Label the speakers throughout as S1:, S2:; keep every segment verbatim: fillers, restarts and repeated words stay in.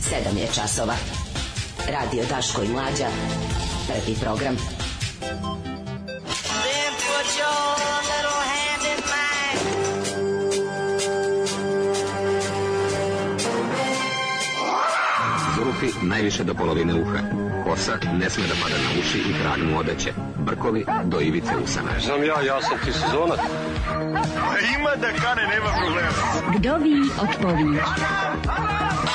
S1: sedam je časova. Radio Daško i Mlađa. Prvi program.
S2: Zulufi najviše do polovine uha. Kosa ne sme da pada na uši i trag mu odeće. Brkovi do ivice usana.
S3: Znam ja, ja sam ti sezonac.
S4: Ima da kane, nema problema.
S5: Vdovi od pović.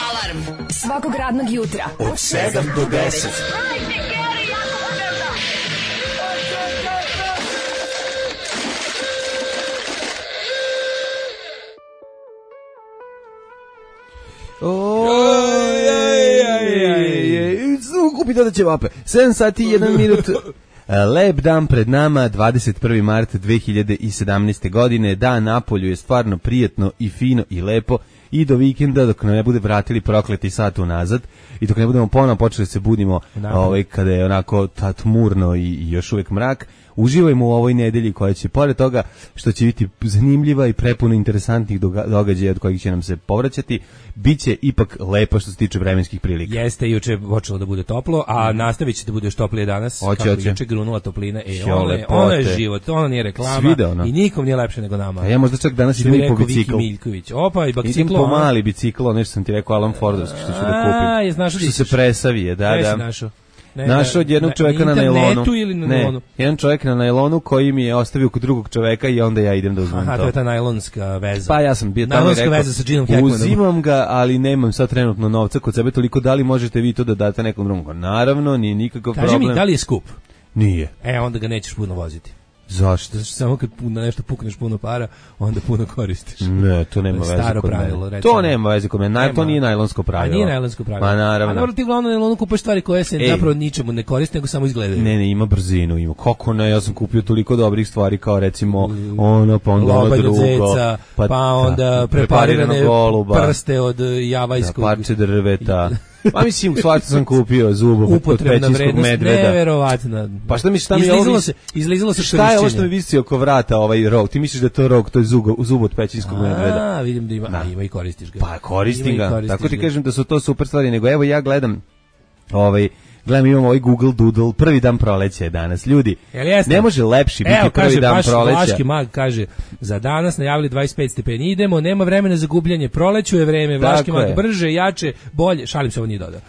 S1: Alarm svakog radnog jutra
S6: od sedam do deset. Kupi dodaće vape. sedam sati i jedan minut. Lep dan pred nama, dvadeset prvi mart dve hiljade sedamnaeste. godine. Dan napolju je stvarno prijetno i fino i lepo. I do vikenda, dok ne bude vratili prokleti sat unazad i dok ne budemo ponovno počeli se budimo ovaj, kada je onako tmurno i, i još uvijek mrak, uživajmo u ovoj nedelji koja će, pored toga što će biti zanimljiva i prepuno interesantnih događaja od kojih će nam se povraćati, bit će ipak lepo što se tiče vremenskih prilika.
S7: Jeste, juče počelo da bude toplo, a nastavit će da bude još toplije danas.
S6: Oće,
S7: kako
S6: oće.
S7: juče grunula toplina. E, ono, je, ono je život, ono nije reklama.
S6: Svide, ono.
S7: I nikom nije lepše nego nama.
S6: A ja možda čak danas idem i po bicikl.
S7: Opa, i biciklo.
S6: Idem po mali biciklo, nešto sam ti rekao, Alan Fordovski, što ću da kupim.
S7: A, je znaš
S6: što se presavije, da, da.
S7: Našao? Ne,
S6: našao od jednog čovjeka na najlonu.
S7: Ili na
S6: ne,
S7: najlonu?
S6: jedan čovjek na najlonu koji mi je ostavio kod drugog čovjeka i onda ja idem da uzmem
S7: Aha,
S6: to.
S7: to je ta najlonska veza.
S6: Pa ja sam bio tamo
S7: najlonska
S6: i rekao,
S7: veza sa Ginom Hackmanom.
S6: uzimam ga, ali nemam sad trenutno novca kod sebe toliko, da li možete vi to da date nekom drugom? Naravno, nije nikakav
S7: Kaži
S6: problem.
S7: mi, da li je skup?
S6: Nije.
S7: E, onda ga nećeš puno voziti.
S6: Zašto?
S7: Zato što samo kad na nešto pukneš puno para, onda puno koristiš.
S6: Ne, to nema veze
S7: Staro
S6: kod
S7: pravilo,
S6: mene.
S7: recimo.
S6: To nema veze kod mene. Naj, to nije najlonsko pravilo.
S7: A nije najlonsko pravilo.
S6: Ma naravno.
S7: A dobro, ti glavno najlonu kupaš stvari koje se
S6: Ej.
S7: zapravo ničemu ne koriste, nego samo izgledaju.
S6: Ne, ne, ima brzinu, ima. Kako ne, ja sam kupio toliko dobrih stvari kao recimo ono, pa onda ono drugo.
S7: Zeca, pa, pa onda da, preparirane
S6: goluba,
S7: prste od javajskog.
S6: Da, parče drveta. Pa mislim, svašta sam kupio zubu od pećinskog medveda.
S7: Neverovatna.
S6: Pa šta mi šta mi
S7: izlizalo
S6: ovo
S7: se, izlizalo se
S6: šta je ovo što mi visi oko vrata, ovaj rog? Ti misliš da je to rog, to je zub, zub od pećinskog
S7: a,
S6: medveda?
S7: A, vidim da ima, a, ima i koristiš ga.
S6: Pa koristim ga,
S7: koristiš
S6: tako ti
S7: ga.
S6: kažem da su to super stvari, nego evo ja gledam ovaj Gledam, imamo ovaj Google Doodle, prvi dan proleća je danas. Ljudi, ne može lepši biti
S7: Evo,
S6: prvi
S7: kaže,
S6: dan
S7: baš
S6: proleća.
S7: Vlaški mag kaže, za danas najavili dvadeset pet stepeni, idemo, nema vremena za gubljenje, proleću je vreme, Vlaški mag, brže, jače, bolje, šalim se, ovo nije dodao.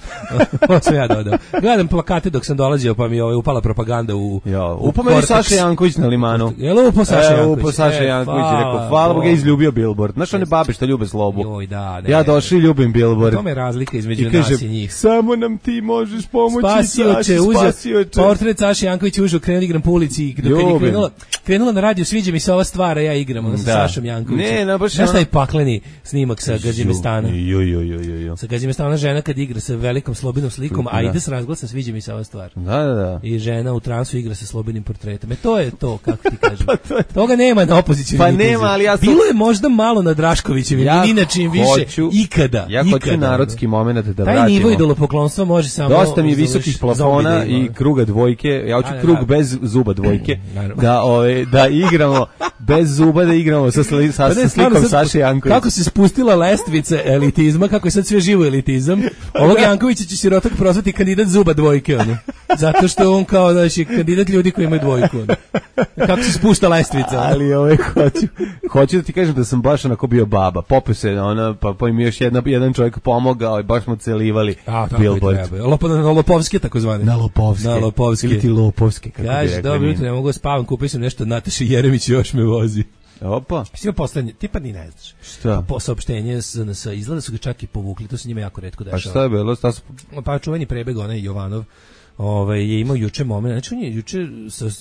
S7: Ovo sam ja dodao. Gledam plakate dok sam dolazio, pa mi je ovaj upala propaganda u...
S6: Jo, upao me Saša Janković na limanu.
S7: Jel upao Saša Janković?
S6: Upao Saša Janković, e, rekao, hvala Boga, izljubio Billboard. Znaš one babe što ljube slobu?
S7: Joj, da, ne.
S6: Ja došli ljubim Billboard.
S7: To me razlika između
S6: I
S7: nas
S6: kaže,
S7: i njih.
S6: Samo nam ti možeš pomoći.
S7: Spasioće, uzeo portret Saša Janković, ušao, krenuo igram po ulici i dok je krenula, krenula na radio, sviđa mi se ova stvar, a ja igram ono, sa da. Sašom Jankovićem.
S6: Ne, no, baš
S7: znaš taj pakleni snimak sa Gazimestana?
S6: Jo, jo, jo, jo, jo.
S7: Sa Gazimestana žena kad igra sa velikom slobinom slikom, a ide s razglasom, sviđa mi se ova stvar.
S6: Da, da, da.
S7: I žena u transu igra sa slobinim portretom. E to je to, kako ti kažem. Pa to je... Toga nema na opoziciji.
S6: Pa nema, ali ja sam...
S7: Bilo je možda malo na Draškovićevim, ja inačim više ikada.
S6: Ja
S7: ikada.
S6: hoću narodski moment da
S7: taj
S6: vratimo.
S7: Taj nivo idolopoklonstva može samo...
S6: Dosta mi je visokih plafona i kruga dvojke. Ja hoću krug da, bez zuba dvojke. Da, ove, da igramo bez zuba, da igramo sa, sli, sa, pa ne, slikom sad, Saše Jankovića.
S7: Kako se spustila lestvica elitizma, kako je sad sve živo elitizam. Ovog Jankovića će sirotak prozvati kandidat zuba dvojke. Ono. Zato što on kao znači, kandidat ljudi koji imaju dvojku. Ono. Kako se spušta lestvica. Ono.
S6: Ali ove, hoću, hoću da ti kažem da sam baš onako bio baba. Popio se, ona, pa, pa im još jedna, jedan čovjek pomogao i baš smo celivali Billboard.
S7: Lopo, na Lopovske takozvane.
S6: Na Lopovske.
S7: Na Lopovske.
S6: Ili ti Lopovske, kako
S7: Kaži,
S6: bi rekli.
S7: dobro jutro, ne mogu spavam, kupio sam nešto Nataši Jeremić još me vozi.
S6: Opa.
S7: Sve poslednje, ti pa ni ne znaš.
S6: Šta?
S7: Po saopštenje s N S, izgleda su ga čak i povukli, to se njima jako retko dešava.
S6: A šta je bilo? Šta su...
S7: Pa čuveni prebeg, onaj Jovanov, ovaj, je imao juče moment, znači on je juče,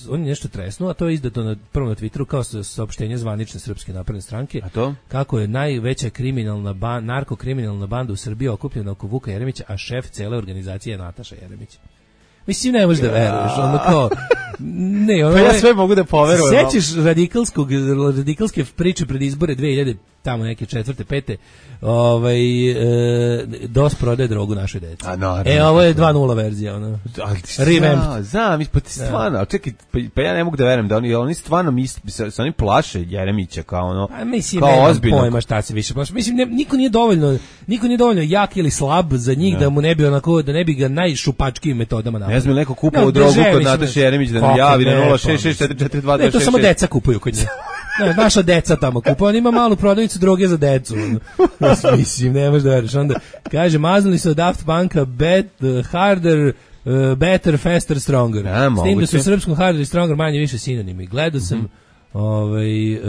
S7: on je nešto tresnuo, a to je izdato na, prvo na Twitteru kao saopštenje zvanične Srpske napredne stranke.
S6: A to?
S7: Kako je najveća kriminalna ban, narkokriminalna banda u Srbiji okupljena oko Vuka Jeremića, a šef cele organizacije je Nataša Jeremić. Mislim, ne možeš da veruješ, ono kao... Ne, ono,
S6: pa ja sve mogu da poverujem.
S7: Sećaš radikalskog, radikalske priče pred izbore dve hiljade, tamo neke četvrte, pete, ovaj, e, DOS prodaje drogu našoj deci.
S6: A no,
S7: e, ovo je dva nula verzija, ono.
S6: Revamped. Znam, pa ti stvarno, ali čekaj, pa, pa ja ne mogu da verujem da oni, oni stvarno misli, sa, sa oni plaše Jeremića kao ono,
S7: a mislim,
S6: kao ozbiljno.
S7: Pojma šta se više plaše. Mislim, ne, niko nije dovoljno, niko nije dovoljno jak ili slab za njih, da mu ne bi onako, da ne bi ga najšupačkijim metodama napravili.
S6: Ne znam, neko kupao no, drogu kod Nataše Jeremić da nam javi na nula šest šest četiri četiri dva dva šest šest.
S7: Ne, to samo deca kupuju kod nje. Ne, naša deca tamo kupuju, on ima malu prodavnicu droge za decu. Mislim, ne možeš da veriš. Onda kaže, maznuli se od Daft Punka, bet, uh, harder, uh, better, faster, stronger.
S6: Ja,
S7: s tim da su u srpskom harder i stronger manje više sinonimi. Gledao sam mm-hmm. ovaj, uh,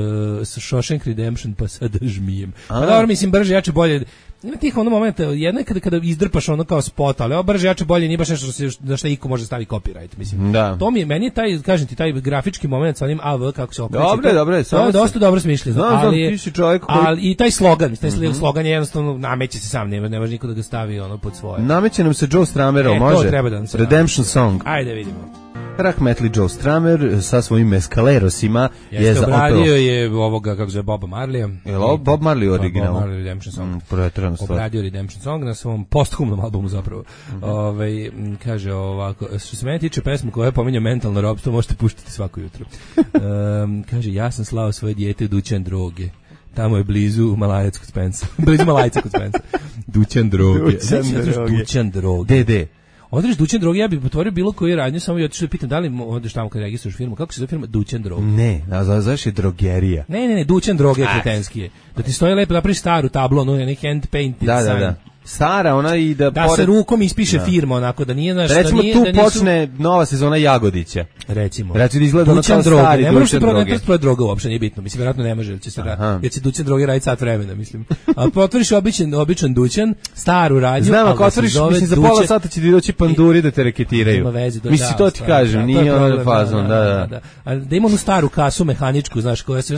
S7: sa Shawshank Redemption pa sada žmijem. Pa dobro, mislim, brže, jače, bolje. Ima tih ono momenta, jedno je kada, kada izdrpaš ono kao spot, ali ovo brže, jače, bolje, nije baš nešto što se, da šta iko može stavi copyright, mislim. Da. To mi je, meni je taj, kažem ti, taj grafički moment sa onim A V, kako se okreće.
S6: Dobre, dobre.
S7: To je dosta dobro smišljeno.
S6: Znam, znam, ti si čovjek koji...
S7: Ali i taj slogan, taj mm-hmm. slogan je jednostavno, nameće se sam, ne, ne može niko da ga stavi ono pod svoje.
S6: Nameće nam se Joe Stramerov, e, može?
S7: To treba da nam se
S6: Redemption Song.
S7: Ajde, vidimo.
S6: Rahmetli Joe Stramer sa svojim meskalerosima
S7: je, je za obradio je ovoga, kako zove, Boba Marleya.
S6: Je li Bob Marley original?
S7: Bob Marley Redemption Song.
S6: Mm,
S7: obradio Redemption Song na svom posthumnom albumu zapravo. Mm-hmm. Ove, kaže ovako, što se mene tiče pesmu koja je pominja mentalno robstvo, možete puštati svako jutro. um, kaže, ja sam slao svoje dijete u dućan droge. Tamo je blizu Malajac kod Spensa. blizu Malajca kod Spensa. Dućan droge.
S6: Dućan droge.
S7: Dućan droge.
S6: De, de.
S7: Odreš Dućan droge, ja bih potvorio bilo koju radnju, samo i otišao da pitam da li odeš tamo kad registruješ firmu, kako se zove firma Dućan droge?
S6: Ne, znaš je drogerija.
S7: Ne, ne, ne, Dućan droge je kretenski je. Da ti stoji lepo, napraviš staru tablu, ono je neki hand painted
S6: da,
S7: sign.
S6: Da, da. Stara, ona i da...
S7: Da pored... se rukom ispiše da. Firma, onako, da nije... Naš,
S6: recimo
S7: da nije,
S6: tu
S7: da nisu...
S6: počne nova sezona Jagodića.
S7: Recimo.
S6: Recimo da izgleda ono kao
S7: droge.
S6: stari
S7: ne
S6: Dućan droge. Ne
S7: možeš proći droga uopšte, nije bitno. Mislim, vjerojatno ne može, jer će se, ra... jer će Dućan droge raditi sat vremena, mislim. A otvoriš običan, običan Dućan, staru radnju...
S6: Znam, ako otvoriš, mislim, za pola sata će ti doći panduri da te reketiraju. Mislim, to ti kažem, nije ono fazon, da, da.
S7: A da ima onu staru kasu mehaničku, znaš, koja se...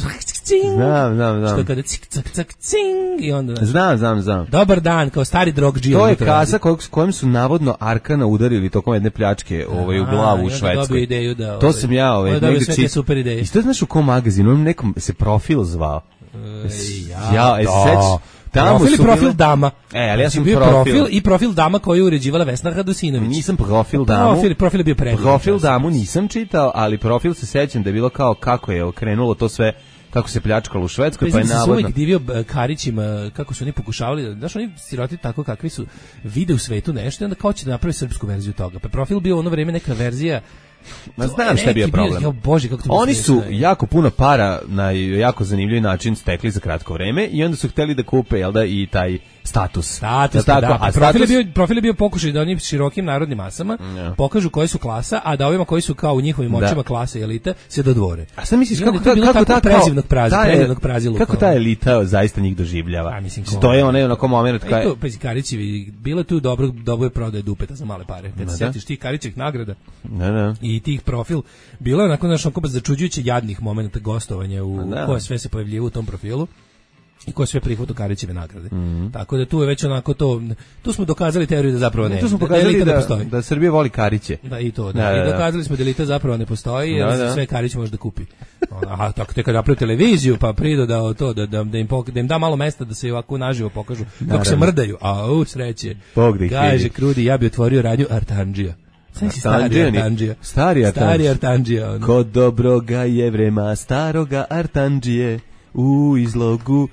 S6: Znam, znam, znam.
S7: Što kada cik, cak, cak, cing, i onda...
S6: Znam, znam, znam.
S7: Dobar dan, kao stari drogdžija.
S6: To je kasa kojom su navodno Arkana udarili tokom jedne pljačke ovaj, u glavu u Švedskoj.
S7: Ideju da, ovaj,
S6: to sam ja... Ovaj,
S7: negdje sve te super ideje.
S6: I što znaš u kom magazinu? Onom nekom se profil zvao.
S7: E, ja,
S6: ja, e, seć,
S7: tamo profil i profil
S6: bile...
S7: dama.
S6: E, ali ja sam
S7: bio
S6: profil.
S7: profil i profil dama koju je uređivala Vesna Radosinović.
S6: Nisam profil damu.
S7: Profil, profil je bio predivno.
S6: Profil damu nisam čitao, ali profil se sećam da je bilo kao kako je okrenulo to sve, kako se pljačkalo u Švedskoj, pa je navodno...
S7: Ja sam uvijek divio Karićima, kako su oni pokušavali, znaš, oni siroti tako kakvi su, vide u svetu nešto i onda kao će da napravi srpsku verziju toga. Pa profil bio ono vreme neka verzija.
S6: Ma znam šta je bio problem.
S7: Bio, Bože, kako to
S6: oni su ne. jako puno para na jako zanimljiv način stekli za kratko vreme i onda su hteli da kupe, jel da, i taj status.
S7: Status, da, da. A profil, status... je bio, profil je bio pokušaj da oni širokim narodnim masama ja. pokažu koji su klasa, a da ovima koji su kao u njihovim očima klase i elite se dodvore.
S6: A sad misliš kako,
S7: kako, kako ta prezivnog prazi, prezivnog prazilu.
S6: Kako ta elita zaista njih doživljava?
S7: A, mislim,
S6: to je onaj onako moment
S7: kad to pa Karićevi bilo tu dobro dobro prodaje dupeta za male pare. Kad se sjetiš tih Karićevih nagrada.
S6: Ne, ne.
S7: I tih profil bilo je onako našo onako začuđujuće jadnih momenata gostovanja u koje sve se pojavljivalo u tom profilu. I ko sve prihvatio Karićeve nagrade. Mm-hmm. Tako da tu je već onako to, tu smo dokazali teoriju da zapravo ne.
S6: Tu smo pokazali da, da, da Srbija voli Kariće.
S7: Da, i to, da. da, da. I dokazali smo da elita zapravo ne postoji, jer da, da. sve Karić može da kupi. Aha, tako te kad napravi televiziju, pa prido da to, da, da, da, im, pok, da im da malo mesta da se ovako naživo pokažu kako Naravno. se mrdaju. A, u, sreće. Kaže Krudi, ja bi otvorio radnju Artandžija. Stari Artandžija.
S6: Stari Artandžija.
S7: Stari Artandžija. Ono.
S6: Kod dobroga jevrema, staroga Artandžije, u izlogu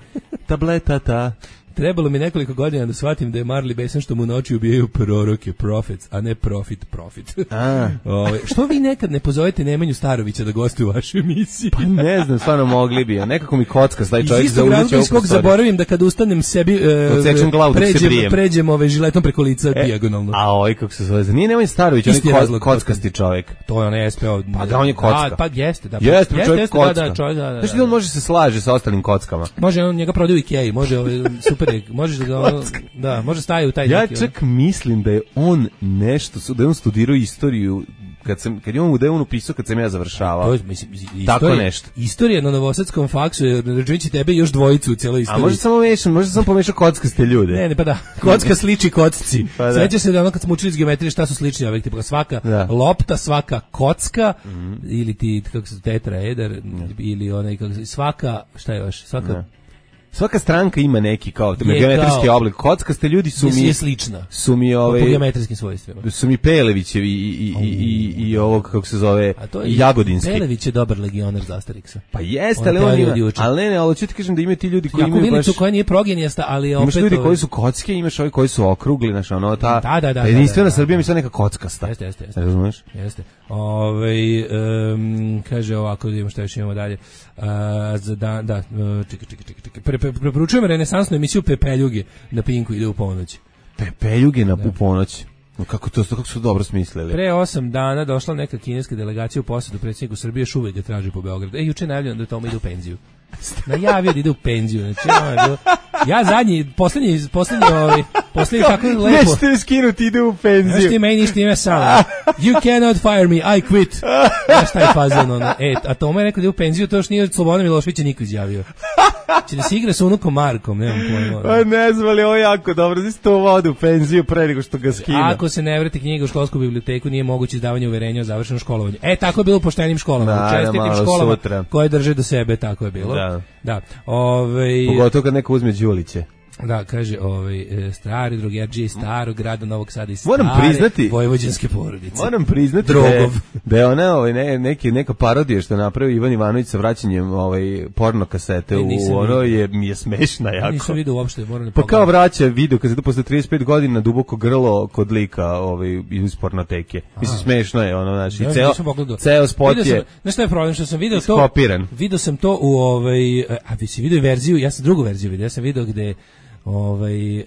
S6: tabletata.
S7: Trebalo mi nekoliko godina da shvatim da je Marley besan što mu noći ubijaju proroke, profits, a ne profit, profit.
S6: A.
S7: Ove, što vi nekad ne pozovete Nemanju Starovića da gostuje u vašoj emisiji?
S6: Pa ne znam, stvarno mogli bi. Nekako mi kocka taj čovjek za uzeće
S7: ovog skog zaboravim da kad ustanem sebi
S6: uh, glavu,
S7: pređem, pređem ove žiletom preko lica e, dijagonalno.
S6: A oj, kako se zove? Nije Nemanja Starović, on je ko, kockasti čovjek.
S7: To je on S P O.
S6: Pa da, on je kocka.
S7: Da, pa jeste. Da,
S6: jeste, jeste, čovjek kocka.
S7: Da, da, čovjek, da, da,
S6: znači da on može se slaže sa ostalim kockama.
S7: Može, on njega prodaje u Ikei, može ove, super, možeš da ga da, može staje u taj
S6: ja
S7: neki.
S6: Ja čak mislim da je on nešto, da je on studirao istoriju kad sam kad je on da je on upisao kad sam ja završavao.
S7: To je mislim istorija,
S6: tako nešto.
S7: Istorija na Novosadskom faksu je računajući tebe još dvojicu u celoj istoriji.
S6: A može samo mešam, može samo pomešati kockaste ljude.
S7: Ne, ne, pa da. Kocka sliči kocci. Pa seća se da ono kad smo učili iz geometrije šta su slični objekti, pa svaka da. lopta, svaka kocka mm-hmm. ili ti kako se tetraeder mm. ili onaj kako se svaka šta je još, svaka
S6: da. svaka stranka ima neki kao geometrijski oblik. Kockaste ljudi su mi
S7: je slična.
S6: Su mi ove
S7: po geometrijskim svojstvima.
S6: Su mi Pelevićevi i i i i, i ovog kako se zove Jagodinski.
S7: Pelević je dobar legionar za Asterixa.
S6: Pa jeste, ali on ima, ali ne, ne, ali ću ti kažem da ima ti ljudi koji imaju baš
S7: koja nije progenijasta, ali opet
S6: imaš ljudi koji su kocke, imaš ovi koji su okrugli, znači ono ta
S7: da, da, da,
S6: jedinstvena
S7: da, da,
S6: Srbija mi se neka kockasta.
S7: Jeste, jeste, jeste.
S6: Razumeš?
S7: Jeste. Ovaj um, kaže ovako, da imamo šta još imamo dalje. Uh, za da, da, čekaj, čekaj, čekaj. Pre, pre, preporučujem renesansnu emisiju Pepeljuge na Pinku, ide u ponoć.
S6: Pepeljuge na da. ponoć. Kako to, kako su dobro smislili.
S7: Pre osam dana došla neka kineska delegacija u posjedu predsjedniku Srbije, još uvijek ga traži po Beogradu. E, juče najavljeno da tamo ide u penziju. Najavio da ide u penziju. Znači, ono, ja zadnji, posljednji, posljednji, ovaj, posljednji tako lepo.
S6: Nećete skinuti, ide u penziju.
S7: Znaš ti meni ništa ime samo. You cannot fire me, I quit. Znaš taj fazon, ono. E, a to me rekao da ide u penziju, to još nije Slobodan Miloševića niko izjavio. Če da se igra sa unukom Markom, nemam pojma.
S6: Pa ne znam li, ovo je jako dobro, da se to vode u penziju pre nego što ga skina.
S7: Ako se ne vrati knjiga u školsku biblioteku, nije moguće izdavanje uverenja o završenom školovanju. E, tako je bilo u poštenim školama,
S6: da,
S7: u čestitim školama
S6: sutra.
S7: Koje drže do sebe, tako je bilo.
S6: Da.
S7: Da. Ove,
S6: pogotovo kad neko uzme Đuliće.
S7: Da, kaže, ovaj stari drugerđije iz starog grada Novog Sada i stare
S6: moram priznati,
S7: vojvođanske porodice.
S6: Moram priznati Drogov. da je ona ovaj, ne, neki, neka parodija što je napravio Ivan Ivanović sa vraćanjem ovaj, porno kasete ne, u ono je, mi je smešna jako.
S7: Nisam vidio uopšte. Moram
S6: pa kao vraća video kazetu posle trideset pet godina duboko grlo kod lika ovaj, iz pornoteke. Mislim, smešno je ono, znači, ja, ceo, ceo spot je...
S7: Znaš šta je problem, što sam vidio to... Skopiran. Vidio sam to u, ovaj, a vi si vidio verziju, ja sam drugu verziju vidio, ja sam vidio gde... Ovaj, e,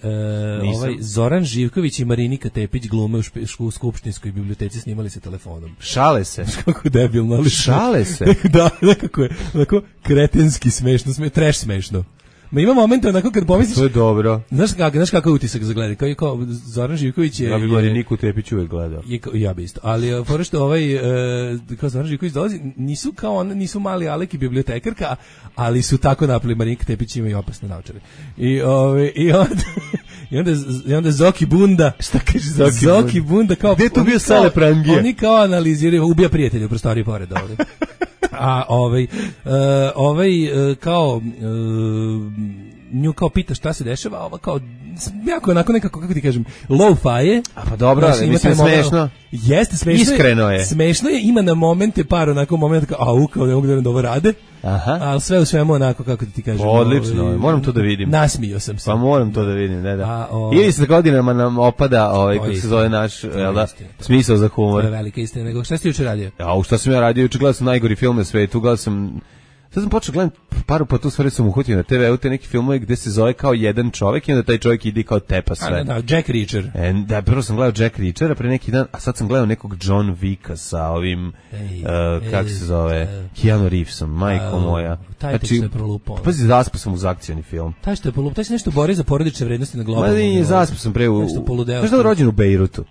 S7: ovaj Zoran Živković i Marinika Tepić glume u, špe, u skupštinskoj biblioteci, snimali se telefonom.
S6: Šale se.
S7: Kako debilno, ali
S6: šale se.
S7: Da, nekako je, onako kretenski smešno, sme, trash smešno. Ma ima momente onako kad pomisliš...
S6: To je dobro.
S7: Znaš kakav, znaš kakav utisak za gledanje? Kao, kao Zoran Živković je...
S6: Ja bih Mariniku Tepić uvijek gledao.
S7: Je, ja bi isto. Ali fora što ovaj, e, kao Zoran Živković dolazi, nisu kao on, nisu mali Alek i bibliotekarka, ali su tako napali. Marinika Tepić ima i opasne naočare. I, ove, i, onda, i, onda, i onda Zoki Bunda...
S6: Šta kaže Zoki,
S7: Zoki Bunda? Bunda kao...
S6: Gde tu bio Sale Prangije?
S7: Oni kao analiziraju, ubija prijatelja u prostoriji pored ovdje. A ovaj, uh, ovaj uh, kao... Uh, nju kao pita šta se dešava, ova kao jako onako nekako, kako ti kažem, low-fi je.
S6: A pa dobro, ali mislim smešno.
S7: Jeste, smešno.
S6: Iskreno je.
S7: Smešno je, ima na momente par onako momenta kao, au, kao ne mogu da ovo rade.
S6: Aha.
S7: Ali sve u svemu onako, kako ti kažem.
S6: Odlično,
S7: ovaj,
S6: moram to da vidim.
S7: Nasmio sam se.
S6: Pa moram to da vidim, ne da. A, ovaj, ili sa godinama nam opada, ovaj, kako se zove naš, jel da, smisao za humor.
S7: To je velika istina, nego šta si juče radio?
S6: A, šta sam ja radio, juče gledao sam najgori film na svetu, gledao sam... Sad sam počeo gledam paru pa tu stvari sam uhvatio na te ve u te neki filmove gde se zove kao jedan čovek i onda taj čovek ide kao tepa sve.
S7: A, da, da, Jack Reacher.
S6: E, da, prvo sam gledao Jack Reachera pre neki dan, a sad sam gledao nekog John Vicka sa ovim, ej, uh, kako se zove, ej, Keanu Reevesom, majko uh, moja.
S7: Taj znači, je prolupao.
S6: Pazi, zaspao sam uz akcioni film.
S7: Taj što je prolupao, taj se nešto bori za porodične vrednosti na globalnom. Ma
S6: nije, zaspao sam pre u... Znaš da je rođen u Bejrutu?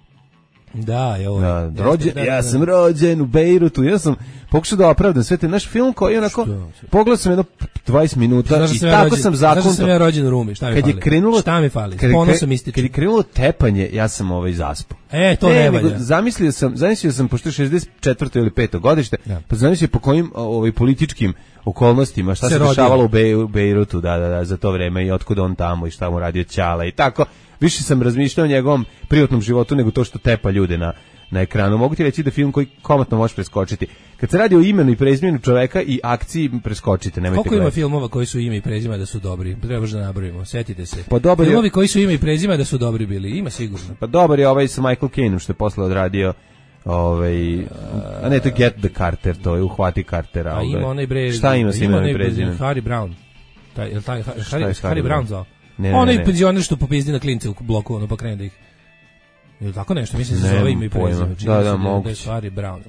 S7: Da, je ovo.
S6: Da, rođen, da, da, ja sam rođen u Bejrutu, ja sam pokušao da opravdam sve te naš film koji je onako, pogledao sam jedno dvadeset minuta i tako rođen, sam zakonto.
S7: Znaš da sam ja rođen u Rumi, šta mi
S6: kad
S7: fali?
S6: Je krenulo,
S7: šta mi fali?
S6: Kad,
S7: Ponosom ističem.
S6: Kad je krenulo tepanje, ja sam ovaj zaspao.
S7: E, to ne, ne valja.
S6: Zamislio sam, zamislio sam, pošto je šezdeset četvrto ili peto godište, ja. Pa zamislio po kojim ovaj, političkim okolnostima, šta se, se dešavalo u, Bej, u Bejrutu, da, da, da, za to vreme i otkud on tamo i šta mu radio Ćala i tako. Više sam razmišljao o njegovom privatnom životu nego to što tepa ljude na na ekranu. Mogu ti reći da film koji komatno možeš preskočiti. Kad se radi o imenu i prezimenu čoveka i akciji, preskočite, nemojte
S7: gledati. Koliko ima filmova koji su ime i prezime da su dobri? Trebaš da nabrojimo, setite se.
S6: Pa dobar
S7: filmovi
S6: je...
S7: koji su ime i prezime da su dobri bili, ima sigurno.
S6: Pa dobar je ovaj sa Michael Caineom što je posle odradio ovaj, a ne, to je Get the Carter, to je Uhvati Cartera.
S7: A ima onaj bre...
S6: Šta ima sa imenom i prezimenom?
S7: Harry Brown. Taj, je li taj, Harry, Harry, Harry Brown zvao?
S6: Ne, ne,
S7: onaj
S6: ne.
S7: penzioner što popizdi na klince u bloku, ono pa krene da ih... Ili tako nešto, mislim da se zove ime i prezime.
S6: Da, da, mogu.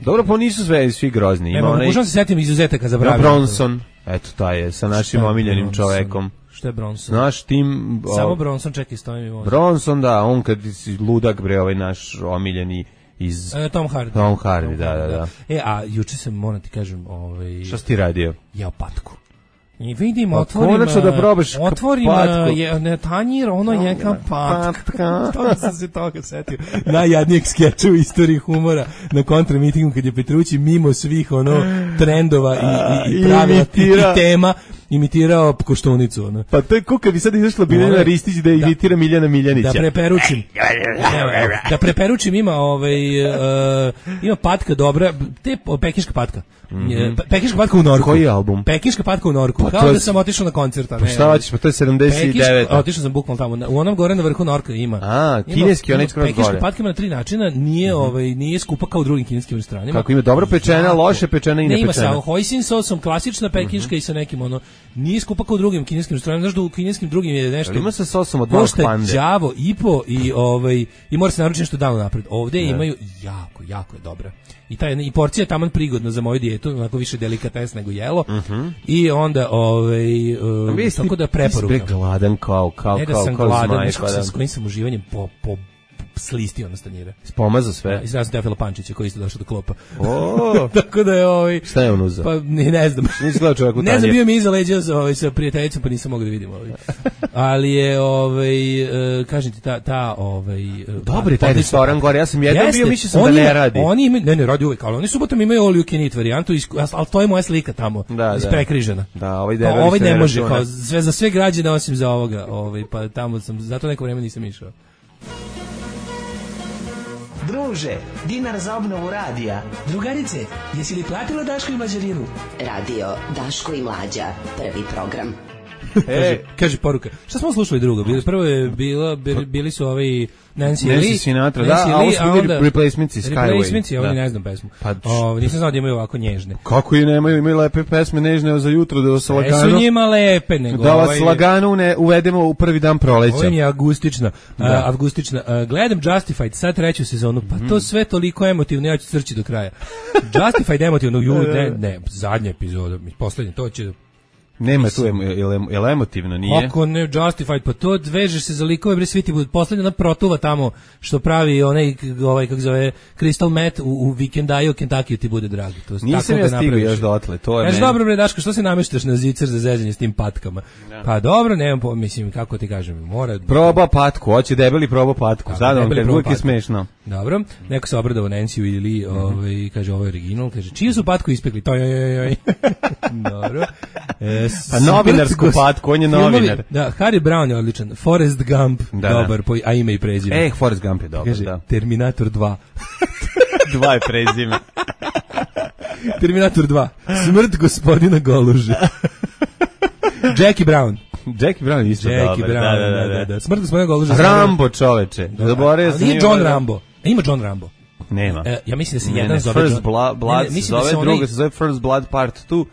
S6: Dobro, pa nisu sve svi grozni.
S7: Ima onaj... Možda se setim izuzetaka za Bravio.
S6: Bronson, eto taj je, sa našim omiljenim čovekom.
S7: Šta je Bronson?
S6: Naš tim...
S7: Samo Bronson, čekaj, stojim i možda.
S6: Bronson, da, on kad si ludak, bre, ovaj naš omiljeni iz...
S7: E, Tom Hardy.
S6: Tom Hardy, da, da, da.
S7: E, a juče sam, moram ti kažem, ovaj...
S6: Šta si ti radio?
S7: Jeo patku. I vidim,
S6: pa
S7: otvorim,
S6: konačno da probaš
S7: otvorim je, ne, tanjir, ono je kao patka. To sam se toga setio. Najjadnijeg skeča u istoriji humora na kontramitingu kad je Petrući mimo svih ono trendova i, i, i pravila i tema imitirao Koštunicu. Ono.
S6: Pa to je kuka bi sad izašla Biljana Ristić da imitira Miljana Miljanića.
S7: Da preperučim. Da preperučim ima ovaj uh, ima patka dobra, te pekinška patka. Mm-hmm. Pekinška patka u Norku.
S6: Koji album?
S7: Pekinška patka u Norku. Pa kao da sam otišao na koncert, a ne.
S6: Pa šta hoćeš, pa to je sedamdeset devet.
S7: Otišao sam bukvalno tamo. U onom gore na vrhu Norka ima.
S6: A, kineski onaj skroz gore.
S7: Pekinška patka ima na tri načina, nije mm-hmm. ovaj nije skupa kao u drugim kineskim restoranima.
S6: Kako ima dobro pečena, loše pečena i nepečena.
S7: Ne ima sa hoisin sosom, klasična pekinška mm-hmm. i sa nekim ono nije skupa kao u drugim kineskim restoranima. Znaš da u kineskim drugim je nešto.
S6: Ali ima sa sosom od malog pande.
S7: Đavo i po i ovaj i mora se naručiti nešto dano napred. Ovde ne. Imaju jako, jako je dobra. I ta i porcija je taman prigodna za moju dijetu, onako više delikates nego jelo. Uh-huh. I onda ovaj uh, tako da preporuka.
S6: Ti gladan kao kao
S7: ne da
S6: kao
S7: sam
S6: kao
S7: gladan,
S6: zmaj,
S7: s kojim sam uživanjem po po slistio na stanjire.
S6: Spomazao sve.
S7: I sad sam Tefila Pančića koji isto došao do klopa.
S6: O,
S7: tako da je ovaj.
S6: Šta je on uzeo?
S7: Pa ne, ne znam.
S6: Nisi gledao čovjek u tanjir.
S7: Ne znam, bio mi iza leđa sa ovaj sa prijateljicom, pa nisam mogao da vidim ovaj. Ali je ovaj uh, kažem ti ta ta ovaj uh,
S6: dobri taj restoran gore. Ja sam jedan bio, mislio sam da ne radi.
S7: Oni imaju, ne ne radi uvek, ali oni subotom imaju all you can eat varijantu, al to je moja slika tamo.
S6: Da,
S7: isprekrižena.
S6: Da, ovaj
S7: pa, ovaj ne može kao sve za sve građane osim za ovoga, ovaj pa tamo sam zato neko vreme nisam išao.
S8: Druže, dinar za obnovu radija.
S9: Drugarice, jesi li platila Daško i Mlađarinu?
S1: Radio Daško i Mlađa, prvi program.
S7: kaže, kaže poruka. Šta smo slušali drugo? Bili, prvo je bila, bili su ovi Nancy,
S6: Nancy
S7: Lee,
S6: Sinatra,
S7: Nancy
S6: da, a ovo
S7: Lee,
S6: su bili Replacements i Skyway.
S7: Replacements, ja ovdje ne znam pesmu. Pa, o, nisam znao da imaju ovako nježne.
S6: Kako i nemaju, imaju lepe pesme nežne za jutro, da vas lagano...
S7: Sve su njima lepe, nego...
S6: Da vas ovaj, lagano ne uvedemo u prvi dan proleća.
S7: Ovo mi je avgustična. Da. Uh, avgustična. Uh, gledam Justified, sad treću sezonu, pa mm. to sve toliko emotivno, ja ću crći do kraja. Justified emotivno, ju, ne, ne, zadnja epizoda, poslednja, to će...
S6: Nema tu, je li emotivno, nije?
S7: Ako ne Justified, pa to vežeš se za likove, bre, svi ti budu, poslednja ona protuva tamo, što pravi onaj, ovaj, kako zove, Crystal Meth u, u Vikendaju, Kentucky ti bude dragi. To,
S6: nisam ja stigao još dotle, to je...
S7: Kaži, dobro, bre, Daško, što se nameštaš na zicer za zezanje s tim patkama? Ja. Pa dobro, nemam, po, mislim, kako ti kažem, mora...
S6: Proba patku, hoće debeli proba patku, sad vam kad uvijek je smešno.
S7: Dobro, neko se obradao Nancy ili, ovaj, kaže, ovo je original, kaže, čiju su patku ispekli? To joj, joj, joj. Dobro. E,
S6: pa novinarsku patku, on je novinar.
S7: Da, Harry Brown je odličan. Forrest Gump, da, dobar, po, a ime i prezime.
S6: E, Forrest Gump je dobar,
S7: kaže,
S6: da.
S7: Terminator dva.
S6: dva je prezime.
S7: Terminator dva. Smrt gospodina Goluža. Jackie Brown.
S6: Jackie Brown isto
S7: Jackie
S6: dobar.
S7: Brown, da, da, da, da. Smrt gospodina Goluža.
S6: Rambo, čoveče.
S7: Da, ali nije John Rambo. E, ima John Rambo.
S6: Nema.
S7: E, ja mislim da se
S6: ne,
S7: jedan
S6: ne,
S7: zove
S6: First
S7: John...
S6: Blood, Blood ne, ne, se zove, druga onaj... se zove First Blood Part dva.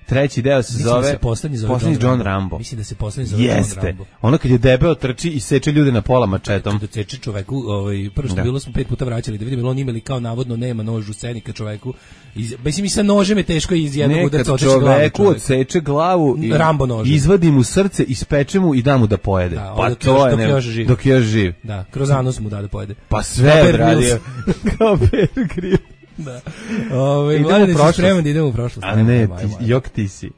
S6: Treći deo se
S7: mislim
S6: zove,
S7: da se poslednji zove
S6: poslednji
S7: John,
S6: John Rambo.
S7: Mislim da se poslednji zove
S6: Jeste.
S7: John Rambo.
S6: Ono kad je debeo trči i seče ljude na pola mačetom.
S7: Da seče čoveku, ovaj, prvo što da. Bilo smo pet puta vraćali da vidimo, on imali kao navodno nema nož u sceni kad čoveku, iz, mislim i sa nožem je teško iz jednog udarca oteći glavu.
S6: Čoveku odseče glavu i
S7: Rambo nožem.
S6: Izvadi mu srce, ispeče mu i da mu da pojede. Da, pa to je,
S7: dok još živ.
S6: Dok još živ.
S7: Da, kroz anus mu da da pojede.
S6: Pa sve odradio. Kao Bear Grylls.
S7: Da. Ovaj mladi se spreman da idemo u prošlost.
S6: A ne, ti, jok ti si.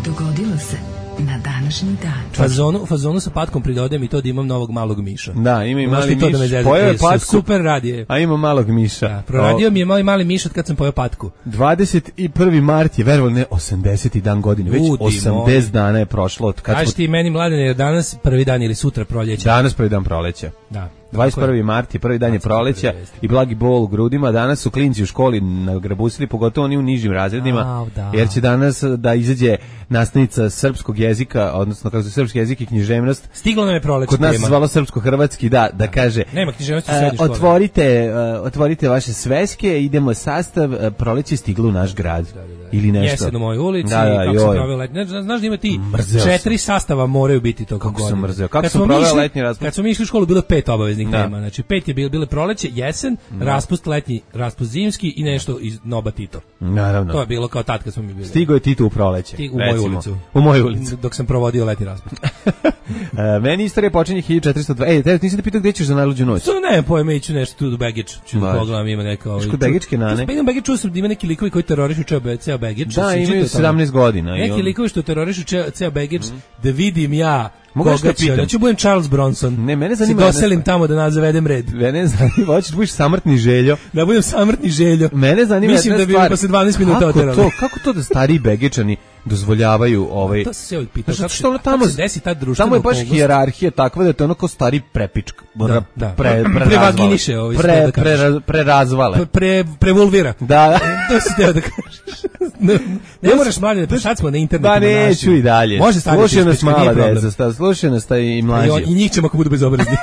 S5: Dogodilo se na današnji dan.
S7: Fazonu, fazonu sa patkom pridodajem i to da imam novog malog miša.
S6: Da, ima i mali
S7: miš.
S6: Da
S7: pojeo je patku. Super radije.
S6: A ima malog miša.
S7: Da, proradio o... mi je mali mali miš od kad sam pojeo patku.
S6: dvadeset prvi mart je, verovali ne, osamdeseti dan godine. Već Udi osamdeset moj. Dana je prošlo. Od kad
S7: Kaži smo... ti meni, Mladene, je danas prvi dan ili sutra proljeća?
S6: Danas prvi dan proleća.
S7: Da.
S6: dvadeset prvi mart je prvi dan je proleća i blagi bol u grudima. Danas su klinci u školi nagrabusili, pogotovo oni u nižim razredima,
S7: A, da.
S6: jer će danas da izađe nastavnica srpskog jezika, odnosno kako se srpski jezik i književnost.
S7: Stiglo nam je proleće.
S6: Kod nas
S7: tema.
S6: se zvalo srpsko-hrvatski, da, da kaže.
S7: Nema književnosti u srednjoj školi.
S6: Otvorite, uh, otvorite vaše sveske, idemo sastav, uh, proleće stiglo u naš grad. Da, da, da. Ili nešto.
S7: Jesen u mojoj ulici,
S6: da, da,
S7: kako sam proveo letnji. Znaš da ima ti mrzeo četiri sam. Sastava moraju biti tokom godine.
S6: Kako sam mrzeo. Kako sam proveo letnji raspust?
S7: Kad smo mi išli u školu bilo pet obaveznih da. Tema. Znači pet je bilo bile proleće, jesen, da. Raspust letnji, raspust zimski i nešto iz Noba Tito.
S6: Naravno.
S7: To je bilo kao tad kad smo mi bili.
S6: Stigo je Tito u proleće.
S7: Stig u moju ulicu.
S6: U moju ulicu.
S7: Dok sam provodio letnji raspust.
S6: uh, meni istorija počinje hiljadu četiristo dva. Ej, te nisi da pitao gdje ćeš za najluđu noć?
S7: To ne, pojme, iću nešto tu do Baggage. Ću da pogledam, ima neka...
S6: Ško Baggičke nane?
S7: Pa idem Baggage, čuo sam da ima neki likovi koji terorišu čeo ceo begeč.
S6: Da, imaju sedamnaest godina.
S7: Neki
S6: on...
S7: likovi što terorišu ceo, ceo begeč, mm. da vidim ja
S6: Mogu
S7: koga će. Da ću budem Charles Bronson.
S6: Ne, mene zanima.
S7: Se doselim tamo da nas zavedem red.
S6: Mene zanima, hoćeš da budeš samrtni Željo.
S7: Da budem samrtni Željo.
S6: Mene zanima
S7: Mislim da bi
S6: stvar.
S7: posle dvanaest minuta oterali.
S6: To, kako to da stari begečani dozvoljavaju ovaj
S7: to se uvijek pitaš
S6: kako što ono tamo
S7: se desi ta društvena
S6: tamo je baš hijerarhija takva da je to ono kao stari prepičk
S7: da, da.
S6: pre
S7: prevaginiše ovaj
S6: pre, pre, pre, pre razvale
S7: pre, pre prevulvira
S6: da
S7: to se teo da kažeš ne, ne moraš mlađe da sad smo na internetu
S6: da neću i dalje
S7: može staviti
S6: slušaj nas mala deca slušaj nas taj i mlađi
S7: i njih ćemo ako budu bezobrazni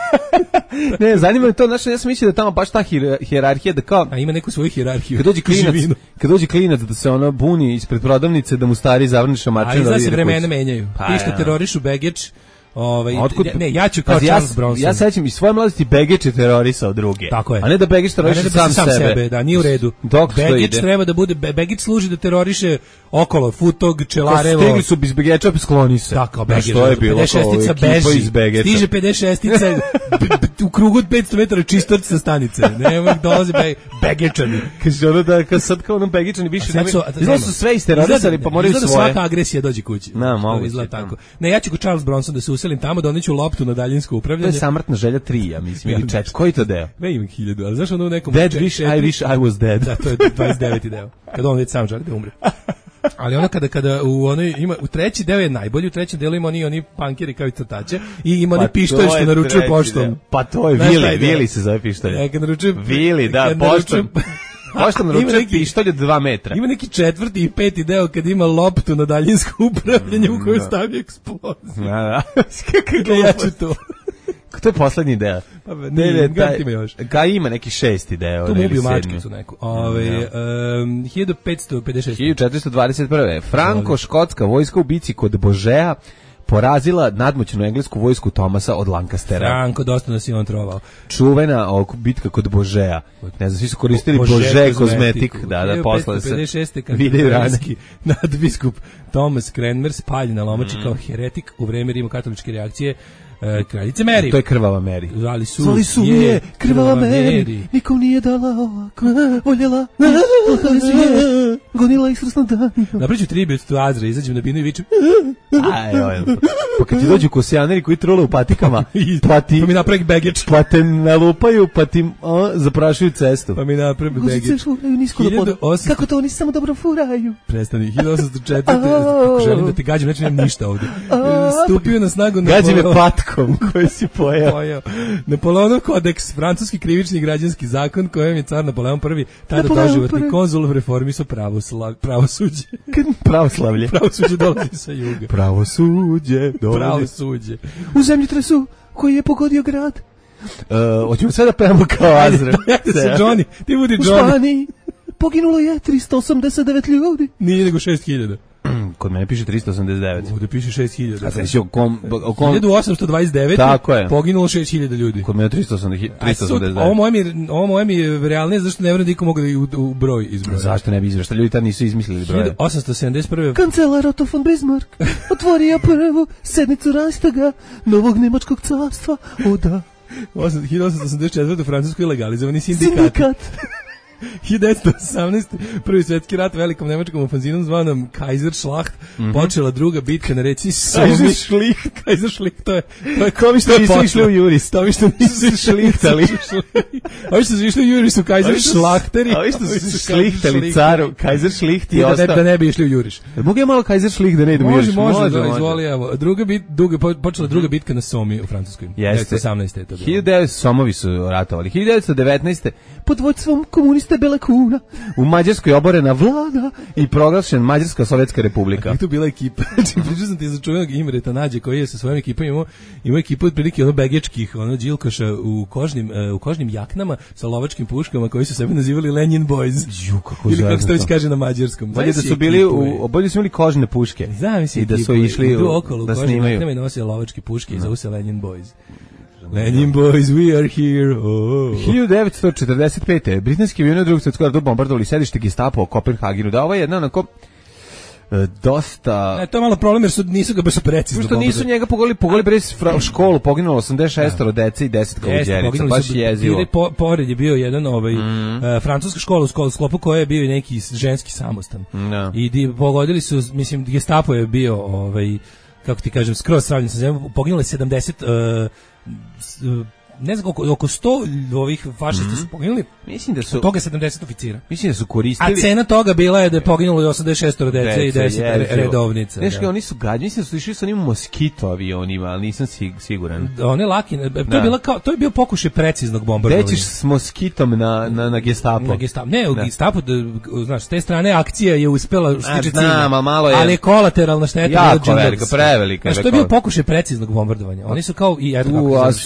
S6: ne, zanima me to, znači ja sam mislio da tamo baš ta hijerarhija da kao
S7: a ima neku svoju hijerarhiju.
S6: Kad dođe klinac, kad dođe klinac da se ono buni ispred prodavnice da mu stari zavrne šamačinu.
S7: Ali da se vremena menjaju. Pa, ti što ja. terorišu begeč, ovaj
S6: Otkud,
S7: ne, ja ću kao
S6: pa,
S7: Charles
S6: ja,
S7: Bronson.
S6: Ja sećam iz svoje mladosti Begeč je terorisao druge.
S7: Tako je.
S6: A ne da Begeč teroriše
S7: da
S6: sam,
S7: sam
S6: sebe.
S7: sebe. Da, nije u redu. Begeč treba da bude, Begeč služi da teroriše okolo, Futog, Čelarevo.
S6: Ko stigli su bez Begeča, skloni se.
S7: Tako, Begeč.
S6: Što je bilo
S7: pedeset šestica beži, stiže pedeset šestica u krugu od petsto metara čistorci sa stanice. Nema dolaze be, Begečani.
S6: Kaže ono da kad sad kao ono Begečani više ne izgleda su sve isterorisali, pa moraju svoje.
S7: Svaka agresija dođe kući.
S6: Na, mogu
S7: izgleda tako. Ne, ja ću ko Charles Bronson da se uselim tamo, da doneću loptu na daljinsko upravljanje.
S6: To je Samrtna želja tri, ja mislim, ili četiri. Koji to deo?
S7: Ne imam hiljadu, ali znaš ono u nekom...
S6: Dead wish, I wish I was dead.
S7: Da, to je dvadeset deveti deo. Kad on već sam želi da umre. Ali ono kada kada u onoj ima u treći deo je najbolji, u trećem delu ima oni oni pankeri kao i crtače i ima oni pa pištolj što naručuje poštom.
S6: Pa to je Vili, Vili se zove pištolj.
S7: Ja kad naručuje
S6: Vili, da, poštom. Poštom naručuje pištolj od dva metra.
S7: Ima neki četvrti i peti deo kad ima loptu na daljinsko upravljanje u koju stavi eksploziju.
S6: Da, da.
S7: Kako ja ću to.
S6: To je poslednji deo.
S7: Pa ne, ne, taj, ima još.
S6: Ka ima neki šesti deo.
S7: Tu mu ubiju mačkicu neku. Ove, um, hiljadu petsto pedeset šest.
S6: hiljadu četiristo dvadeset prve. Franko-škotska vojska u bici kod Božeja porazila nadmoćnu englesku vojsku Thomasa od Lancastera.
S7: Franko, dosta nas je on trovao.
S6: Čuvena bitka kod Božeja. Ne znam, svi su koristili Bože, Bože kozmetik. Da, da, posle se videju rane.
S7: Nadbiskup Thomas Cranmer spaljen na lomači mm. kao heretik u vreme rimokatoličke reakcije Uh, kraljice Mary.
S6: To je krvava Mary.
S7: Zvali su,
S6: Zvali su je, je krvava Mary. Mary. Nikom nije dala ovako. Voljela. Gonila ih srsno dan.
S7: Napriču tribut tu Azra, izađem na binu i vičem.
S6: Aj, aj. Pa kad ti dođu kosijaneri koji trule u patikama, pa ti...
S7: Pa mi napravim begeč.
S6: Pa te nalupaju, pa ti a, zaprašuju cestu.
S7: Pa mi napravim begeč.
S6: Guzice šuraju nisko do poda. Kako to oni samo dobro furaju?
S7: Prestani. hiljadu osamsto četvrte. Kako želim da te gađam, neću nemam ništa ovde. Stupio na snagu na
S6: gađi me patkom koji si pojao.
S7: pojao. Napoleonov kodeks, francuski krivični građanski zakon kojem je car Napoleon prvi tada doživotni konzul reformisao pravosuđe.
S6: Pravoslavlje.
S7: Pravosuđe dolazi sa juga.
S6: Pravosuđe dolazi.
S7: Pravosuđe.
S6: U zemljotresu koji je pogodio grad. Uh, hoćemo sve da pevamo kao Azra.
S7: Ajde, se Johnny, ti budi
S6: Johnny. U Španiji poginulo je tristo osamdeset devet ljudi.
S7: Nije nego šest hiljada.
S6: Kod mene piše tristo osamdeset devet.
S7: Ovdje piše šest hiljada.
S6: A znači o kom, o kom...
S7: hiljadu osamsto dvadeset devet.
S6: Tako je.
S7: Poginulo šest hiljada ljudi.
S6: Kod mene tristo osamdeset devet.
S7: Ovo moje mi, ovo moje mi je realnije, zašto ne vjerujem da iko mogu da u, u broj izbroja.
S6: Zašto ne bi izbroj? Ljudi tad nisu izmislili broje.
S7: hiljadu osamsto sedamdeset prve.
S6: Kancelar Otto von Bismarck otvorio prvu sednicu Reichstaga novog nemačkog carstva. O da.
S7: hiljadu osamsto osamdeset četvrte. u Francuskoj legalizovani sindikat.
S6: Sindikat.
S7: hiljadu devetsto osamnaeste. prvi svjetski rat velikom nemačkom ofanzivom zvanom Kaiserschlacht, mm -hmm. počela druga bitka na reci Somi.
S6: Kaiserschlicht.
S7: Kaiserschlicht, to je... To je
S6: kovi što nisu išli u Juris.
S7: To vi što nisu šlihtali. Ovi što su išli u Juris su Kaiserschlachteri.
S6: Ovi što su šlihtali caru. Kaiserschlicht i ostao.
S7: Da ne bi išli u Juriš.
S6: Mogu je malo Kaiserschlicht da ne idemo u Juriš?
S7: Može, može, da, izvoli, evo. Druga bit, duga, počela druga bitka na Somi u Francuskoj.
S6: Jeste.
S7: hiljadu devetsto osamnaeste. to bilo.
S6: hiljadu devetsto Somovi su ratovali. hiljadu devetsto devetnaeste. pod vođstvom komuniste Bele Kuna u Mađarskoj oborena vlada i proglašen Mađarska Sovjetska republika.
S7: A tu bila ekipa. Pričao sam ti za čuvenog Imreta Nađe koji je sa svojom ekipom imao, imao ekipu otprilike ono begečkih, ono džilkoša u kožnim, uh, u kožnim jaknama sa lovačkim puškama koji su sebe nazivali Lenin Boys.
S6: Ju, kako
S7: ili kako se to već kaže na mađarskom.
S6: Bolje da su bili u, bolje su imali kožne puške.
S7: Zamisli
S6: i da su išli
S7: u, okolo,
S6: da
S7: snimaju.
S6: snimaju.
S7: Jaknama i nosili lovačke puške i zovu se Lenin Boys. Lenin Boys, we are here. Oh.
S6: hiljadu devetsto četrdeset pete. Britanski avioni u drugom svjetskom ratu bombardovali sedište Gestapo u Kopenhagenu. Da, ovo je jedna onako dosta...
S7: E, to je malo problem jer su, nisu ga baš precizno.
S6: Što nisu njega pogodili, pogodili bez školu, poginulo osamdeset šest dece i deset kaluđerica, baš jezivo.
S7: Po, pored je bio jedan ovaj, mm. uh, francuska škola u sklopu koje je bio i neki ženski samostan.
S6: No.
S7: I di, pogodili su, mislim, Gestapo je bio, ovaj, kako ti kažem, skroz sravljen sa zemljom, poginulo je sedamdeset... Uh, uh, ne znam oko, oko sto ovih fašista mm-hmm. su poginuli.
S6: Mislim da su
S7: od toga sedamdeset oficira.
S6: Mislim da su koristili.
S7: A cena toga bila je da je poginulo i osamdeset šest dece i deset redovnica.
S6: Znaš kao oni su gađani, mislim da su išli sa onim moskito avionima, ali nisam siguran.
S7: One laki, to je bila kao to je bio pokušaj preciznog bombardovanja.
S6: Dećiš s moskitom na na na Gestapo.
S7: Na Gestapo. Ne, u Gestapo, znaš, s te strane akcija je uspela stići cilj.
S6: Je...
S7: Ali kolateralna šteta
S6: je jako velika, prevelika.
S7: Znaš, to je bio pokušaj preciznog bombardovanja. Oni su kao i eto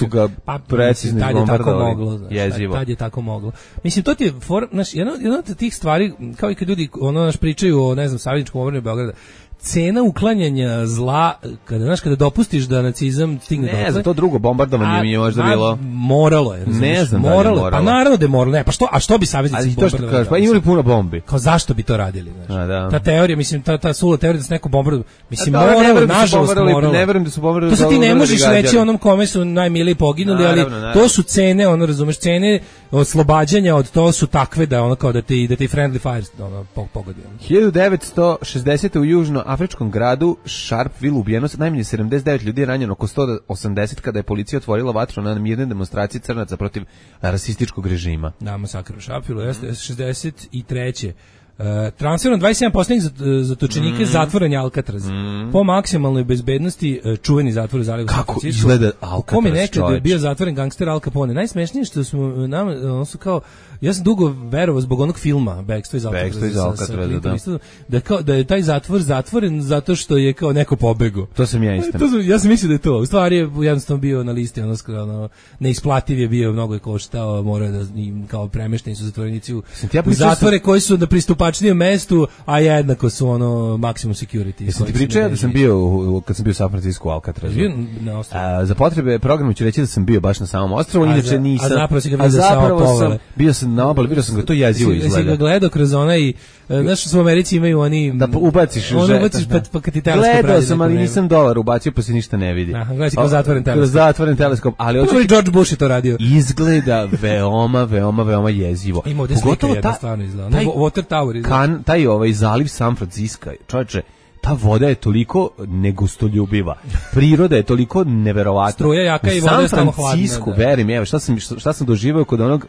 S7: kako
S6: precizno bombardovali.
S7: Moglo, znaš, tad je tako moglo. Mislim, to ti je, for, znaš, jedna, jedna od tih stvari, kao i kad ljudi ono, naš, pričaju o, ne znam, savezničkom obrani Beograda, cena uklanjanja zla, kada, znaš, kada dopustiš da nacizam stigne do...
S6: Ne, za to drugo bombardovanje mi je možda
S7: a,
S6: bilo...
S7: Moralo je, razumiješ?
S6: Ne znam
S7: moralo,
S6: da je moralo.
S7: Pa naravno da je moralo, ne, pa što, a što bi saveznici bombardovali?
S6: Kažeš, pa imali puno bombi.
S7: Kao zašto bi to radili, znaš?
S6: A, da.
S7: Ta teorija, mislim, ta, ta sula teorija da se neko bombardovali, mislim,
S6: a,
S7: moralo,
S6: ne
S7: nažalost moralo.
S6: Ne verujem da su bombardovali.
S7: To sad ti ne možeš reći onom kome su najmiliji poginuli, ali to su cene, ono, razumeš, cene oslobađanja od to su takve da ono kao da ti, da ti friendly fire ono, pogodi.
S6: hiljadu devetsto šezdesete u južnoafričkom gradu Sharpeville ubijeno najmanje sedamdeset devet ljudi, ranjeno oko sto osamdeset kada je policija otvorila vatru na mirne demonstracije crnaca protiv rasističkog režima.
S7: Da, masakr u Sharpeville, jeste šezdeset treće Uh, transferom dvadeset sedam poslednjih zatočenika mm. zatvoren je Alcatraz. Mm. Po maksimalnoj bezbednosti uh, čuveni zatvor u Zalivu.
S6: Kako izgleda Alcatraz?
S7: U kome nekada je bio zatvoren gangster Al Capone. Najsmešnije što smo nam, on su kao, ja sam dugo verovao zbog onog filma Bekstvo iz Alcatraza, da. Da, kao, da je taj zatvor zatvoren zato što je kao neko pobegao.
S6: To sam ja isto.
S7: Ja sam mislio da je to. U stvari je jednostavno bio na listi, ono, ono neisplativ je bio, mnogo je koštao, morao da kao premešteni su zatvorenici u, u zatvore koji su da pristupa pačnijem mestu, a jednako su ono maksimum security.
S6: Jesam ti pričao ja da sam bio u, kad sam bio u San Francisco u Alcatrazu.
S7: Na ostrvu.
S6: Za potrebe programa ću reći da sam bio baš na samom ostrvu, inače nisam.
S7: A zapravo si ga vidio samo povele.
S6: Bio sam na obali, vidio sam ga, to jezivo izgleda.
S7: Si ga gledao kroz onaj, znaš što u Americi imaju oni...
S6: Da ubaciš u
S7: žet. Ubaciš pa, pa kad ti teleskop radi.
S6: Gledao sam, ali nisam dolar ubacio, pa se ništa ne vidi.
S7: Aha, gledaj si kroz zatvoren teleskop.
S6: Kroz zatvoren teleskop, ali...
S7: Prvo i George Bush je to radio.
S6: Izgleda veoma, veoma, veoma jezivo.
S7: Ima ovdje slika jedna stvarno izgleda. Water Tower izgleda.
S6: Taj ovaj zaliv San Francisco, čovječe, ta voda je toliko negustoljubiva. Priroda je toliko neverovatna.
S7: Struja jaka i voda je stalno hladna.
S6: San Francisco, verim, evo, šta sam, šta sam doživao kod onog,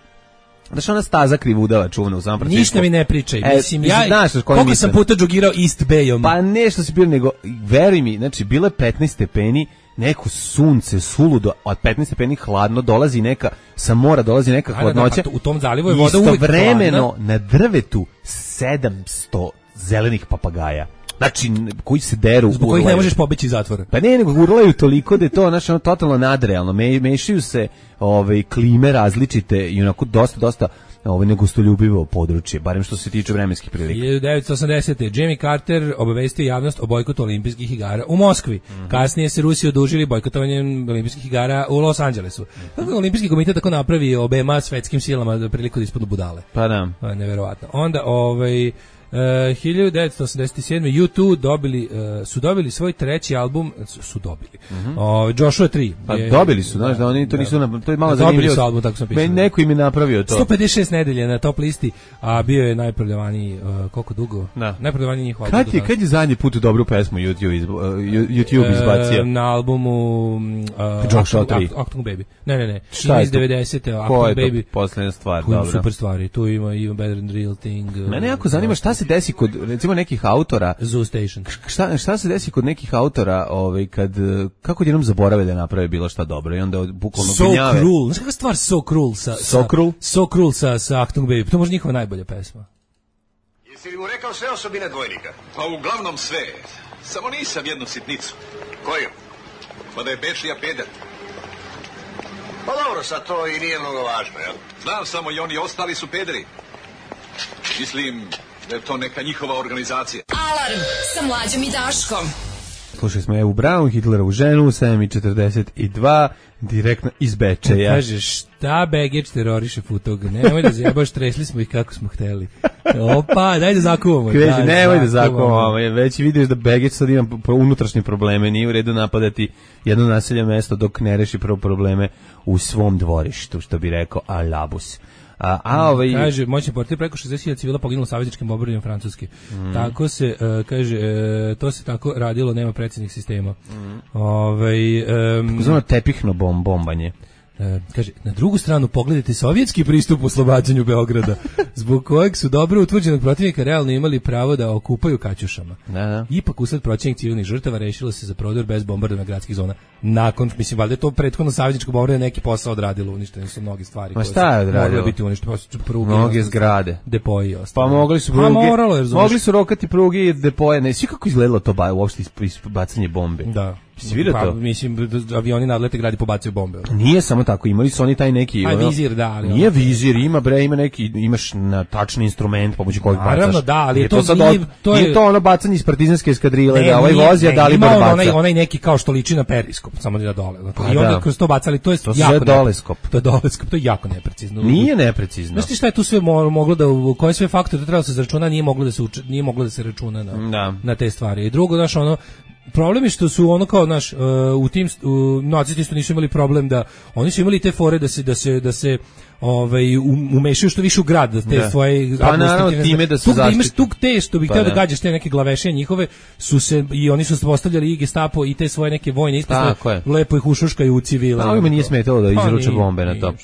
S6: znaš ona staza krivudava čuvena u San Francisco.
S7: Ništa mi ne pričaj.
S6: E,
S7: mislim, ja, znaš, koliko sam puta džogirao East Bayom.
S6: Pa nešto si bio, nego, veri mi, znači, bilo je petnaest stepeni, neko sunce, suludo, od petnaest stepeni hladno, dolazi neka, sa mora dolazi neka hladnoća.
S7: Pa u tom zalivu je voda uvijek hladna.
S6: Istovremeno, na drvetu, sedamsto zelenih papagaja. Znači, koji se deru.
S7: Zbog kojih ne možeš pobeći iz zatvora.
S6: Pa ne, nego urlaju toliko da je to, znači, ono, totalno nadrealno. Me, mešaju se ove, klime različite i onako dosta, dosta ovo negustoljubivo područje, barem što se tiče vremenskih prilika.
S7: hiljadu devetsto osamdesete. Jimmy Carter obavestio javnost o bojkotu olimpijskih igara u Moskvi. Mm-hmm. Kasnije se Rusi odužili bojkotovanjem olimpijskih igara u Los Angelesu. Mm-hmm. Olimpijski komitet tako napravi obema svetskim silama da priliku da ispadnu budale.
S6: Pa da.
S7: Neverovatno. Onda, ovaj... Uh, hiljadu devetsto osamdeset sedme. U dva dobili, uh, su dobili svoj treći album, su, su dobili. Mm-hmm. uh, Joshua tri.
S6: Pa
S7: je,
S6: dobili su, znaš, da oni to
S7: da,
S6: nisu, na, to je malo
S7: da,
S6: zanimljivo.
S7: Dobili su album, tako sam pisao.
S6: Neko im je napravio to.
S7: sto pedeset šest nedelje na top listi, a bio je najprodavaniji, uh, koliko dugo?
S6: Da.
S7: Najprodavaniji njihov album.
S6: Kad je, kad je zadnji put dobru pesmu YouTube, izba, uh, YouTube izbacio?
S7: Uh, na albumu uh,
S6: Joshua tri.
S7: Achtung Baby. Ne, ne, ne. Šta iz devedesete.
S6: Ko je to Baby. Posljedna stvar?
S7: Tu ima super stvari. Tu ima Even Better Than Real Thing. Uh,
S6: Mene jako zanima šta se desi kod, recimo, nekih autora.
S7: Zoo Station.
S6: Šta, šta se desi kod nekih autora, ovaj, kad, kako jednom zaborave da naprave bilo šta dobro i onda bukvalno
S7: So
S6: gnjave.
S7: Cruel. Znaš kakva stvar So Cruel sa...
S6: So Cruel?
S7: So Cruel sa, sa Achtung Baby. To je možda njihova najbolja pesma.
S4: Jesi li mu rekao sve osobine dvojnika?
S10: Pa uglavnom sve. Samo nisam jednu sitnicu.
S4: Koju?
S10: Pa da je Bečija peder.
S4: Pa dobro, sad to i nije mnogo važno, jel?
S10: Znam samo i oni ostali su pederi. Mislim da je to neka njihova organizacija.
S1: Alarm sa Mlađom i Daškom.
S6: Slušali smo Evu Braun, Hitlerovu ženu, sedam i četrdeset dva, direktno iz Bečeja.
S7: Kaže, šta Begić teroriše Futog? Nemoj da zjebaš, tresli smo ih kako smo hteli. Opa, daj da zakuvamo.
S6: Kaže, da, nemoj da zakuvamo, već vidiš da Begić sad ima unutrašnje probleme, nije u redu napadati jedno naselje mesto dok ne reši prvo probleme u svom dvorištu, što bi rekao Alabus. A, a ovaj
S7: kaže moćni portir preko šezdeset hiljada civila poginulo savezničkim bombardiranjem Francuske. Mm. Tako se uh, kaže uh, to se tako radilo, nema predsjednih sistema. Mm. Ovaj um,
S6: takozvano tepihno bom bombanje.
S7: E, kaže, na drugu stranu pogledajte sovjetski pristup oslobađanju Beograda, zbog kojeg su dobro utvrđenog protivnika realno imali pravo da okupaju kaćušama.
S6: Da, da.
S7: Ipak usled proćenih civilnih žrtava rešilo se za prodor bez bombardovanja gradskih zona. Nakon, mislim, valjda je to prethodno savezničko bombardovanje neki posao odradilo, uništene su mnoge stvari
S6: Ma šta je
S7: morale biti uništene, pruge,
S6: mnoge zgrade,
S7: depoji i ostalo.
S6: Pa mogli su pruge, moralo, mogli su rokati pruge i depoje, ne, svi kako izgledalo to ba, uopšte bacanje bombe.
S7: Da.
S6: Pa,
S7: to? Mislim, avioni nadlete gradi pobacaju bombe.
S6: Nije samo tako, imali su oni taj neki...
S7: Aj, vizir, da. Ali
S6: nije vizir, ima bre, ima neki, imaš na tačni instrument pomoću kojeg bacaš.
S7: Naravno, da, ali je to,
S6: to, sad nije, to, je, nije to ono bacanje iz partizanske eskadrile, ne, da ovaj vozi, a da li bar baca.
S7: Onaj, onaj neki kao što liči na periskop, samo da dole. Pa, I onda da. Kroz to bacali, to je
S6: to
S7: jako...
S6: doleskop.
S7: To je doleskop, to je jako neprecizno.
S6: Nije neprecizno.
S7: Znaš ti šta je tu sve moglo da, koje sve faktore trebalo se zaračuna, nije moglo da se, uč, nije moglo da se računa na, da. na te stvari. I drugo, znaš, ono, problem je što su ono kao naš uh, u tim uh, nacisti isto nisu imali problem da oni su imali te fore da se da se da se ovaj umešaju što više u grad da te da. Svoje
S6: pa naravno time da se
S7: zaštiti. Imaš tu te što bih pa hteo da gađaš te neke glaveše njihove su se i oni su postavljali i Gestapo i te svoje neke vojne ispostave lepo ih ušuškaju u civile.
S6: Pa ovima nije smetalo da izruče bombe na to.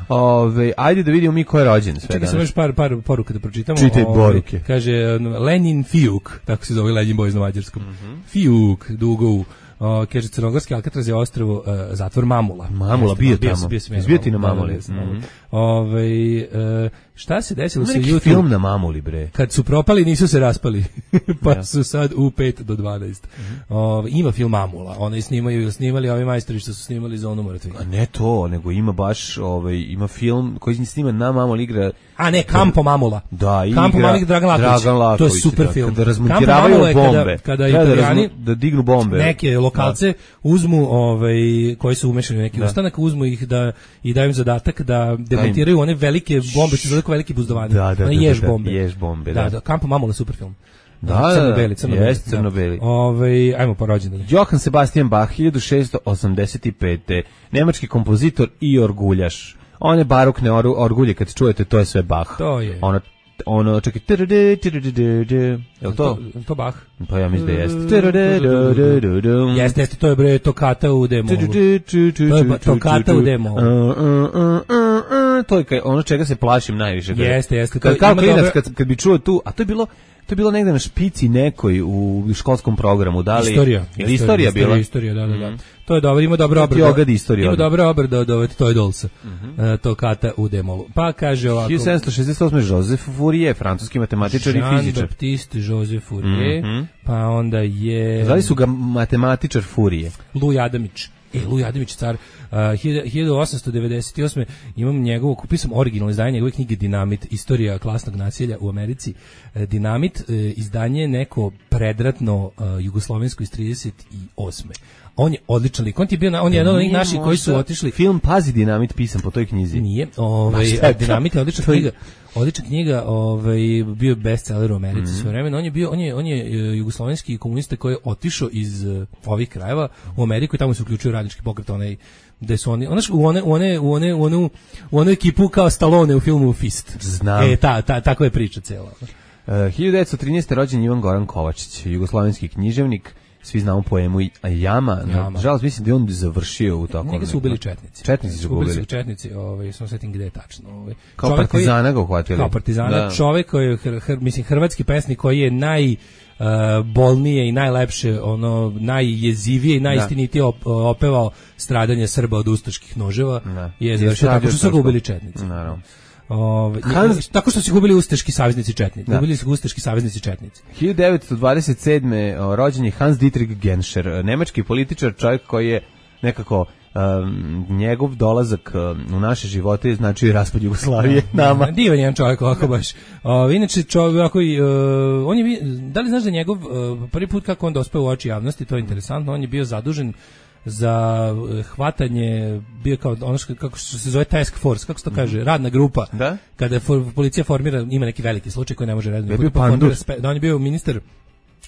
S6: Ove, ajde da vidimo mi ko je rođen sve.
S7: Čekaj samo još par par poruka da pročitamo.
S6: Čitaj poruke.
S7: Kaže Lenin Fiuk, tako se zove Lenin Boys na mađarskom. Mm-hmm. Fiuk, dugo Uh, kaže crnogorski Alcatraz je ostrvo uh, zatvor Mamula.
S6: Mamula bio tamo. Bio ti na Mamuli.
S7: Mm-hmm. Ovaj uh, šta se desilo sa
S6: YouTube? Film na Mamuli bre.
S7: Kad su propali nisu se raspali. Pa ja. Su sad u pet do dvanaest. Mm-hmm. Uh, ima film Mamula. Oni snimaju, snimali ovi majstori što su snimali Zonu mrtvih.
S6: A ne to, nego ima baš ovaj ima film koji se snima na Mamuli igra.
S7: A ne, Kampo Mamula.
S6: Da, igra
S7: Kampo Mamula Dragan Laković.
S6: Dragan Laković.
S7: To je super
S6: da,
S7: film.
S6: Kada razmontiravaju bombe.
S7: Kada, kada Italijani
S6: da, da dignu bombe.
S7: Neke lokalce da. Uzmu ovaj koji su umešani u neki da. Ustanak, uzmu ih da i daju im zadatak da demontiraju one velike bombe, što su velike velike buzdovane.
S6: Da, da,
S7: one
S6: da,
S7: jež
S6: da,
S7: bombe.
S6: Jež bombe, da.
S7: Da, da, Kampo Mamula super film.
S6: Da, da,
S7: crno-beli, crno-beli.
S6: Jeste crno-beli.
S7: Da. Ovaj, ajmo po rođendanu.
S6: Johann Sebastian Bach, hiljadu šessto osamdeset pete Nemački kompozitor i orguljaš. One barokne or, orgulje, kad čujete, to je sve Bach.
S7: To je.
S6: Ono, ono, čekaj, je li to?
S7: To Bach?
S6: Pa ja mislim da jeste.
S7: Jeste, jeste, to je bre tokata u D-molu. To je tokata u D-molu.
S6: To je ono čega se plašim najviše.
S7: Jeste, jeste.
S6: Kao klinac, kad, kad bi čuo tu, a to je bilo, to je bilo negde na špici nekoj u školskom programu. Da li,
S7: istorija.
S6: Ili istorija bila?
S7: Istorija, da, da, da. To je dobro, ima dobro obrada. Ima dobro obrada od ove Toy Dolls. To kata u D-molu. Pa kaže ovako.
S6: hiljadu sedamsto šezdeset osme Joseph Fourier, francuski matematičar i fizičar.
S7: Jean-Baptiste Joseph Fourier.
S6: Mm-hmm.
S7: Pa onda je...
S6: Zvali su ga matematičar Fourier.
S7: Luj Adamić. E, Luj Adamić, car, uh, hiljadu osamsto devedeset osme imam njegovo, kupio sam originalno izdanje njegove knjige Dinamit, istorija klasnog nasilja u Americi. Uh, Dinamit, uh, izdanje neko predratno uh, jugoslovensko iz trideset osme On je odličan lik. On ti je bio, na, on je jedan od onih naših koji su otišli.
S6: Film Pazi Dinamit pisan po toj knjizi.
S7: Nije, ovaj Dinamit je odlična knjiga. Odlična knjiga, ovaj bio bestseller u Americi mm-hmm. sve vreme. On je bio, on je on je jugoslovenski komunista koji je otišao iz uh, ovih krajeva u Ameriku i tamo se uključio radnički pokret, onaj gde su oni, onaš, u one, one, u one, u onu, u onu ekipu kao Stallone u filmu Fist.
S6: Znam.
S7: E, ta, ta, tako je priča cela.
S6: Uh, hiljadu devetsto trinaeste rođen Ivan Goran Kovačić, jugoslovenski književnik. Svi znamo poemu Jama,
S7: Jama.
S6: Nažalost mislim da je on završio u tako.
S7: Njega su ubili četnici.
S6: Četnici su ubili.
S7: Ubili su četnici, ovaj, sam setim gde je tačno. Ovaj.
S6: Kao partizana ga uhvatili.
S7: Kao partizana, da. Čovek koji je, hr, hr, mislim, hrvatski pesnik koji je naj... Uh, bolnije i najlepše, ono najjezivije i najistinitije op, opevao stradanje Srba od ustaških noževa. Da. Je završio tako što su ga ubili četnici.
S6: Naravno.
S7: Ove, Hans... Tako što su gubili ustaški saveznici četnici. Gubili su ustaški saveznici četnici.
S6: hiljadu devetsto dvadeset sedme rođen je Hans Dietrich Genscher, nemački političar, čovjek koji je nekako um, njegov dolazak um, u naše živote znači i raspad Jugoslavije nama.
S7: Divan jedan čovjek ovako baš. O, inače čovjek ovako, uh, on je, da li znaš da njegov uh, prvi put kako on dospeo u oči javnosti, to je interesantno, on je bio zadužen za hvatanje, bio kao ono što, kako se zove task force, kako se to kaže, radna grupa.
S6: Da?
S7: Kada for, policija formira, ima neki veliki slučaj koji ne može redno.
S6: Je bio Pandur.
S7: Da, on je bio ministar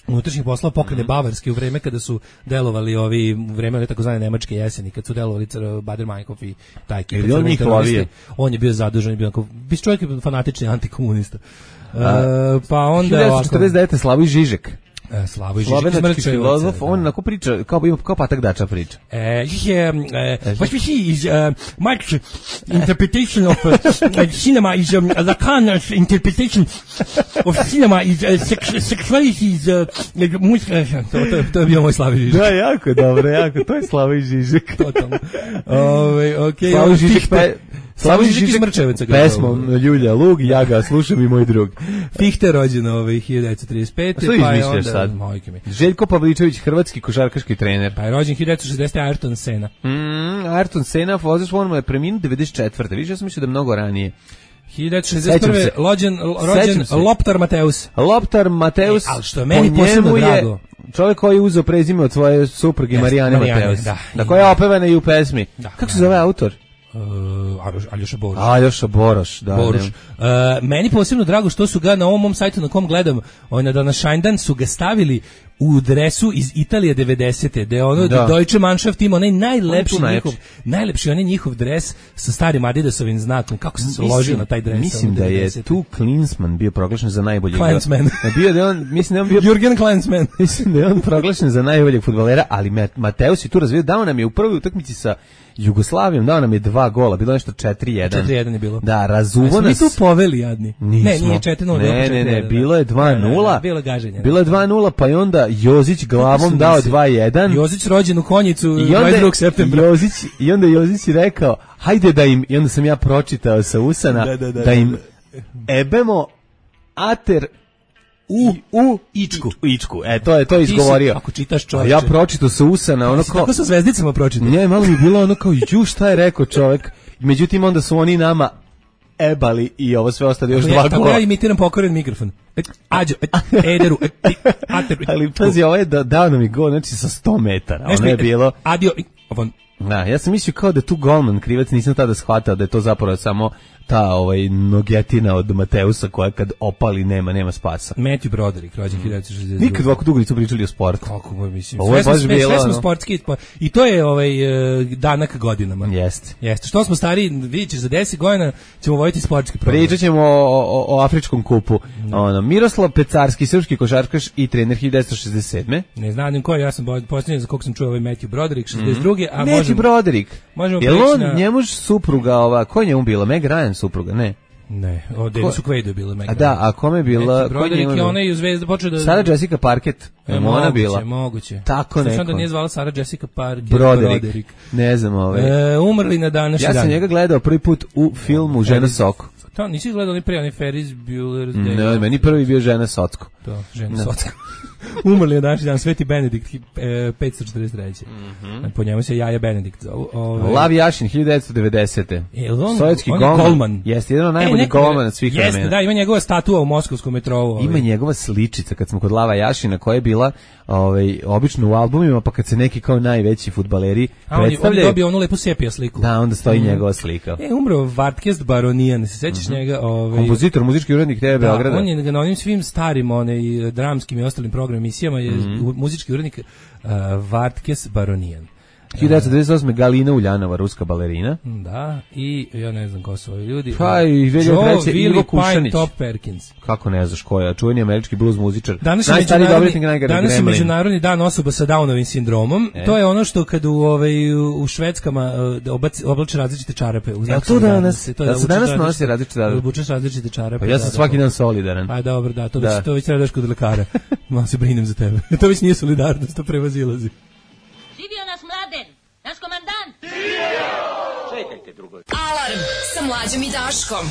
S7: unutrašnjih poslova pokrene mm. Bavarske u vreme kada su delovali ovi, u vreme one takozvane nemačke jeseni, kad su delovali Bader-Meinhof i taj ekip.
S6: On njih lovio.
S7: On je bio zadužen, bio kao, bis čovjek je fanatični antikomunista. Uh, pa onda
S6: hiljadu devetsto četrdeset devete. Slavoj Žižek.
S7: E, Slavoj Žižek
S6: slovenački filozof, on onako priča, kao, kao Patak Dača priča.
S7: E, je, what we see is uh, much interpretation of uh, cinema is um, Lacan's interpretation of cinema is uh, sex, sexuality is uh, muška, to, to, to je bio moj Slavoj Žižek.
S6: Da, jako dobro, jako, to je Slavoj Žižek.
S7: Totalno. Ove, okay,
S6: Slavoj Žižek, pe,
S7: Slavoj Žižek iz Mrčeveca.
S6: Pesmom Ljulja Lug, ja ga slušam i moj drug.
S7: Fichte rođen ovaj hiljadu devetsto trideset pete.
S6: Što
S7: pa
S6: izmišljaš sad? Željko Pavličević, hrvatski košarkaški trener.
S7: Pa je rođen hiljadu devetsto šezdesete. Ayrton Senna.
S6: Mm, Ayrton Senna, vozač formule, preminuo devedeset četvrte. Viš, ja sam mislio da mnogo ranije.
S7: hiljadu devetsto šezdeset prve. rođen, rođen Loptar Mateus.
S6: Loptar Mateus,
S7: e, ali što je meni posebno drago.
S6: Čovjek koji je uzeo prezime od svoje supruge Marijane Mateus. Da, da koja je opevana i u pesmi. Da, Kako se zove autor?
S7: Uh, Aljoša Boroš.
S6: Aljoša Boroš, da.
S7: Boroš. Uh, meni posebno drago što su ga na ovom mom sajtu na kom gledam, on na današnjdan su ga stavili u dresu iz Italije devedesete. Da je ono da. Deutsche Mannschaft ima onaj najlepši on njihov, najlepši onaj njihov dres sa starim Adidasovim znakom. Kako se ložio na taj dres?
S6: Mislim da je tu Klinsmann bio proglašen za najboljeg.
S7: Klinsmann.
S6: bio da on, mislim da on bio
S7: Jürgen Klinsmann.
S6: Mislim da je on proglašen za najboljeg fudbalera, ali Mateus je tu razvio, dao nam je u prvoj utakmici sa Jugoslavijom, dao nam je dva gola, bilo nešto četiri jedan.
S7: četiri jedan je bilo.
S6: Da, razuvo nas.
S7: Mi tu poveli jadni.
S6: Nismo.
S7: Ne, nije četiri nula.
S6: Ne, ne, ne, bilo je dva nula.
S7: Bilo gaženje.
S6: Bilo je dva nula, pa je onda Jozić glavom dao dva jedan.
S7: Jozić rođen u Konjicu dvadeset drugog septembra.
S6: Jozić, i onda Jozić je rekao, hajde da im, i onda sam ja pročitao sa usana, da, da, da, da im ebemo ater
S7: u u ičku.
S6: U ičku. E, to je to je izgovorio.
S7: Ako čitaš čovječe.
S6: Ja pročitao sa usana, ono kao
S7: tako sa zvezdicama pročitao.
S6: Ne, malo mi bilo ono kao ju šta je rekao čovjek. Međutim onda su oni nama ebali i ovo sve ostalo još dva gola.
S7: Tako ja imitiram pokoren mikrofon. Ađo, ederu, ateru.
S6: Ali pazi, ovo je dao nam i gol, znači sa sto metara. Ono je bilo
S7: adio.
S6: Da, ja sam mislio kao da tu golman krivac, nisam tada shvatao da je to zapravo samo ta ovaj nogetina od Mateusa koja kad opali nema nema spasa.
S7: Matthew Broderick, rođen hiljadu devetsto šezdeset druge.
S6: Nikad ovako dugo nisu pričali o sportu.
S7: Kako moj mislim. Ovo je sve, sve, bilo, sve smo sportski i to je ovaj danak godinama.
S6: Jeste.
S7: Jeste. Što smo stari, vidite za deset godina ćemo voditi sportski program.
S6: Pričat ćemo o, o, o afričkom kupu. No. Ono, Miroslav Pecarski, srpski košarkaš i trener hiljadu devetsto šezdeset sedme.
S7: Ne znam ko, ja sam posljednji za kog sam čuo ovaj Matthew Broderick šezdeset druge.
S6: Mm. A Matthew možemo, Broderick.
S7: Možemo
S6: Jel on, na... njemu supruga, ova, ko je njemu bila? Meg Ryan supruga, ne?
S7: Ne, o Denisu Quaidu je bila Meg Ryan.
S6: A da, a kome je bila?
S7: Broderick je ona i u Zvezda počeo da...
S6: Sara Jessica Parker, je mu ona bila?
S7: Moguće, moguće.
S6: Tako neko.
S7: Sve da nije zvala Sara Jessica Parker.
S6: Broderick. Broderick. Ne znam ovaj.
S7: E, umrli na današnji dan.
S6: Ja sam njega gledao prvi put u filmu Žena Soko.
S7: To nisi gledao ni pre, oni Ferris Bueller's Day.
S6: Ne, meni prvi bio Žena Socko.
S7: To, Žena no. Socko. Umrli je današnji dan Sveti Benedikt, e, petsto četrdeset treće. Mm-hmm. Po njemu se Jaja Benedikt zovu. Ove...
S6: Lav Jašin, hiljadu devetsto devedesete.
S7: E, on,
S6: Sovjetski
S7: on
S6: golman.
S7: golman.
S6: Jeste, jedan od najboljih e, golmana svih vremena.
S7: Jeste, da, ima njegova statua u moskovskom metrou. Ove.
S6: Ima njegova sličica, kad smo kod Lava Jašina, koja je bila ovaj, obično u albumima, pa kad se neki kao najveći fudbaleri predstavljaju.
S7: On je dobio onu lepu sepija sliku.
S6: Da, onda stoji mm. njegova slika.
S7: E, umro Vartkest Baronijan, se sećaš mm-hmm. njega? Ovaj,
S6: kompozitor, muzički urednik T V Beograda.
S7: Da, on je na onim svim starim, one, dramskim i ostalim program emisijama je mm. muzički urednik uh, Vartkes Baronijan.
S6: hiljadu devetsto devedeset osme. Galina Uljanova, ruska balerina.
S7: Da, i ja ne znam ko su ovi ljudi.
S6: Pa i hiljadu treće. Ivo Kušanić.
S7: Top Perkins.
S6: Kako ne znaš ko je? Čuveni američki blues muzičar.
S7: Danas je međunarodni, danas je međunarodni dan osoba sa Downovim sindromom. E. To je ono što kad u, ovaj, u Švedskama obaci, oblače različite čarape. U
S6: ja to danas, to da se danas nosi različite čarape.
S7: Obučeš različite čarape.
S6: Pa ja sam
S7: da,
S6: svaki dan solidaran.
S7: Pa dobro, da, to da. Već, to već treba daš kod lekara. Malo se brinem za tebe. To već nije solidarnost, to prevazilazi.
S11: Živio nas Mladen! Naš komandant!
S10: Čekajte drugo.
S1: Alarm sa Mlađom i Daškom.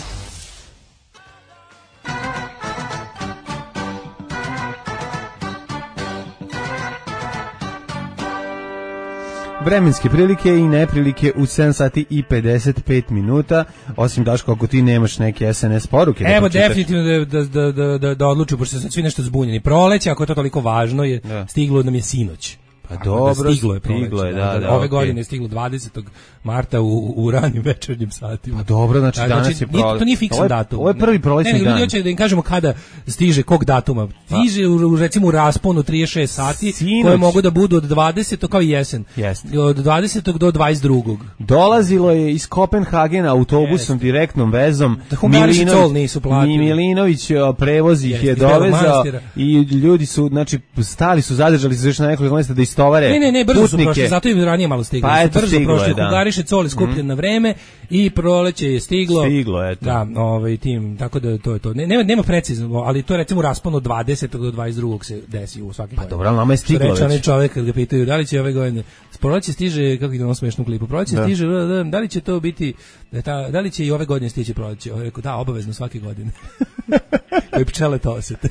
S6: Vremenske prilike i neprilike u sedam sati i pedeset pet minuta, osim Daško, ako ti nemaš neke es en es poruke.
S7: Evo, da definitivno da, da, da, da, da odluču, pošto su svi nešto zbunjeni. Proleće, ako je to toliko važno, je da. Stiglo nam je sinoć.
S6: Pa dobro,
S7: da stiglo je proleće.
S6: Stiglo je, da, da,
S7: da, ove
S6: okay.
S7: godine je stiglo dvadesetog marta u, u ranim večernjim satima.
S6: Pa dobro, znači da, danas
S7: znači,
S6: je proleće.
S7: To nije fiksan datum.
S6: Ovo je prvi prolećni dan.
S7: Ne, ljudi hoće da im kažemo kada stiže, kog datuma. Stiže u, u recimo u rasponu trideset šest sati, Sinoć. Koje mogu da budu od dvadesetog kao i jesen.
S6: Jeste.
S7: Od dvadesetog do dvadeset drugog.
S6: Dolazilo je iz Kopenhagena autobusom, Jeste. direktnom vezom.
S7: Da Hungariši col nisu platili.
S6: Milinović prevoz ih je dovezao i ljudi su, znači, stali su, zadržali se još na nekoliko mjesta da istovare.
S7: Ne, ne, ne, brzo su prošli, zato im ranije malo stiglo.
S6: Pa eto,
S7: brzo
S6: stiglo
S7: prošli,
S6: je, da.
S7: Hungariše col je skupljen mm. na vreme i proleće je stiglo.
S6: Stiglo, eto.
S7: Da, ovaj tim, tako da to je to. Ne, nema, nema precizno, ali to je recimo u rasponu od dvadesetog do dvadeset drugog se desi u svaki.
S6: Pa dobro, ali nama je stiglo već.
S7: Reče čovjek kad ga pitaju da li će ove godine proleće stiže, kako ide ono smešno klipu, proleće da. stiže, da li će to biti, da, da li će i ove godine stići proleće? On rekao, da, obavezno svake godine. Koji pčele to osete.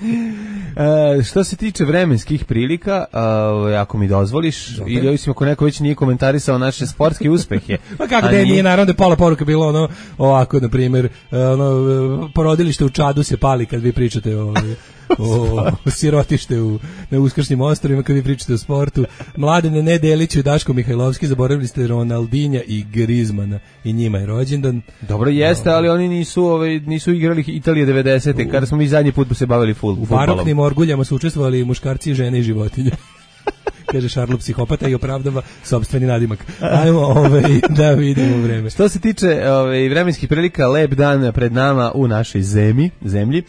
S6: E, što se tiče vremenskih prilika, a, ako mi dozvoliš, Dobre. ili osim ako neko već nije komentarisao naše sportske uspehe.
S7: Pa kako da je, nije, naravno da je pola poruka bilo ono, ovako, na primjer, ono, porodilište u Čadu se pali kad vi pričate o... o, o sirotište u, na Uskršnjim ostrovima kad vi pričate o sportu. Mladene Nedelić i Daško Mihajlovski, zaboravili ste Ronaldinja i Grizmana i njima je rođendan.
S6: Dobro jeste, no, ali oni nisu ovaj, nisu igrali Italije devedesete kada smo mi zadnji put se bavili ful,
S7: u
S6: fudbalom.
S7: U baroknim orguljama su učestvovali muškarci, žene i životinje. Kaže Šarlo psihopata i opravdava sopstveni nadimak. Ajmo ovaj, da vidimo vreme.
S6: Što se tiče ovaj, vremenskih prilika, lep dan pred nama u našoj zemlji, zemlji.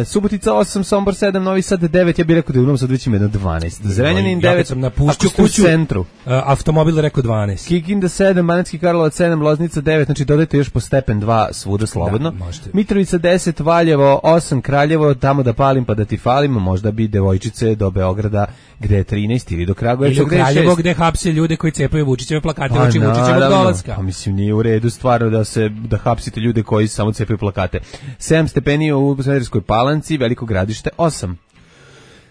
S6: Uh, Subotica osam, Sombor sedam, Novi Sad devet, ja bih rekao da je u Novom Sadu već ima jedno dvanaest. Zrenjanin devet,
S7: ja sam napušću kuću,
S6: u centru. Uh,
S7: automobil rekao dvanaest.
S6: Kikinda sedam, Banatski Karlovac sedam, Loznica devet, znači dodajte još po stepen dva svuda slobodno.
S7: Da,
S6: Mitrovica deset, Valjevo osam, Kraljevo, tamo da palim pa da ti falim, možda bi devojčice do Beograda gde je trinaest ili do Kragujevca
S7: gde je šest. Ili u Kraljevo gde hapse ljude koji cepaju Vučićeve plakate,
S6: pa,
S7: uči Vučićevog dolaska.
S6: Pa mislim nije u redu stvarno da se da hapsite ljude koji samo cepaju plakate. sedam stepeni u Smederevskoj Palanci, Veliko Gradište osam.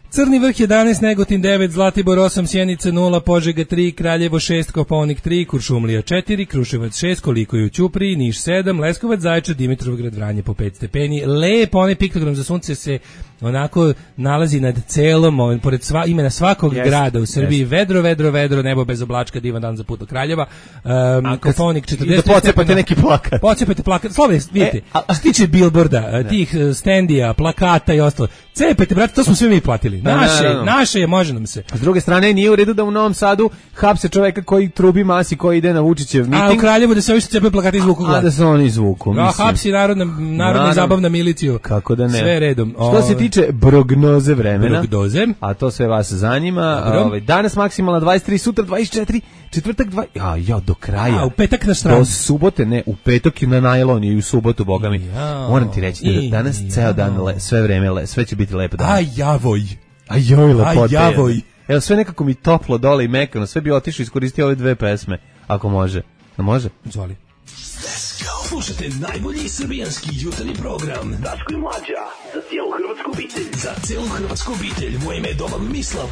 S7: Crni vrh jedanaest, Negotin devet, Zlatibor osam, Sjenica nula, Požega tri, Kraljevo šest, Kopaonik tri, Kuršumlija četiri, Kruševac šest, Koliko je u Ćupriji, Niš sedam, Leskovac, Zaječar, Dimitrovgrad, Vranje po pet stepeni. Lepo, onaj piktogram za sunce se onako nalazi nad celom, on, pored sva, imena svakog yes, grada u Srbiji, yes. vedro, vedro, vedro, nebo bez oblačka, divan dan za put do Kraljeva. Um, Kopaonik četrdeset.
S6: Da pocepate neki plakat.
S7: Pocepate plakat. Slobodno, vidite, e, a, stiče bilborda, tih standija, plakata i ostalo. Cepete, brate, to smo sve mi platili. Naše, no, no, no. naše je, može nam se.
S6: S druge strane, nije u redu da u Novom Sadu hapse čoveka koji trubi masi, koji ide na Vučićev miting.
S7: A u Kraljevu da se ovi što cepaju plakati izvuku glas.
S6: A da se oni izvuku, mislim.
S7: A hapsi narodna, narodna i zabavna miliciju.
S6: Kako da ne.
S7: Sve redom.
S6: Što o, se tiče prognoze vremena,
S7: prognoze,
S6: a to sve vas zanima, ovaj, danas maksimalna dvadeset tri, sutra dvadeset četiri, četvrtak dva, ja, ja, do kraja.
S7: A u petak na stranu.
S6: Do subote, ne, u petak i na najlon i u subotu, boga mi. Ja, moram ti reći da danas ja. ceo dan, le, sve vreme, le, sve će biti lepo dan.
S7: A javoj.
S6: A joj, lepote.
S7: A javoj.
S6: Evo, sve nekako mi toplo dole i mekano, sve bi otišao i iskoristio ove dve pesme, ako može. A može?
S7: Zvoli.
S9: Let's go. Slušajte najbolji srbijanski jutarnji program. Daško i Mlađa, za cijelu hrvatsku obitelj. Za cijelu hrvatsku obitelj, moje ime je Domagoj Mislav.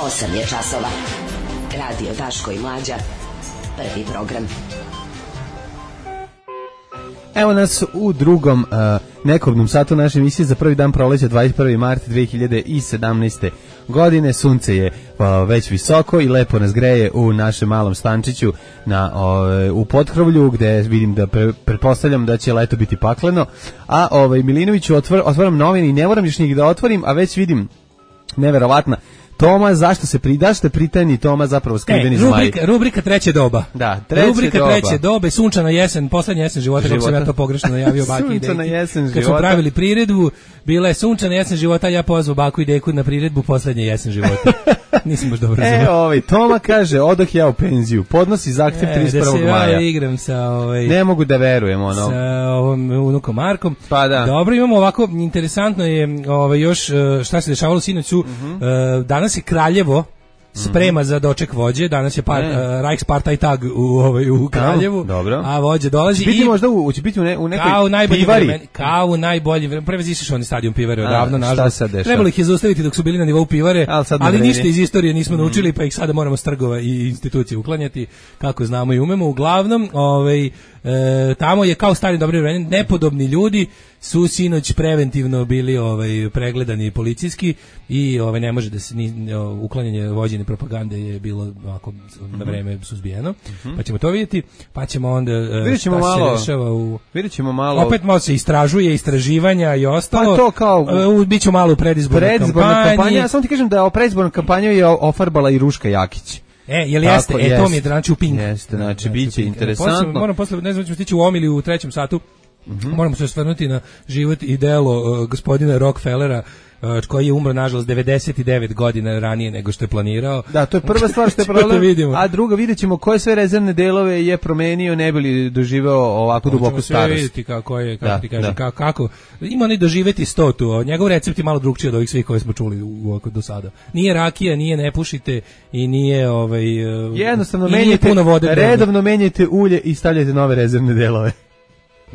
S1: osam je časova. Radio Daško i Mlađa. Prvi program.
S6: Evo nas u drugom uh, nekobnom satu naše emisije za prvi dan proleća dvadeset prvi mart dve hiljade sedamnaeste. godine. Sunce je uh, već visoko i lepo nas greje u našem malom stančiću na, uh, u Potkrovlju gde vidim da pre, pretpostavljam da će leto biti pakleno. A ovaj, Milinoviću otvor, otvaram novine i ne moram još njih da otvorim, a već vidim neverovatna Toma, zašto se pridašte pritajni Toma zapravo skriveni
S7: e, rubrika, rubrika treće doba.
S6: Da, treće
S7: rubrika
S6: doba.
S7: treće dobe, sunčana jesen, poslednja jesen života, života. Kako sam ja to pogrešno najavio baki i deki.
S6: Sunčana jesen
S7: Kad
S6: života.
S7: smo pravili priredbu, bila je sunčana jesen života, ja pozvao baku i deku na priredbu poslednja jesen života. Nisam baš dobro razumio.
S6: E, ovaj, Toma kaže, odoh ja u penziju, podnosi zahtev trideset prvog maja.
S7: Da se ja igram sa... Ovaj,
S6: ne mogu da verujem, ono.
S7: Sa ovom unukom Markom.
S6: Pa da.
S7: Dobro, imamo ovako, interesantno je ovaj, još šta se dešavalo sinoć su, uh-huh. uh, danas je Kraljevo sprema za doček vođe, danas je par, uh, Reichsparteitag u, ovaj, u Kraljevu,
S6: dobro.
S7: A vođe dolazi
S6: će biti
S7: i...
S6: možda u, će biti u, ne, u nekoj
S7: kao najbolji
S6: pivari.
S7: Vremen, kao u najbolji vremen. Prevazišao oni stadion pivare odavno,
S6: šta
S7: nažalost.
S6: sad dešava?
S7: Trebalo ih je zaustaviti dok su bili na nivou pivare,
S6: ali,
S7: ali ništa iz istorije nismo mm. naučili, pa ih sada moramo s trgova i institucije uklanjati, kako znamo i umemo. Uglavnom, ovaj, e, tamo je kao stari dobri vremen, nepodobni ljudi su sinoć preventivno bili ovaj pregledani policijski i ovaj ne može da se ni, uklanjanje vođene propagande je bilo ovako na vreme suzbijeno. Mm-hmm. Pa ćemo to vidjeti, pa ćemo onda
S6: vidjećemo malo
S7: u
S6: vidjećemo malo
S7: opet malo se istražuje, istraživanja i ostalo.
S6: Pa to kao
S7: uh, biće malo u predizbornoj
S6: predizborna
S7: kampanji.
S6: Ja samo ti kažem da o predizbornoj kampanji je ofarbala i Ruška Jakić.
S7: E, jel jeste? E, to mi je znači u ping.
S6: Jeste, znači biće interesantno.
S7: Posle, moram posle, ne znam, ćemo stići u omili u trećem satu. Mm-hmm. Moramo se osvrnuti na život i delo uh, gospodina Rockefellera, uh, koji je umro nažalost devedeset devet godina ranije nego što je planirao.
S6: Da, to je prva stvar što je problem. A druga, vidjećemo koje sve rezervne delove je promenio, ne bi li doživeo ovako duboku starost.
S7: Vidjeti kako je, kako da, ti kažem, kako, kako. Ima oni doživeti sto tu. Njegov recept je malo drugčiji od ovih svih koje smo čuli u, u, do sada. Nije rakija, nije ne pušite i nije ovaj
S6: jednostavno menjajte puno vode. Redovno menjajte ulje i stavljajte nove rezervne delove.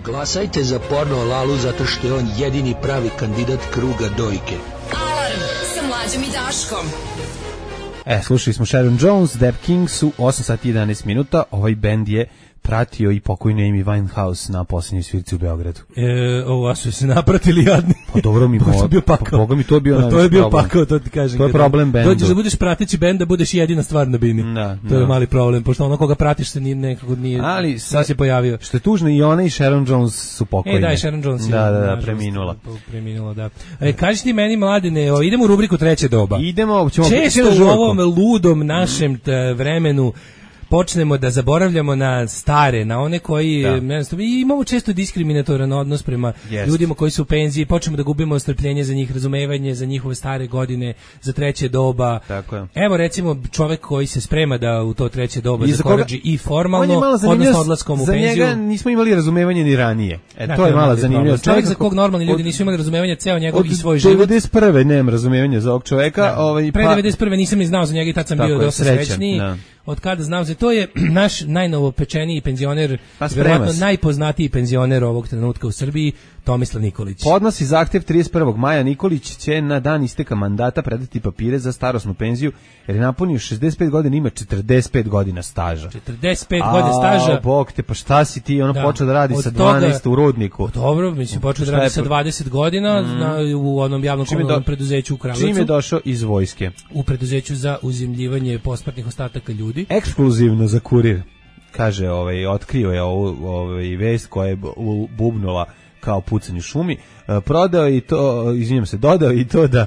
S9: Glasajte za Porno Lalu zato što je on jedini pravi kandidat kruga dojke.
S1: Alarm sa Mlađom i Daškom.
S6: E, slušali smo Sharon Jones, Dap Kings u osam sati i jedanaest minuta. Ovaj bend je pratio i pokojnu Amy Winehouse na posljednjoj svirci u Beogradu.
S7: E, ovo su se napratili jadni.
S6: Pa dobro mi
S7: mo, bio pakao.
S6: Boga mi to bio
S7: pa, to je bio pakao, to ti kažem.
S6: To je problem bendu.
S7: Dođeš da budeš prateći bend, da budeš jedina stvar na bini.
S6: Da,
S7: to
S6: da.
S7: je mali problem, pošto ono koga pratiš se nije nekako nije.
S6: Ali
S7: sad se pojavio.
S6: Što je tužno, i ona i Sharon Jones su pokojne.
S7: E, da, i Sharon Jones je.
S6: Da, da, da, preminula.
S7: Preminula, da. E, kaži ti meni, Mladene, o, idemo u rubriku treće doba.
S6: Idemo, ćemo
S7: često u ovom ludom našem vremenu počnemo da zaboravljamo na stare, na one koji, ne znam, imamo često diskriminatoran odnos prema yes. ljudima koji su u penziji, počnemo da gubimo strpljenje za njih, razumevanje za njihove stare godine, za treće doba.
S6: Tako je.
S7: Evo recimo čovjek koji se sprema da u to treće doba zakorači i formalno, odnosno odlaskom u penziju.
S6: Za njega nismo imali razumevanje ni ranije. E,
S7: da,
S6: to je malo zanimljivo.
S7: Čovjek za kog normalni ljudi nisu imali razumevanje ceo njegov i svoj život.
S6: Od devedeset prve nemam razumevanja za ovog čovjeka.
S7: Da.
S6: Ovaj,
S7: Pre
S6: pa...
S7: devedeset prve nisam ni znao za njega i tad sam
S6: tako
S7: bio
S6: je,
S7: dosta srećniji. Da. Od kada znam za to je naš najnovopečeniji penzioner,
S6: pa
S7: vjerojatno najpoznatiji penzioner ovog trenutka u Srbiji, Tomislav Nikolić.
S6: Podnosi zahtjev trideset prvog maja. Nikolić će na dan isteka mandata predati papire za starosnu penziju, jer je napunio šezdeset pet godina, ima četrdeset pet godina staža.
S7: četrdeset pet godina staža.
S6: A, bog te, pa šta si ti? Ono da. počeo da radi od sa dvanaest toga, u Rudniku.
S7: Dobro, mislim, počeo da radi sa dvadeset godina mm. na, u onom javnom komunalnom do, preduzeću u Kragujevcu.
S6: Čim je došao iz vojske?
S7: U preduzeću za uzemljivanje posmrtnih ostataka ljudi.
S6: Ekskluzivno za Kurir. Kaže, ovaj, otkrio je ovu ovaj, vest koja je bubnula kao pucanje u šumi, prodao i to, izvinjam se, dodao i to da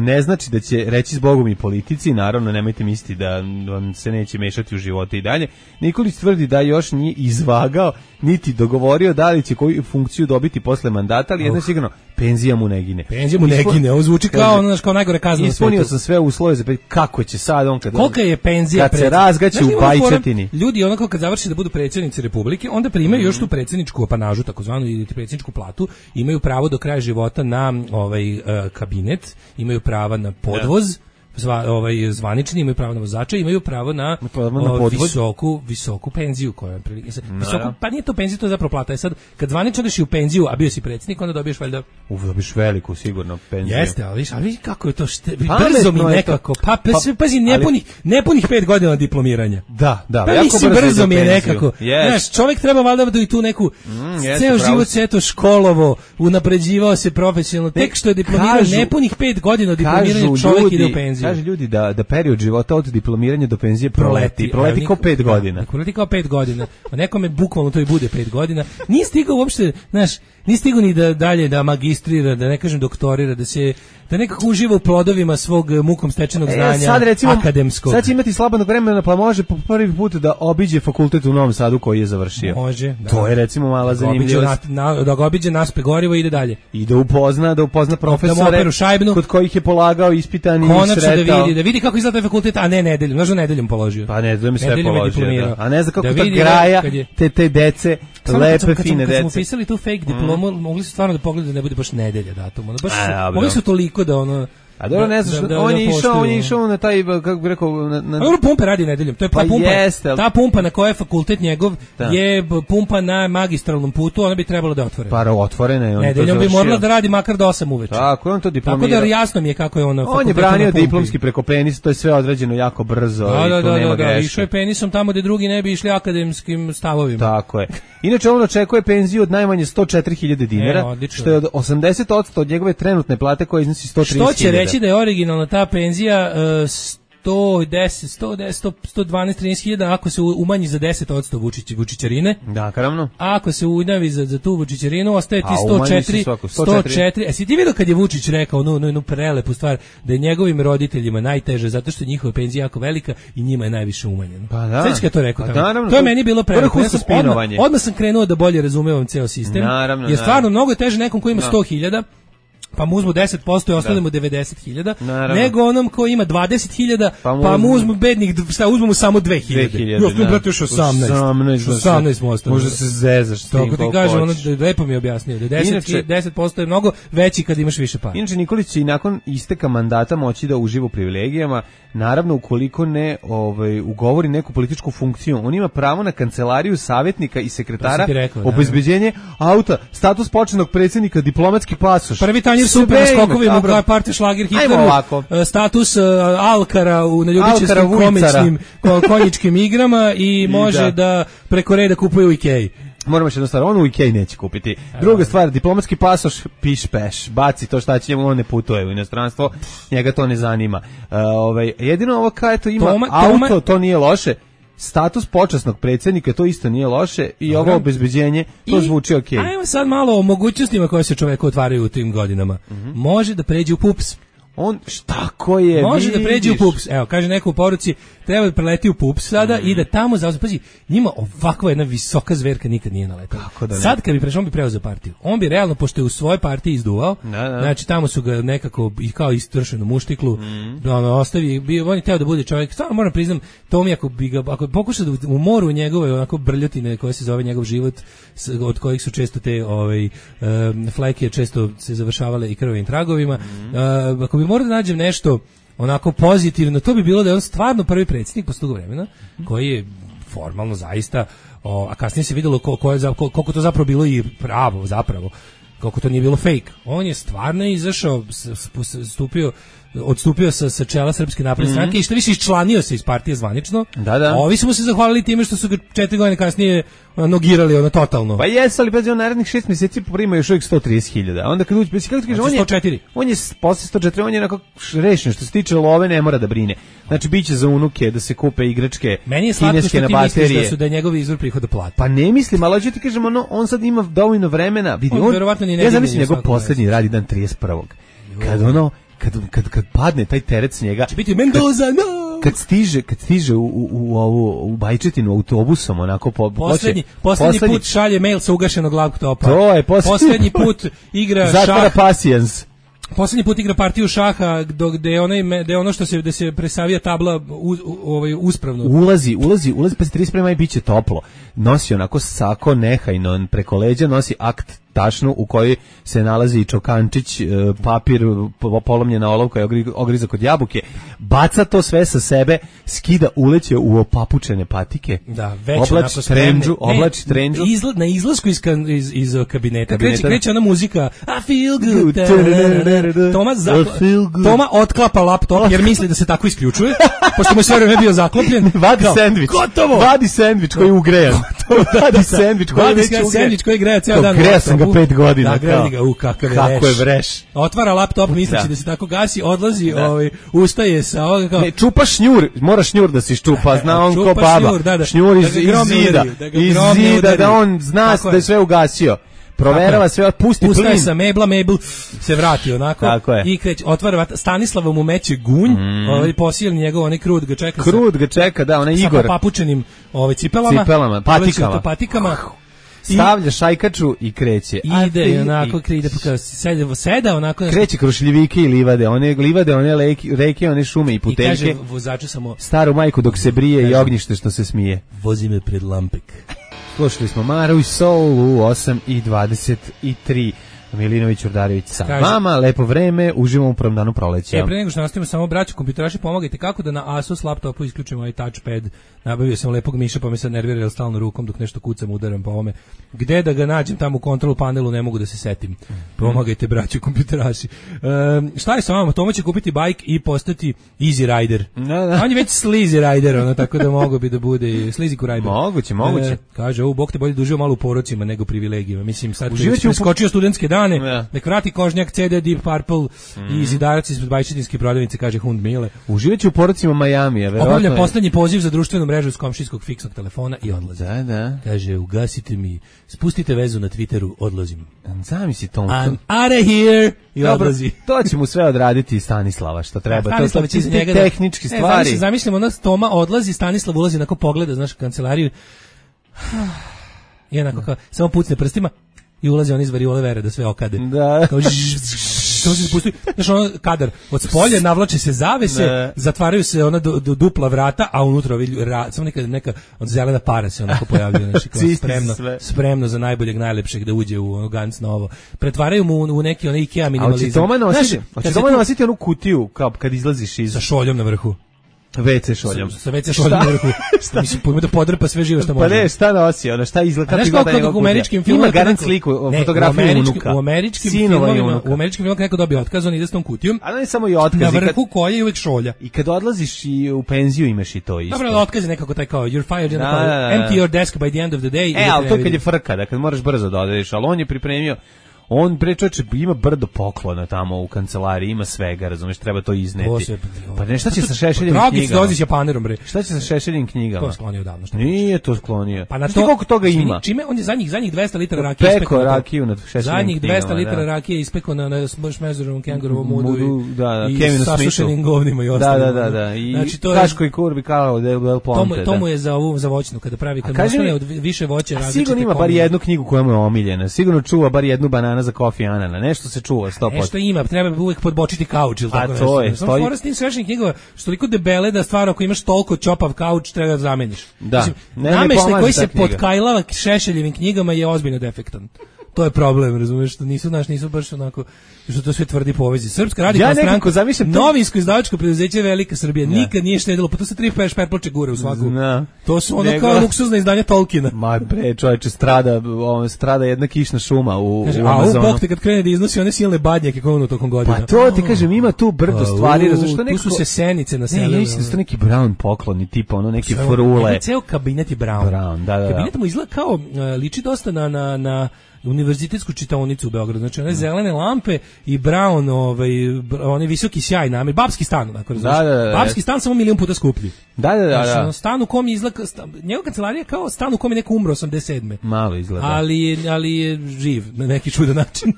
S6: ne znači da će reći zbogom i politici, naravno nemojte misliti da on se neće mešati u živote i dalje. Nikolić tvrdi da još nije izvagao niti dogovorio da li će koju funkciju dobiti posle mandata, ali jedno sigurno, penzija mu ne gine.
S7: Penzija mu ne gine, ovo zvuči kao, ono, kao najgore kazna na svetu.
S6: Ispunio sam sve uslove za kako će sad on kad...
S7: Kolika je penzija
S6: kad se razgaće u Bajčetini.
S7: Ljudi onako kad završi da budu predsjednici Republike, onda primaju mm. još tu predsjedničku apanažu, takozvanu, ili predsjedničku platu, imaju pravo do kraja života na ovaj uh, kabinet, imaju prava na podvoz, zva, ovaj zvanični, imaju pravo na vozača, imaju pravo na,
S6: pravo na
S7: o, visoku visoku penziju koja je prilike sad, visoku, pa nije to penzija, to je zapravo plata. Je sad kad zvanično odeš u penziju, a bio si predsjednik, onda dobiješ valjda
S6: u dobiješ veliku sigurno penziju.
S7: Jeste, ali viš, ali kako je to šte, brzo mi nekako, pa pazi, pazi nepunih nepunih pet godina diplomiranja.
S6: Da, da,
S7: pa jako brzo, brzo mi je nekako. Yes. Znaš, čovjek treba valjda da i tu neku mm, ceo život se eto školovo, unapređivao se profesionalno, tek što je diplomirao nepunih pet godina od diplomiranja čovjek ide u penziju.
S6: Kaže ljudi da da period života od diplomiranja do penzije proleti, proleti kao pet godina.
S7: Proleti kao pet godina. A nekome bukvalno to i bude pet godina. Nije stigao uopšte, znaš, nije stigao ni da dalje da magistrira, da ne kažem doktorira, da se da nekako uživa u plodovima svog mukom stečenog znanja, e, sad recimo, akademskog.
S6: Sad će imati slobodnog vremena, pa može po prvi put da obiđe fakultet u Novom Sadu koji je završio.
S7: Može, da.
S6: To je recimo mala zanimljivost.
S7: Na, na, da ga obiđe naspe gorivo i ide dalje.
S6: I da upozna, da upozna profesore
S7: da
S6: kod kojih je polagao ispitani i
S7: konačno
S6: sretao.
S7: Da vidi, da vidi kako izgleda fakultet, a ne nedeljom, znaš da nedeljom položio.
S6: Pa nedeljom je sve
S7: nedeljom
S6: položio, da. A ne zna kako da ta graja, je... te, te dece, samo lepe, kad sam, fine
S7: kad
S6: dece.
S7: Kad smo pisali tu fake diplomu, mm. mogli su stvarno da pogledaju da ne bude baš nedelja datum. Ono, baš, a, mogli su toliko da ono...
S6: A dobro, ne znaš,
S7: da, da,
S6: on
S7: da
S6: je išao,
S7: poštuju.
S6: on je išao na taj, kako bih rekao, na, na...
S7: A dobro, pumpe radi nedeljom, to je
S6: Pa
S7: pumpa,
S6: jeste, ali-
S7: ta pumpa na kojoj je fakultet njegov
S6: Da.
S7: je b- pumpa na magistralnom putu, ona bi trebalo da je otvorena.
S6: Para otvorena je, on je to
S7: Nedeljom bi
S6: završio.
S7: morala da radi makar do osam uveče.
S6: Tako, on to
S7: Tako
S6: diplomirao.
S7: da jasno mi je kako je ono
S6: On je
S7: fakultetu
S6: branio
S7: na pumpi.
S6: diplomski preko penisa, to je sve odrađeno jako brzo
S7: Da,
S6: i
S7: da,
S6: tu
S7: da,
S6: nema
S7: da, da,
S6: greške.
S7: išao je penisom tamo gde drugi ne bi išli akademskim stavovima.
S6: Tako je. Inače, on očekuje penziju od najmanje sto četiri hiljade dinara,
S7: E, odlično.
S6: što je od osamdeset posto od njegove trenutne plate koja iznosi sto trideset hiljada.
S7: Što će reći da je originalna ta penzija uh, sto deset, sto deset, sto, sto dvanaest, trinaest hiljada ako se umanji za deset posto Vučić, Vučićarine.
S6: Da, karavno.
S7: A ako se unavi za, za tu Vučićarinu, ostaje ti
S6: A,
S7: sto
S6: umanji se
S7: četiri,
S6: svako,
S7: sto
S6: sto četiri.
S7: četiri. E, si ti vidio kad je Vučić rekao onu, onu prelepu stvar, da je njegovim roditeljima najteže, zato što je njihova penzija jako velika i njima je najviše umanjeno.
S6: Pa da.
S7: Sveći kad je to rekao
S6: Pa
S7: tamo.
S6: naravno,
S7: To je
S6: to-
S7: meni bilo prelepo.
S6: vrhunsko
S7: Ja sam odmah,
S6: spinovanje.
S7: odmah sam krenuo da bolje razumevam ceo sistem.
S6: Naravno,
S7: jer stvarno
S6: naravno.
S7: mnogo je teže nekom ko ima sto hiljada, pa mu uzmu deset posto i ostane mu devedeset hiljada,
S6: Naravno.
S7: nego onom ko ima dvadeset hiljada,
S6: Pa mu
S7: pa mu
S6: uzmu-
S7: uzmu bednih, šta, uzmu mu samo dve hiljade.
S6: dve hiljade,
S7: Ja sam,
S6: da.
S7: brate, još osamnaest.
S6: osamnaest, da se-
S7: osamnaest mu ostane.
S6: Možda se zezaš s tim
S7: Tako ti
S6: koliko
S7: kažem, ono,
S6: hoćeš.
S7: lepo mi je objasnio, da deset,
S6: Inače-
S7: deset posto je mnogo veći kad imaš više para.
S6: Inače, Nikolić će i nakon isteka mandata moći da uživa u privilegijama, naravno ukoliko ne ovaj, ugovori neku političku funkciju. On ima pravo na kancelariju savjetnika i
S7: To
S6: sekretara,
S7: sam ti rekao, da,
S6: obezbeđenje auta, status početnog predsjednika, diplomatski pasoš.
S7: Prvi tanjir
S6: Sve
S7: super na
S6: ima,
S7: skokovima u
S6: dobro.
S7: partiji Šlager
S6: Ajmo
S7: Hitleru,
S6: ovako.
S7: e, status e, Alkara u
S6: Alkara
S7: naljubičarskim
S6: Vujcara.
S7: komičnim ko- konjičkim igrama i može
S6: da.
S7: da. preko reda kupuje u Ikeji.
S6: Moramo još jednu stvar, on u Ikej neće kupiti. Druga stvar, diplomatski pasoš, piš peš, baci to šta će njemu, on ne putuje u inostranstvo, njega to ne zanima. Uh, ovaj, jedino ovo kao eto ima
S7: Toma-
S6: auto,
S7: Toma-
S6: to nije loše, status počasnog predsjednika, to isto nije loše i
S7: Dobro.
S6: ovo obezbeđenje, to
S7: I
S6: zvuči okej.
S7: Ajmo sad malo o mogućnostima koje se čoveku otvaraju u tim godinama. Može da pređe u pups.
S6: On šta ko je,
S7: Može da pređe u
S6: vidiš?
S7: pups. Evo, kaže neko u poruci, treba da preleti u pups sada i da tamo zauzme. Pazi, njima ovakva jedna visoka zverka nikad nije naletala.
S6: Kako da ne?
S7: Sad kad bi prešao, on bi preuzeo partiju. On bi realno, pošto je u svojoj partiji izduvao,
S6: Da, da.
S7: znači tamo su ga nekako i kao istršenu muštiklu, da ono, ostavi, bi, on je teo da bude čovjek, stvarno moram priznam, to mi ako bi ga, ako bi pokušao da u moru njegove onako brljotine koje se zove njegov život, s- od kojih su često te ovaj, um, fleke često se završavale i krvavim tragovima, uh, ako bi morao da nađem nešto onako pozitivno, to bi bilo da je on stvarno prvi predsjednik posle dugo vremena, koji je formalno zaista, o, a kasnije se videlo ko, ko je, za- ko- koliko to zapravo bilo i pravo zapravo, koliko to nije bilo fake. On je stvarno izašao, s- s- stupio, odstupio sa, sa čela Srpske napredne stranke i što više iščlanio se iz partije zvanično.
S6: Da, da.
S7: A ovi su mu se zahvalili time što su ga četiri godine kasnije ono, nogirali ono totalno.
S6: Pa jes, ali pazi, on narednih šest mjeseci prima još uvijek sto trideset hiljada. Onda kad uđe, kako ti kažeš,
S7: Znači
S6: on je
S7: sto četiri.
S6: On je s- posle sto četiri, on je onako š- rešen što se tiče love, ne mora da brine. Znači biće za unuke da se kupe igračke
S7: Meni je slatko
S6: kineske
S7: što
S6: na
S7: ti misliš
S6: baterije.
S7: da su da je njegov izvor prihoda plata.
S6: Pa ne mislim, ali hoću ti kažem, ono, on sad ima dovoljno vremena, vidi,
S7: On
S6: on,
S7: verovatno ni ne
S6: ja
S7: digne
S6: zamislim
S7: ni u
S6: njegov
S7: svakom
S6: posljednji radi dan trideset prvog Kad ono, kad, kad, kad padne taj teret s njega,
S7: Će biti Mendoza, no!
S6: kad stiže, kad stiže u, u, u ovu u Bajčetinu autobusom, onako po
S7: Poslednji,
S6: hoće-
S7: poslednji put šalje mail sa ugašenog laptopa.
S6: To je poslednji
S7: Poslednji
S6: put.
S7: put igra
S6: zatvara
S7: šah.
S6: pasijans.
S7: Poslednji put igra partiju šaha do gde je onaj me- gde je ono što se da se presavija tabla u, u, ovaj uspravno.
S6: Ulazi, ulazi, ulazi, pa se trideset prvog maja biće toplo. Nosi onako sako nehajno, preko leđa nosi akt tašnu u kojoj se nalazi čokančić, e, papir, po- polomljena olovka i ogri- ogrizak od jabuke. Baca to sve sa sebe, skida uleće u opapučene patike.
S7: Da, već
S6: oblači
S7: onako spremni.
S6: trendžu,
S7: Ne,
S6: oblači trendžu.
S7: Izla, na izlasku iz, kan- iz, iz uh, kabineta,
S6: Kabineta.
S7: Kreće, kreće ona muzika I feel good.
S6: Good.
S7: Toma,
S6: I
S7: zakla,
S6: feel good.
S7: Toma otklapa laptop jer misli da se tako isključuje, pošto mu je sve vreme bio zaklopljen.
S6: Vadi
S7: Kao,
S6: sendvič.
S7: Gotovo!
S6: Vadi sendvič koji je ugrejan. Vadi sendvič koji je
S7: Vadi
S6: već
S7: se
S6: ugrejan.
S7: sendvič koji greje ceo
S6: Kao,
S7: dan. u
S6: grejao sam ga
S7: laptopu.
S6: pet godina,
S7: Da, grejali
S6: kao.
S7: ga, u kakav je
S6: Kako
S7: veš.
S6: je vreš.
S7: Otvara laptop misleći
S6: Da.
S7: da se tako gasi, odlazi, ovaj, ustaje sa ovoga kao...
S6: Ne, čupa šnjur, mora šnjur da se iščupa, zna on
S7: Čupa
S6: ko baba.
S7: šnjur, da, da.
S6: Šnjur iz,
S7: Da ga
S6: iz
S7: grom ne
S6: zida,
S7: udari, da ga
S6: iz
S7: grom ne
S6: zida,
S7: udari.
S6: da on zna
S7: Tako
S6: da je
S7: je.
S6: sve ugasio. Proverava
S7: Tako je.
S6: sve, pusti
S7: Ustaje
S6: plin.
S7: sa mebla, mebl se vrati onako
S6: Tako je.
S7: i kreć, otvara vrata, Stanislava mu meće gunj, ovaj posilni njegov onaj krud ga čeka sa-
S6: Krud ga čeka, da, onaj
S7: sa
S6: Igor.
S7: papučenim ovaj cipelama,
S6: Cipelama, patikama.
S7: to patikama. I
S6: Stavlja šajkaču i kreće. A
S7: ide
S6: ti-
S7: i onako ide pa kao seda, seda onako nešto-
S6: Kreće kroz šljivike i livade, one livade, one leke, reke, one šume i
S7: i
S6: puteljke.
S7: kaže vozaču samo
S6: Staru majku dok se brije i
S7: Kaže-
S6: ognjište što se smije.
S7: vozi me pred Lampek.
S6: Slušali smo Maru i Soul u osam i dvadeset tri. Milinović Urdarević sa
S7: Kaže,
S6: vama, lepo vreme, uživamo u prvom danu proleća.
S7: E, pre nego što nastavimo, samo braću kompjuteraši, pomagajte kako da na Asus laptopu isključimo ovaj touchpad. Nabavio sam lepog miša, pa me sad nervira jer stalno rukom dok nešto kucam, udaram po ovome. Gde da ga nađem tamo u control panelu, ne mogu da se setim. Pomagajte braću kompjuteraši. Um, šta je sa vama? Tomo će kupiti bajk i postati Easy Rider.
S6: Da, da.
S7: On je već Sleazy Rider, ono, tako da mogo bi da bude Sleazy Rider.
S6: Moguće, moguće.
S7: E, kaže, ovo Bog te bolje dužio malo u porocima nego privilegijama. Mislim, sad
S6: Uživaću
S7: je skočio u studentske dane,
S6: ja.
S7: nek vrati kožnjak, C D, Deep Purple mm. i zidarac ispred bajčetinske prodavnice, kaže Hund Mile.
S6: Uživaću u porocima Majamija, verovatno.
S7: Obavlja poslednji poziv za društvenu mrežu iz komšijskog fiksnog telefona i odlazi.
S6: Da, da.
S7: Kaže, ugasite mi, spustite vezu na Twitteru, odlazim.
S6: Zamisli to.
S7: I'm out of here i
S6: dobro,
S7: odlazi.
S6: To će mu sve odraditi Stanislava, što treba.
S7: Stanislav
S6: to su
S7: njega
S6: tehničke
S7: da,
S6: stvari.
S7: E, zamislimo, ona Toma odlazi, Stanislav ulazi, onako pogleda, znaš, kancelariju i onako kao, samo pucne prstima i ulazi on iz variole vere da sve okade.
S6: Da.
S7: Kao, to se spusti, znaš, ono kadar, od spolja navlače se zavese, ne. Zatvaraju se ona du, du, dupla vrata, a unutra ovi, ra, samo neka, neka od zelena para se onako pojavljuje, znači, kao spremno, spremno za najboljeg, najlepšeg da uđe u ono Gans novo. Pretvaraju mu u, u neki onaj Ikea minimalizam.
S6: A hoće Toma nositi, hoće Toma nositi onu kutiju kao kad izlaziš iz...
S7: Sa šoljom na vrhu.
S6: ve ce šoljom.
S7: Sa, sa ve ce šoljom na vrhu. Mislim, pojmo da podrpa sve živo što može.
S6: Pa ne, šta nosi, ono, šta izgleda, kako izgleda njegov
S7: u američkim filmima.
S6: Ima garant sliku,
S7: ne,
S6: fotografiju
S7: u američkim,
S6: unuka.
S7: U američkim filmima, u američkim filmima neko dobije otkaz, on ide s tom kutijom.
S6: A ne samo i otkaz.
S7: Na vrhu koje je uvek šolja.
S6: I kad odlaziš i u penziju imaš i to isto.
S7: Dobro, otkaz je nekako taj kao, you're fired, da, da, da. Empty your desk by the end of the day.
S6: E, ali to kad je frka, da kad moraš brzo da odeš, ali on je pripremio. On bre čoveče ima brdo poklona tamo u kancelariji, ima svega, razumeš, treba to izneti. Posle, pa ne, šta će sa Šešeljim knjigama?
S7: Dragić dolazi s Japanerom bre.
S6: Šta će sa Šešeljim knjigama?
S7: To sklonio davno što.
S6: Nije to sklonio.
S7: Pa na to
S6: koliko toga ima?
S7: Čime on je zadnjih zadnjih dvesta litara rakije
S6: ispekao. Peko rakiju na Šešeljim knjigama.
S7: Zadnjih dvesta litara rakije ispekao na na Šmezerovom kengurovom mudu
S6: i da,
S7: i sasušenim govnima i
S6: ostalim. Da, da, da, i znači to Kaško i Kurbi kao Del Ponte.
S7: To mu je za ovu za voćnu kada pravi kad ostane od više voća različite.
S6: Sigurno ima bar jednu knjigu koja mu je omiljena. Sigurno čuva bar jednu banana za kofi Anana. Nešto se čuva sto posto.
S7: Nešto ima, treba uvek podbočiti kauč ili tako
S6: nešto. A to je,
S7: stoji. Samo tim svešnim knjigama, što toliko debele da stvarno ako imaš toliko čopav kauč treba da zameniš.
S6: Da.
S7: Mislim, nameštaj koji se potkajlava Šešeljevim knjigama je ozbiljno defektan. To je problem, razumeš, što nisu naš nisu baš onako što to sve tvrdi povezi. Srpska radikalna
S6: ja
S7: stranka,
S6: zamišljam
S7: to... novinsko izdavačko preduzeće Velika Srbija, ja. Nikad nije štedilo, pa to se tri peš perploče gure u svaku. Zna. To su ono Nego... kao luksuzna izdanja Tolkiena.
S6: Ma bre, čoveče, strada, on strada jedna kišna šuma u,
S7: Kaže,
S6: u Amazonu.
S7: A u Bog te kad krene da iznosi one silne badnjake koje ono tokom godina.
S6: Pa to ti kažem, ima tu brdo stvari, razumeš, što
S7: neko... Tu su se senice na selu.
S6: Ne, ja mislim da su neki Brown pokloni, tipa ono neki frule.
S7: Ne, ceo kabinet je Brown.
S6: Brown, da, da, da.
S7: Kabinet mu izgleda kao, liči dosta na, na, na univerzitetsku čitaonicu u Beogradu, znači one zelene lampe i brown, ovaj, oni visoki sjaj namer, babski stan, onako,
S6: da, da, da,
S7: babski stan samo milion puta skuplji.
S6: Da, da, da.
S7: Znači, stan u kom izgleda, njegova kancelarija kao stan u kom je neko umro osamdeset sedme
S6: Malo izgleda.
S7: Ali, ali je živ na neki čudan način.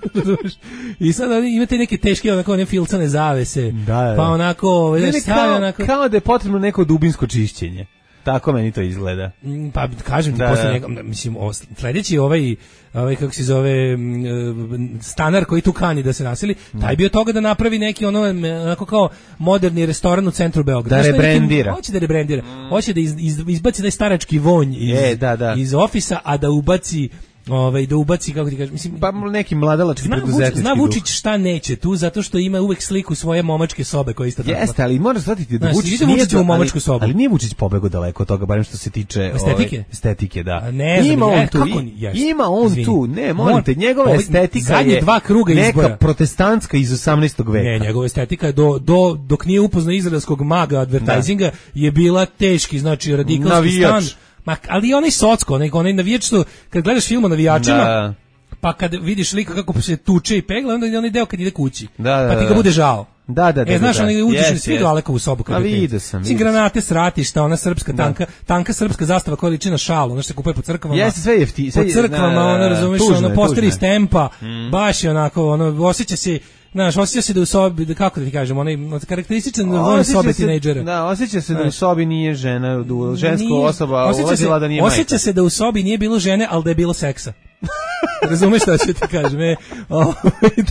S7: I sad imate neke teške, onako, one filcane zavese,
S6: da, da.
S7: Pa onako,
S6: ne, ne,
S7: stavi,
S6: kao,
S7: onako...
S6: kao da je potrebno neko dubinsko čišćenje. Tako meni to izgleda.
S7: Pa kažem ti da, posle njega, mislim, o, sledeći ovaj, ovaj, kako se zove, stanar koji tu kani da se naseli, taj bio toga da napravi neki ono, onako kao moderni restoran u centru Beograda.
S6: Da rebrandira.
S7: Hoće da rebrandira. Hoće da iz, iz, izbaci taj starački vonj iz,
S6: Je, da, da.
S7: iz ofisa, a da ubaci ovaj da ubaci, kako ti kažeš, mislim,
S6: pa neki mladalački preduzetnički.
S7: Zna Vučić šta neće tu, zato što ima uvek sliku svoje momačke sobe koja isto tako.
S6: Jeste, ali moraš shvatiti da Vučić
S7: nije u momačku sobu.
S6: Ali nije Vučić pobegao daleko od toga, barem što se tiče
S7: estetike.
S6: Ove, estetike, da.
S7: A ne,
S6: ima
S7: znam,
S6: on tu,
S7: kako,
S6: ima on Zvini. tu, ne, molim te, njegova
S7: Ovi,
S6: estetika je
S7: dva kruga
S6: neka
S7: izbora.
S6: protestantska iz osamnaestog veka.
S7: Ne, njegova estetika je do, do, dok nije upoznao izraelskog maga advertisinga, da. Je bila teški, znači radikalski
S6: Navijač.
S7: stan. Ma, ali onaj socko, onaj, onaj navijač što, kad gledaš film o navijačima,
S6: da.
S7: Pa kad vidiš lika kako se tuče i pegla, onda je onaj deo kad ide kući,
S6: da, da,
S7: pa ti ga bude žao.
S6: Da, da, da.
S7: E, znaš,
S6: da, da.
S7: oni uđeš
S6: yes,
S7: na svi
S6: yes.
S7: do Alekovu sobu.
S6: A vidio sam.
S7: Svi granate, sratišta, ona srpska tanka, da. Tanka srpska zastava koja liči na šalu, ono što se kupuje po crkvama.
S6: Jeste, sve jefti.
S7: Po crkvama, ono, razumiješ, ono, posteri iz tempa, mm. baš je onako, ono, osjeća se, znaš, osjeća se da u sobi, da, kako da ti kažem, onaj karakterističan vojn sobe tinejdžera.
S6: Da, osjeća se da u sobi nije žena, da ženska osoba ulazila da nije majka.
S7: Osjeća se da u sobi nije bilo žene, ali da je bilo seksa. Razumeš šta ću ti kažem? E, o,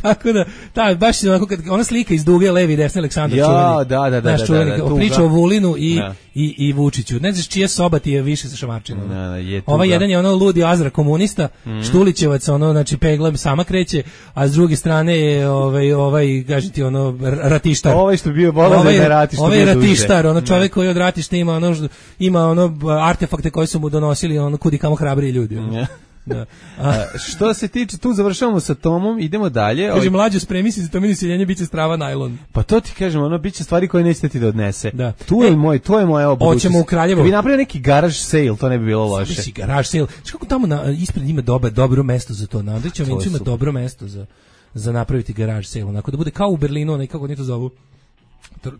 S7: tako da, ta, baš je onako, kad, ona slika iz duge, levi i desni Aleksandar
S6: ja,
S7: čuveni.
S6: Da, da, da.
S7: Naš čuveni,
S6: da, da, da,
S7: priča o Vulinu i,
S6: da.
S7: i, i Vučiću. Ne znaš čija soba ti je više sa šamarčinom.
S6: Da, da, je
S7: Ova jedan je ono ludi Azra komunista, mm. Štulićevac, ono, znači pegla sama kreće, a s druge strane je ovaj, ovaj, kaži ti, ono, ratištar.
S6: Ovaj što bio volao ovaj, da je ratištar.
S7: Ovaj je ratištar, ono čovjek koji od ratišta ima ono, ima ono artefakte koji su mu donosili, ono, kudi kamo hrabriji ljudi. Ono. Da.
S6: A, što se tiče, tu završavamo sa Tomom, idemo dalje.
S7: Kaže, mlađo, spremi se za Tomino siljenje, bit će strava najlon.
S6: Pa to ti kažem, ono, bit će stvari koje nećete ti da odnese.
S7: Da.
S6: Tu je e, moj, to je moja obudućnost.
S7: Hoćemo u Kraljevo.
S6: Kad bi napravio neki garage sale, to ne bi bilo loše.
S7: Svi garage sale. Znaš kako tamo na, ispred ima dobro, dobro mesto za to. Na Andrićevom vencu ima dobro mesto za, za napraviti garage sale. Onako da bude kao u Berlinu, nekako oni to zovu.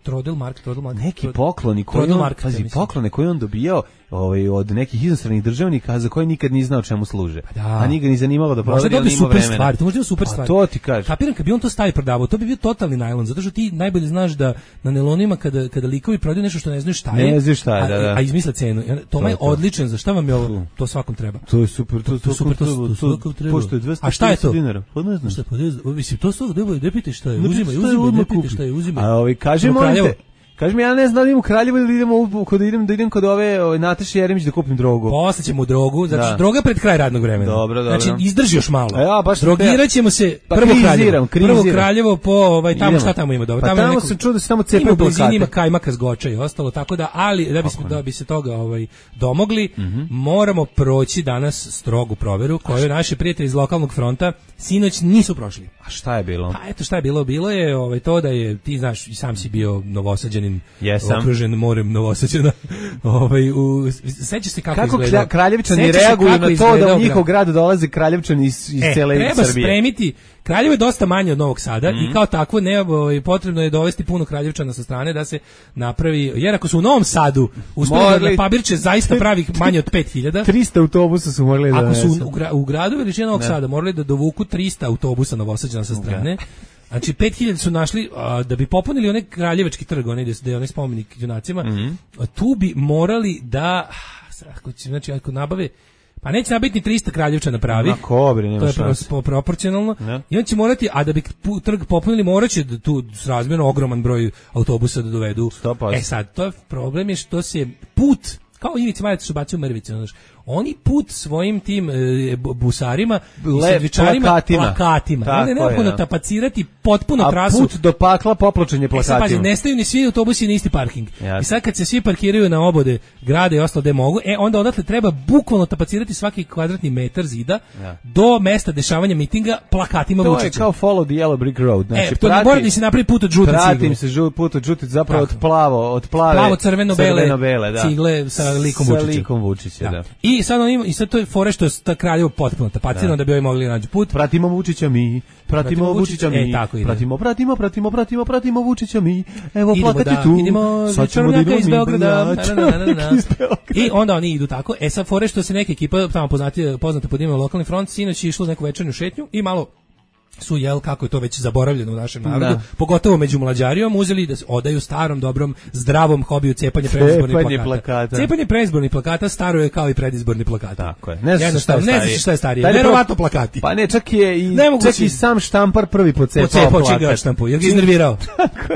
S7: Trodel Mark, Trodel Mark.
S6: Neki pokloni koji on, pazi, poklone koje on dobijao ovaj, od nekih inostranih državnika za koje nikad ni znao čemu služe.
S7: Da.
S6: A nikad ni zanimalo da proveri, ali
S7: ima
S6: super
S7: vremena. Stvari, to može biti super stvar.
S6: To ti kažeš.
S7: Kapiram, kad bi on to stavi prodavao, to bi bio totalni najlon, zato što ti najbolje znaš da na nelonima kada, kada likovi prodaju nešto što ne znaju šta je,
S6: ne znaš šta je, da, da.
S7: A, a izmisle cenu. To je odličan, za šta vam je ovo? To svakom treba.
S6: To je super, to, to, to super, to, to, to svakom treba. Pošto je dvesta pedeset dinara. Pa ne znam.
S7: Šta, pa ne znam. Mislim, to svakog treba, ne pite šta je, uzimaj, uzimaj, ne pite šta je, uzimaj.
S6: A ovaj, kaži molim te, kaži mi, ja ne znam da idem u Kraljevo ili idemo u, kod idem da idem kod ove, ove Nataše Jeremić da kupim drogu.
S7: Posle ćemo u drogu, zato što droga pred kraj radnog vremena.
S6: Dobro, dobro.
S7: Znači izdrži još malo.
S6: Ja, baš
S7: drogiraćemo se
S6: pa
S7: prvo
S6: kriziram,
S7: Kraljevo.
S6: kriziram.
S7: Prvo Kraljevo po ovaj tamo
S6: idemo.
S7: Šta tamo ima dobro.
S6: Pa
S7: tamo
S6: tamo
S7: neko,
S6: sam čuo da se tamo cepaju plakate.
S7: Ima kajmaka s Goča i ostalo, tako da, ali da bi se, da bi se toga ovaj domogli, mm-hmm. moramo proći danas strogu proveru koju naši prijatelji iz lokalnog fronta sinoć nisu prošli.
S6: A šta je bilo?
S7: Pa eto šta je bilo, bilo je ovaj to da je, ti znaš, i sam si bio Novosađanin,
S6: Jesam.
S7: okružen morem Novosađana. Ovaj u seća se kako, kako
S6: izgleda. Kako Kraljevčani reaguju na to da u njihov grad dolaze Kraljevčani iz, iz
S7: e,
S6: cele
S7: treba
S6: Srbije.
S7: Spremiti. Kraljevo je dosta manje od Novog Sada
S6: mm.
S7: i kao takvo ne, ovaj, potrebno je dovesti puno Kraljevčana sa strane da se napravi, jer ako su u Novom Sadu uspeli da na Pabirče zaista pravih manje od pet hiljada,
S6: trista autobusa su morali da
S7: ako su u, gra, u gradu veličine Novog
S6: ne.
S7: Sada morali da dovuku trista autobusa Novosađana sa strane. Okay. Znači pet hiljada su našli a, da bi popunili onaj Kraljevački trg, onaj gde je onaj spomenik junacima. Mm. Tu bi morali da znači ako nabave pa neće nabiti ni trista Kraljevčana pravih. To je pro, proporcionalno. Ne. I on će morati, a da bi trg popunili, morat će da tu srazmjerno ogroman broj autobusa da dovedu. E sad, to je problem je što se put, kao Ivica Maljac što bacio mrvice, znaš, oni put svojim tim e, busarima i sendvičarima plakatima, plakatima. Tako je neophodno tapacirati potpuno
S6: a
S7: trasu.
S6: A put do pakla popločen je plakatima.
S7: E sad, pazi, nestaju ni svi autobusi na isti parking. Jasne. I sad kad se svi parkiraju na obode grada i ostalo gde mogu, e onda odatle treba bukvalno tapacirati svaki kvadratni metar zida ja. do mesta dešavanja mitinga plakatima Vučića.
S6: To je kao follow the yellow brick road. Znači,
S7: e, to pratim, ne mora da se napravi put od žute cigle.
S6: Pratim se žut, put od žute, zapravo tako. od plavo, od plave.
S7: Plavo crveno-bele
S6: crveno da.
S7: cigle sa likom
S6: sa
S7: Vučića.
S6: likom Vučića, da. da.
S7: I sad on ima, i sad to je fore što je ta Kraljevo potpuno tapacirano da bi ovi mogli naći put.
S6: Pratimo Vučića mi, pratimo, pratimo Vučića mi,
S7: e, tako
S6: pratimo, pratimo, pratimo, pratimo, pratimo Vučića mi. Evo
S7: idemo
S6: plakati
S7: da,
S6: tu.
S7: Idemo
S6: sad ćemo da idemo
S7: iz Beograda.
S6: Na, na, na, na, na.
S7: I onda oni idu tako. E sad fore što se neka ekipa tamo poznati, poznata pod imenom Lokalni front sinoć je išlo neku večernju šetnju i malo su jel kako je to već zaboravljeno u našem narodu, da. pogotovo među mlađarijom, uzeli da se odaju starom, dobrom, zdravom hobiju cepanje predizbornih plakata.
S6: plakata.
S7: Cepanje predizbornih plakata staro je kao i predizborni plakata.
S6: Tako je. Ne znaš šta je starije.
S7: Ne znaš šta je starije. Verovatno plakati.
S6: Pa ne, čak je i, čak i sam štampar prvi pocepao plakat.
S7: Pocepao će ga štampu, jer ga iznervirao.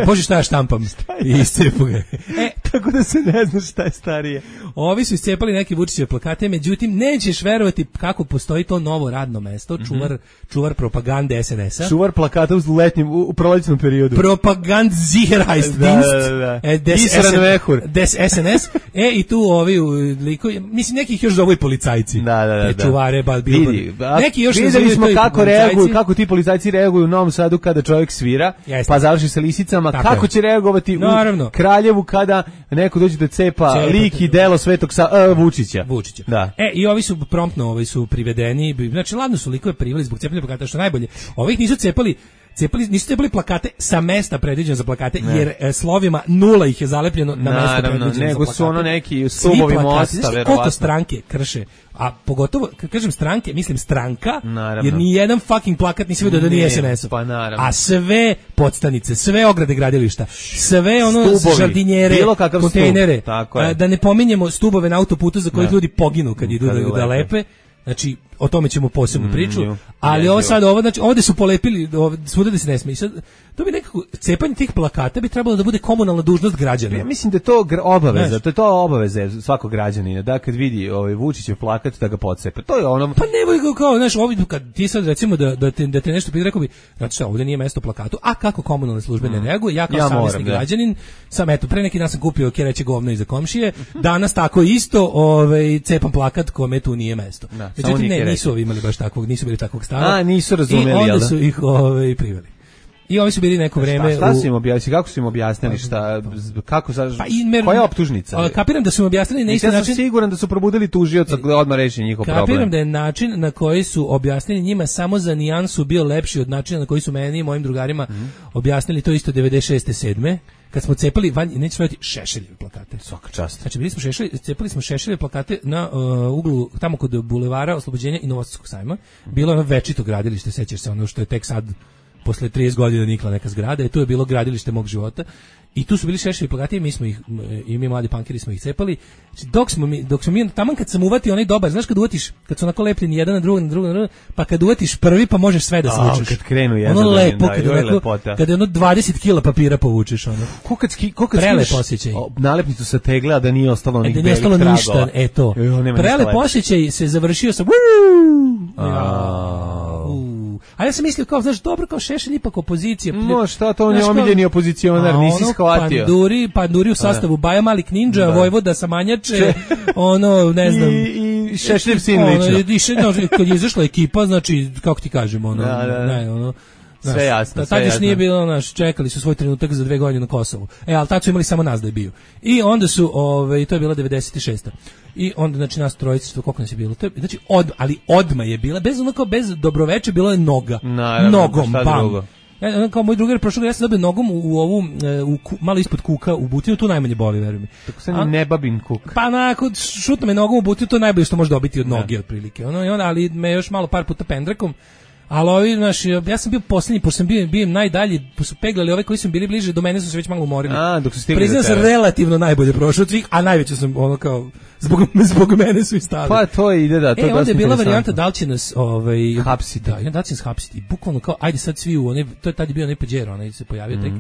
S7: Bože šta ja štampam. I iscepu ga.
S6: E, tako da se ne zna šta je starije.
S7: Ovi su iscepali neke Vučićeve plakate, međutim, nećeš verovati kako postoji to novo radno mesto, čuvar, mm-hmm. čuvar propagande es en es-a.
S6: Čuvar plakata u letnjem, u, u prolećnom periodu.
S7: Propagandsicherheitsdienst.
S6: Da, da, da.
S7: E, des, des es en es. E, i tu ovi likovi, mislim, nekih još zovu i policajci.
S6: Da, da, da.
S7: Te čuvare, ba,
S6: vidi,
S7: neki još
S6: videli smo kako reaguju, kako ti policajci reaguju u Novom Sadu kada čovjek svira, Jeste. pa završi sa lisicama, tako kako je. će reagovati
S7: Naravno.
S6: u Kraljevu kada neko dođe da cepa Cepa, lik i delo Svetog Sa, uh, Vučića.
S7: Vučića.
S6: Da.
S7: E, i ovi su promptno, ovi su privedeni, znači ladno su likove priveli zbog cepanja plakata, što najbolje. Ovih nisu cepali Cepali, nisu cepali plakate sa mesta predviđeno za plakate, ne. jer e, slovima nula ih je zalepljeno na mesto predviđeno za plakate.
S6: Nego su ono neki stubovi mosta, verovatno.
S7: Koliko stranke krše, a pogotovo, kad kažem stranke, mislim stranka, naravno. jer ni jedan fucking plakat nisi vidio da nije es en es-ov.
S6: Pa naravno.
S7: A sve podstanice, sve ograde gradilišta, sve ono
S6: stubovi,
S7: žardinjere, kontejnere,
S6: stub,
S7: da ne pominjemo stubove na autoputu za koje ljudi poginu kad idu da, da lepe. Znači, o tome ćemo posebnu priču,
S6: Mm,
S7: ali
S6: je,
S7: ovo
S6: je.
S7: sad, ovo, znači, ovde su polepili, ovde, svuda da se ne sme. I sad, to bi nekako, cepanje tih plakata bi trebalo da bude komunalna dužnost građana.
S6: Ja mislim da je to gr- obaveza,
S7: Znaš.
S6: to je to obaveza svakog građanina, da kad vidi ovaj Vučićev plakat da ga podsepe. To je ono.
S7: Pa ne boj kao, znaš, ovdje kad ti sad recimo da, da, te, da te nešto pita, rekao bi, znači šta, ovdje nije mesto plakatu, a kako komunalne službe ne reaguju, ja kao
S6: Ja
S7: savjesni
S6: moram, da.
S7: građanin, sam eto, pre neki dan sam kupio kereće govno iza komšije, danas tako isto, ovaj, cepam plakat kome tu nije mesto.
S6: Da, samo
S7: Međutim,
S6: nije
S7: ne,
S6: kereće.
S7: nisu ovi imali baš takvog, nisu bili takvog stava.
S6: A, nisu razumeli,
S7: I onda
S6: jel da?
S7: su ih ovaj, priveli. I ovi su bili neko vreme
S6: Šta, šta
S7: u...
S6: su im objasnili, kako su im objasnili, šta, z- kako, za,
S7: Pa i mer-
S6: koja je optužnica?
S7: A, kapiram da su im objasnili na isti
S6: Ja sam
S7: način.
S6: siguran da su probudili tužioca da odmah reši njihov problem.
S7: Kapiram da je način na koji su objasnili njima samo za nijansu bio lepši od načina na koji su meni i mojim drugarima
S6: Mhm.
S7: objasnili to isto devedeset šeste sedme kad smo cepali van, neću raditi Šešeljeve plakate.
S6: Svaka čast.
S7: Znači bili smo šešelj, cepali smo Šešeljeve plakate na uh, uglu tamo kod bulevara Oslobođenja i Novosadskog sajma. Bilo je ono večito gradilište, sećaš se, ono što je tek sad posle trideset godina nikla neka zgrada, i tu je bilo gradilište mog života. I tu su bili Šešeljevi plakati, i mi smo ih, i mi mladi pankeri smo ih cepali. Znači, dok smo mi, dok smo mi, taman kad sam uvatio onaj dobar, znaš kad uvatiš, kad su onako lepljeni jedan na drugog, na drugog, na drugog, pa kad uvatiš prvi, pa možeš sve da
S6: A,
S7: svučeš.
S6: kad krenu jedan
S7: ono
S6: za drugim,
S7: lepo,
S6: da,
S7: kad
S6: joj,
S7: je onako,
S6: lepota.
S7: kad je ono dvadeset kila papira povučeš, ono.
S6: Ko kad, ski, ko kad
S7: Prelep
S6: skineš
S7: osjećaj.
S6: o, nalepnicu sa tegle, a da nije ostalo
S7: E,
S6: onih
S7: da nije
S6: belih
S7: ostalo
S6: tragova.
S7: ništa, e to.
S6: Jo, nema ništa
S7: Prelep
S6: lepše.
S7: osjećaj se završio sa
S6: A.
S7: U. A ja sam mislio kao, znaš, dobro, kao Šešelj ipak opozicija.
S6: No, šta to, on je
S7: Znaš, kao-
S6: omiljeni opozicionar,
S7: A
S6: nisi
S7: ono,
S6: shvatio.
S7: Panduri, panduri u sastavu Baja Malik Ninja,
S6: Da.
S7: Vojvoda Samanjače, ono, ne znam.
S6: I, i Šešljev sin
S7: ono,
S6: lično.
S7: i še- no, kad je izašla ekipa, znači, kako ti kažem, ono,
S6: Da, da, da.
S7: ne, ono,
S6: Sve
S7: znaš,
S6: jasno,
S7: ta-
S6: sve
S7: Tad još
S6: jasno.
S7: nije bilo, znaš, čekali su svoj trenutak za dve godine na Kosovu. E, ali tad su imali samo nas da je bio. I onda su, ove, to je bila devedeset šesta. I onda, znači, nas trojice, što koliko nas je bilo? To je, znači, od, ali odma je bila, bez onako, bez dobroveče, bilo je noga.
S6: Naravno,
S7: Nogom,
S6: šta
S7: bam.
S6: drugo?
S7: Ja, ono kao moj drugar prošlog, ja sam dobio nogom u, u ovu, e, u, ku- malo ispod kuka, u butinu, tu najmanje boli, veruj mi.
S6: Tako se
S7: A-
S6: ne babin kuk.
S7: Pa onako, šutno me nogom u butinu, to je najbolje što može dobiti od noge, otprilike. Ono, i onda, ali me još malo par puta pendrekom. Ali ovi, znaš, ja sam bio posljednji, pošto sam bio, bio najdalji, pošto su peglali ove koji su bili bliže, do mene su se već malo umorili.
S6: A, dok su stigli
S7: Priznam
S6: do
S7: sam
S6: tebe.
S7: relativno najbolje prošao od svih, a najveće sam, ono kao, zbog, zbog mene su i stavili.
S6: Pa to ide, da, to je
S7: E, onda
S6: dosta
S7: je bila
S6: interesantno.
S7: varijanta da li će nas ovaj,
S6: Hapsiti.
S7: Da, i onda da li će nas hapsiti. I bukvalno kao, ajde sad svi u onaj, to je tad je bio onaj Pajero, onaj se pojavio tek.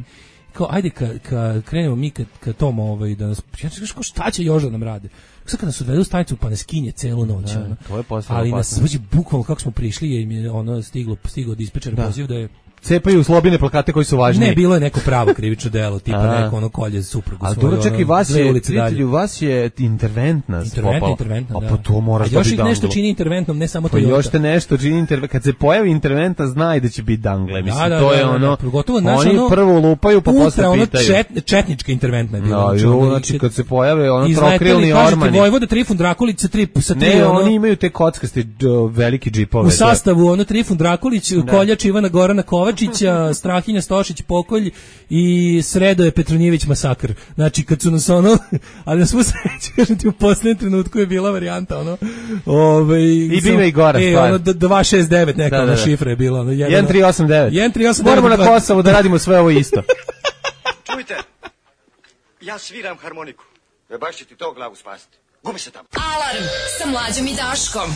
S7: Kao, ajde ka, ka krenemo mi ka, ka tom, ovaj, da nas, ja ću kao, šta će još da nam rade? Sad kad nas odvedu u stanicu pa nas skinje celu noć.
S6: Da,
S7: ono.
S6: to je postalo
S7: Ali nas,
S6: opasno.
S7: znači, bukvalno kako smo prišli, je im je ono stiglo, stiglo od dispečera
S6: Da.
S7: poziv da je
S6: Cepaju slobine plakate koji su važni.
S7: ne, bilo je neko pravo krivično delo, tipa
S6: A.
S7: neko ono kolje suprugu.
S6: Ali
S7: svoju,
S6: dobro, čekaj,
S7: ono,
S6: vas
S7: dve
S6: je,
S7: ulice dalje.
S6: prijatelju, vas je interventna
S7: Interventna,
S6: popala.
S7: interventna,
S6: A
S7: da.
S6: pa to moraš
S7: A još
S6: dobiti
S7: ih nešto
S6: danglu.
S7: čini interventnom, ne samo
S6: Pa
S7: Toyota.
S6: još te nešto čini intervent. Kad se pojavi interventa, znaj da će biti dangle. Mislim,
S7: Da, da,
S6: to
S7: da,
S6: je
S7: da,
S6: ono,
S7: da, pogotovo, znaš,
S6: oni
S7: ono,
S6: prvo lupaju, pa
S7: ultra,
S6: posle
S7: ono
S6: pitaju.
S7: čet, četnička interventna je bila.
S6: Da,
S7: znači,
S6: ju,
S7: ono,
S6: znači
S7: i-
S6: kad se pojave ono
S7: izleteli,
S6: trokrilni
S7: kažete,
S6: ormani.
S7: Vojvoda Trifun Drakulić sa tri, sa tri
S6: Ne,
S7: ono,
S6: oni imaju te kockaste dž- veliki džipove.
S7: u sastavu ono Trifun Drakulić, koljač Ivana Gorana Kovačića, Strahinja Stošić Pokolj i Sredoje Petronjević Masakr. Znači kad su nas ono, ali na svu sreću, kažem ti, u posljednjem trenutku je bila varijanta ono, ovaj
S6: I biva i gora
S7: e,
S6: stvar.
S7: ono dva šest devet neka
S6: Da, da,
S7: ono
S6: da.
S7: šifra je bila ono
S6: jedan tri osam devet.
S7: jedan tri osam devet.
S6: Moramo na Kosovu da radimo sve ovo isto.
S4: Čujte, ja sviram harmoniku. E baš će ti to glavu spasiti. Gubi se tamo.
S1: Alarm sa Mlađom i Daškom.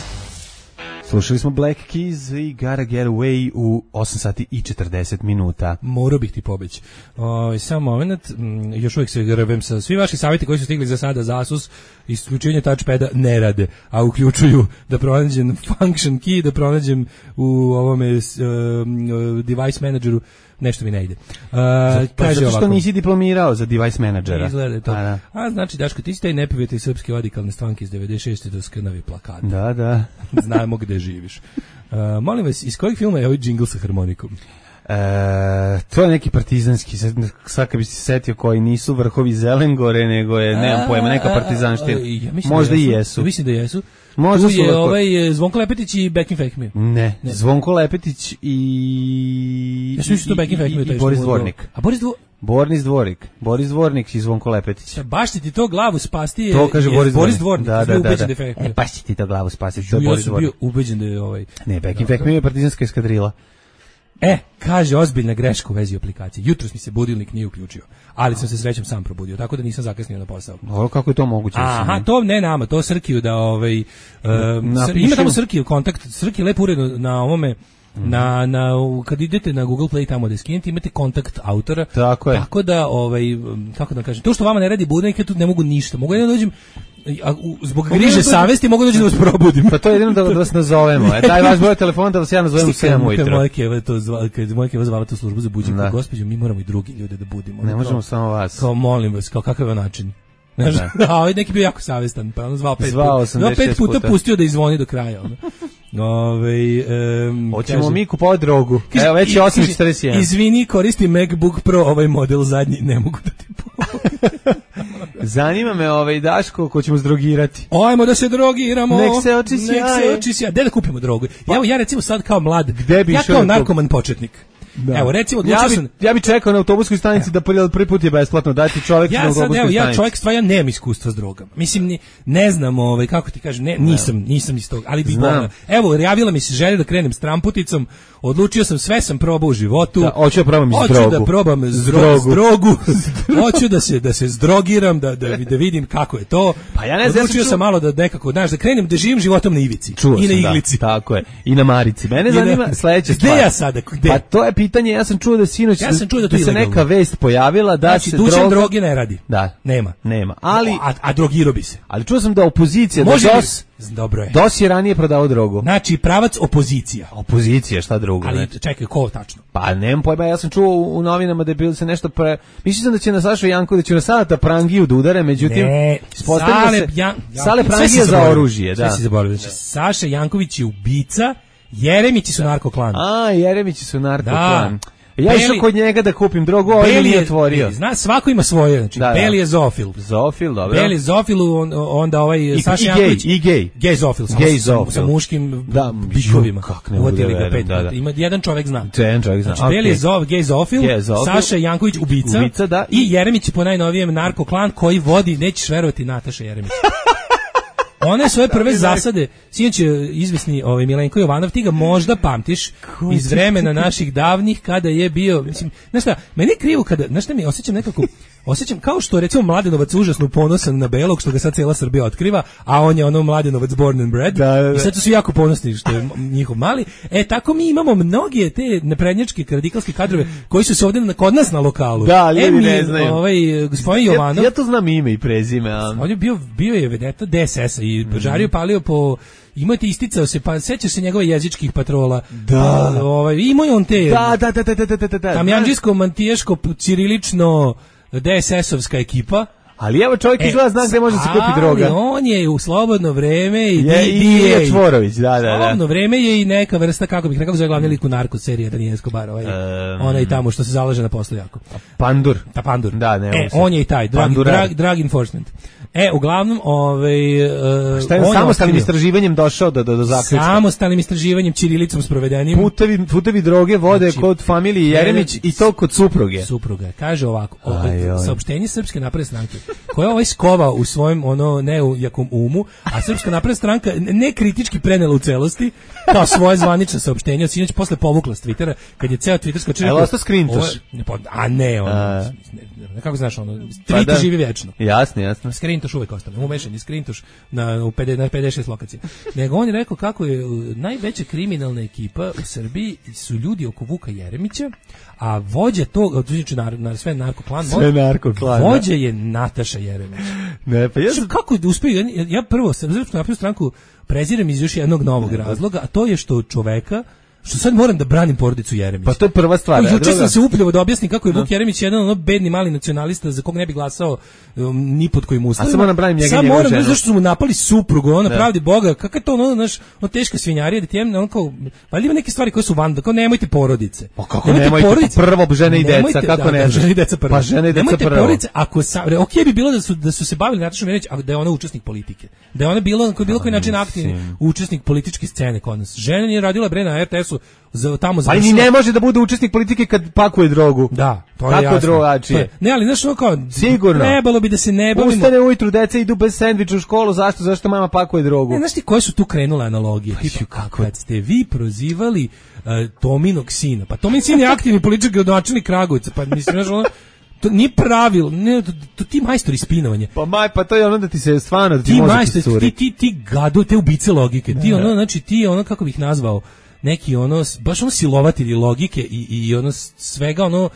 S6: Slušali smo Black Keys i Gotta Get Away u osam sati i četrdeset minuta.
S7: Morao bih ti pobeći. O, samo moment, m, još uvijek se grbem sa svi vaši savjeti koji su stigli za sada za Asus, isključenje touchpada ne rade, a uključuju da pronađem function key, da pronađem u ovome s, um, device manageru, nešto mi ne ide. Uh,
S6: Pa
S7: kaže
S6: zato što
S7: ovako.
S6: nisi diplomirao za device menadžera.
S7: Izgleda je to.
S6: A, da.
S7: A znači, Daško, ti si taj neprijatelj srpske radikalne stranke iz devedeset šeste do skrnavi plakata.
S6: Da, da.
S7: Znamo gde živiš. Uh, molim vas, iz kojeg filma je ovaj džingl sa harmonikom?
S6: E, to je neki partizanski, sad, sad kad bi se setio koji nisu vrhovi Zelengore, nego je, nemam pojma, neka partizanština.
S7: Ja mislim
S6: Možda
S7: da
S6: i
S7: jesu.
S6: jesu.
S7: Mislim da jesu.
S6: Možda
S7: Tu
S6: su
S7: je
S6: vrhovi.
S7: ovaj e, Zvonko Lepetić i Bekim Fehmio.
S6: Ne,
S7: Ne.
S6: Zvonko Lepetić i...
S7: Ja sam mislio da Bekim
S6: i- i-
S7: Fehmio
S6: i
S7: taj što
S6: Boris
S7: mu-
S6: Dvornik.
S7: A Boris Dvornik?
S6: Boris Dvornik. Boris Dvornik i Zvonko Lepetić.
S7: Baš ti to glavu spasti je,
S6: To kaže
S7: je
S6: Boris,
S7: Boris
S6: Dvornik.
S7: Dvornik.
S6: Da,
S7: Ja sam
S6: da,
S7: bio
S6: da.
S7: ubeđen
S6: da.
S7: da je Fehmio.
S6: E, pa si ti to glavu spasiti, to je
S7: Ja
S6: Boris
S7: sam bio
S6: Dvornik.
S7: ubeđen da je ovaj...
S6: Ne, Bekim
S7: Da,
S6: Fehmio je partizanska eskadrila.
S7: E, kaže, ozbiljna greška u vezi aplikacije. Jutros mi se budilnik nije uključio, ali sam se srećom sam probudio, tako da nisam zakasnio na posao.
S6: O, kako je to moguće?
S7: Aha, to ne nama, to Srkiju da ovaj uh, Sr, ima tamo Srkiju kontakt, Srki lepo uredno na ovome Mm. na na kad idete na Google Play tamo da skinete imate kontakt autora.
S6: Tako je.
S7: Tako da ovaj kako da kažem, to što vama ne radi budilnik, ja tu ne mogu ništa. Mogu ja dođem a, u, zbog griže savesti mogu doći da vas probudim.
S6: Pa to je jedino da, da vas nazovemo. E, daj vaš broj telefona da vas ja nazovem u sedam ujutro.
S7: Kad moje keva to zvala, kad moje keva zvala tu službu za buđenje, gospođo, mi moramo i drugi ljude da budimo.
S6: Ne možemo samo vas.
S7: Kao molim vas, kao kakav je način. Znaš, a ovaj neki bio jako savestan, pa on zvao pet,
S6: zvao
S7: put, pet puta, puta pustio da izvoni do kraja. Ono. Ove, um,
S6: hoćemo kaže, mi kupovati drogu. Kaže, evo već je osam četrdeset jedan.
S7: Izvini, koristi MacBook Pro, ovaj model zadnji, ne mogu da ti pomogu.
S6: Zanima me ovaj Daško ko ćemo zdrogirati.
S7: Ajmo da se drogiramo.
S6: Nek se oči sjaje.
S7: Nek se oči sjaje. Gde da kupimo drogu?
S6: Pa,
S7: evo ja recimo sad kao mlad,
S6: gde bi
S7: ja kao narkoman početnik.
S6: Da.
S7: Evo recimo odlučio
S6: ja bi,
S7: sam
S6: ja bi čekao na autobuskoj stanici da prvi put je besplatno dati čovjek
S7: ja
S6: na
S7: sad,
S6: autobuskoj
S7: evo,
S6: stanici.
S7: Ja čovjek stvarno nemam iskustva s drogama. Mislim ni, ne znam ovaj kako ti kažem, ne nisam nisam iz tog, ali bi voleo. Evo javila mi se želja da krenem s tramputicom. Odlučio sam, sve sam probao u životu.
S6: Da, hoću da probam
S7: iz
S6: drogu.
S7: Hoću da probam drogu. drogu. Hoću da se da se zdrogiram, da da da vidim kako je to.
S6: Pa ja ne znam,
S7: odlučio sam malo da nekako, znaš, da krenem da živim životom na ivici
S6: Čuo
S7: i na
S6: sam,
S7: iglici.
S6: Da, tako je. I na marici. Mene zanima sledeća stvar.
S7: Gde ja sada? Gde?
S6: Pa to je pitanje, ja sam čuo da sinoć
S7: ja sam čuo da,
S6: da se neka vest pojavila da
S7: znači,
S6: se
S7: droga
S6: droge
S7: ne radi.
S6: Da,
S7: nema.
S6: Nema. Ali
S7: a, a drogirao bi se.
S6: Ali čuo sam da opozicija
S7: može
S6: da DOS
S7: dobro je.
S6: DOS je ranije prodavao drogu.
S7: Znači pravac opozicija.
S6: Opozicija, šta drugo?
S7: Ali
S6: znači.
S7: Čekaj, ko tačno?
S6: Pa nemam pojma, ja sam čuo u, u novinama da je bilo se nešto pre... Mislio sam da će na Sašu Janković, da će na Saleta Prangiju da udare, međutim...
S7: Ne,
S6: Sale,
S7: se, Jan,
S6: Sale Prangija za oružje, da.
S7: Sve si zaboravio. Znači, Saša Janković je ubica, Jeremići su narkoklan.
S6: A, Jeremići su narkoklan.
S7: Da.
S6: Ja išao kod njega da kupim drogu, ovaj mi nije otvorio.
S7: Zna, svako ima svoje, znači da, Beli je zoofil.
S6: Zoofil, dobro.
S7: Beli je zoofil, on, onda ovaj
S6: I,
S7: Saša
S6: i
S7: Janković.
S6: I gej,
S7: gej zoofil,
S6: gej zoofil.
S7: Sa muškim
S6: da,
S7: bikovima.
S6: Kako ne uvodili
S7: ga pet. Da, da. Ima jedan čovjek zna.
S6: Jedan čovjek zna.
S7: Znači, okay. Beli je zoofil, gej zoofil, Saša Janković ubica,
S6: ubica da,
S7: i, i Jeremić po najnovijem narkoklan koji vodi, nećeš verovati, Nataša Jeremić. One svoje prve zasade, sinoć je izvesni ovaj Milenko Jovanov, ti ga možda pamtiš iz vremena naših davnih kada je bio, mislim, znaš šta, meni je krivo kada, znaš šta mi, osjećam nekako, osjećam kao što recimo Mladenovac užasno ponosan na Belog, što ga sad cijela Srbija otkriva, a on je ono Mladenovac born and bred, da, da, da. I sad su svi jako ponosni što je njihov mali. E, tako mi imamo mnoge te naprednjačke, radikalske kadrove koji su se ovdje kod nas na lokalu.
S6: Da, ali e, mi, ne znaju.
S7: Ovaj, gospodin Jovanov.
S6: Ja, ja to znam ime i prezime. A...
S7: On je bio, bio je vedeta D S S-a i žario palio po... Imate isticao se, pa sećaš se njegove jezičkih patrola.
S6: Da.
S7: Pa, ovaj, imao je on te...
S6: Da, da, da, da, da, da, da.
S7: Tamjanđisko, mantijaško, cirilično D S S-ovska ekipa.
S6: Ali evo čovjek izgleda zna gde može se kupi droga.
S7: Ali on je u slobodno vreme i
S6: je, i Čvorović, da, da, da.
S7: Slobodno vreme je i neka vrsta, kako bih rekao, zove glavni lik u narko serije Daniel Escobar, ovaj, um, onaj tamo što se zalaže na poslu jako.
S6: Pandur.
S7: Ta Pandur.
S6: Da, ne,
S7: e, on je i taj, drug, drug, drug enforcement. E, uglavnom, ovaj uh,
S6: šta je samostalnim istraživanjem došao do do, do zaključka?
S7: Samostalnim istraživanjem ćirilicom sprovedenim.
S6: Putevi putevi droge vode znači, kod familije Jeremić i to kod supruge.
S7: Supruga. Kaže ovako, aj, aj. Saopštenje Srpske napredne stranke, koja je ovaj skovao u svojem ono neujakom umu, a Srpska napredna stranka ne kritički prenela u celosti kao svoje zvanično saopštenje, od sinoć posle povukla s Twittera, kad je ceo twittersko čovjek.
S6: Evo sto skrintaš.
S7: A ne, on. A. Kako znaš ono, tweet pa živi vječno.
S6: Jasno, jasno.
S7: Skrintoš uvek ostane. Umešan je skrintoš na u pedeset šest lokacija. Nego on je rekao kako je najveća kriminalna ekipa u Srbiji su ljudi oko Vuka Jeremića, a vođa tog, znači na, na sve narkoklan,
S6: sve narkoklan.
S7: Vođa je Nataša Jeremić.
S6: Ne, pa ja
S7: kako je uspeo, ja, ja prvo Srpsku naprednu stranku prezirem iz još jednog novog razloga, a to je što čoveka što sad moram da branim porodicu Jeremića.
S6: Pa to je prva stvar.
S7: Juče druga... sam se upljivo da objasnim kako je Vuk no. Jeremić jedan ono bedni mali nacionalista za kog ne bi glasao um, ni pod kojim uslovima.
S6: A samo moram branim njega
S7: sad
S6: njegovu
S7: moram,
S6: ženu.
S7: zašto su mu napali suprugu, ona pravdi Boga, kako je to ono, znaš, ono teška svinjarija, da ti je, ono kao, valjda ima neke stvari koje su van, kao nemojte porodice.
S6: Pa kako nemojte, nemojte porodice? Prvo žene i deca, nemojte, kako
S7: da,
S6: ne
S7: da, žene i deca prvo.
S6: Pa žene i deca
S7: nemojte
S6: prvo.
S7: Porodice, ako sa, okej bi bilo da su, da su se bavili Natašom Jeremić, a da je ona učesnik politike. Da je ona bilo, na bilo koji način aktivni učesnik političke scene kod nas. Žena nije radila bre na R T S su za, tamo
S6: završila. Ali ni ne može da bude učesnik politike kad pakuje drogu.
S7: Da, to je
S6: Kako
S7: jasno.
S6: drugačije?
S7: Ne, ali znaš ono kao,
S6: sigurno.
S7: Trebalo bi da se ne bavimo.
S6: Ustane ujutru, deca idu bez sendviča u školu, zašto? Zašto mama pakuje drogu?
S7: Ne, znaš ti koje su tu krenule analogije? Pa, tipa, kako? Kad ste vi prozivali uh, Tominog sina, pa Tomin sin je aktivni politički gradonačelnik Kragujevca, pa mislim, znaš ono, to nije pravilo, ne, to, to ti majstori spinovanja.
S6: Pa maj, pa to je ono da ti se stvarno da ti,
S7: ti majstori, ti, ti, ti gadu, te ubice logike, ti ono, znači ti ono, kako bih nazvao, neki ono, baš ono silovatelji logike i, i ono svega ono,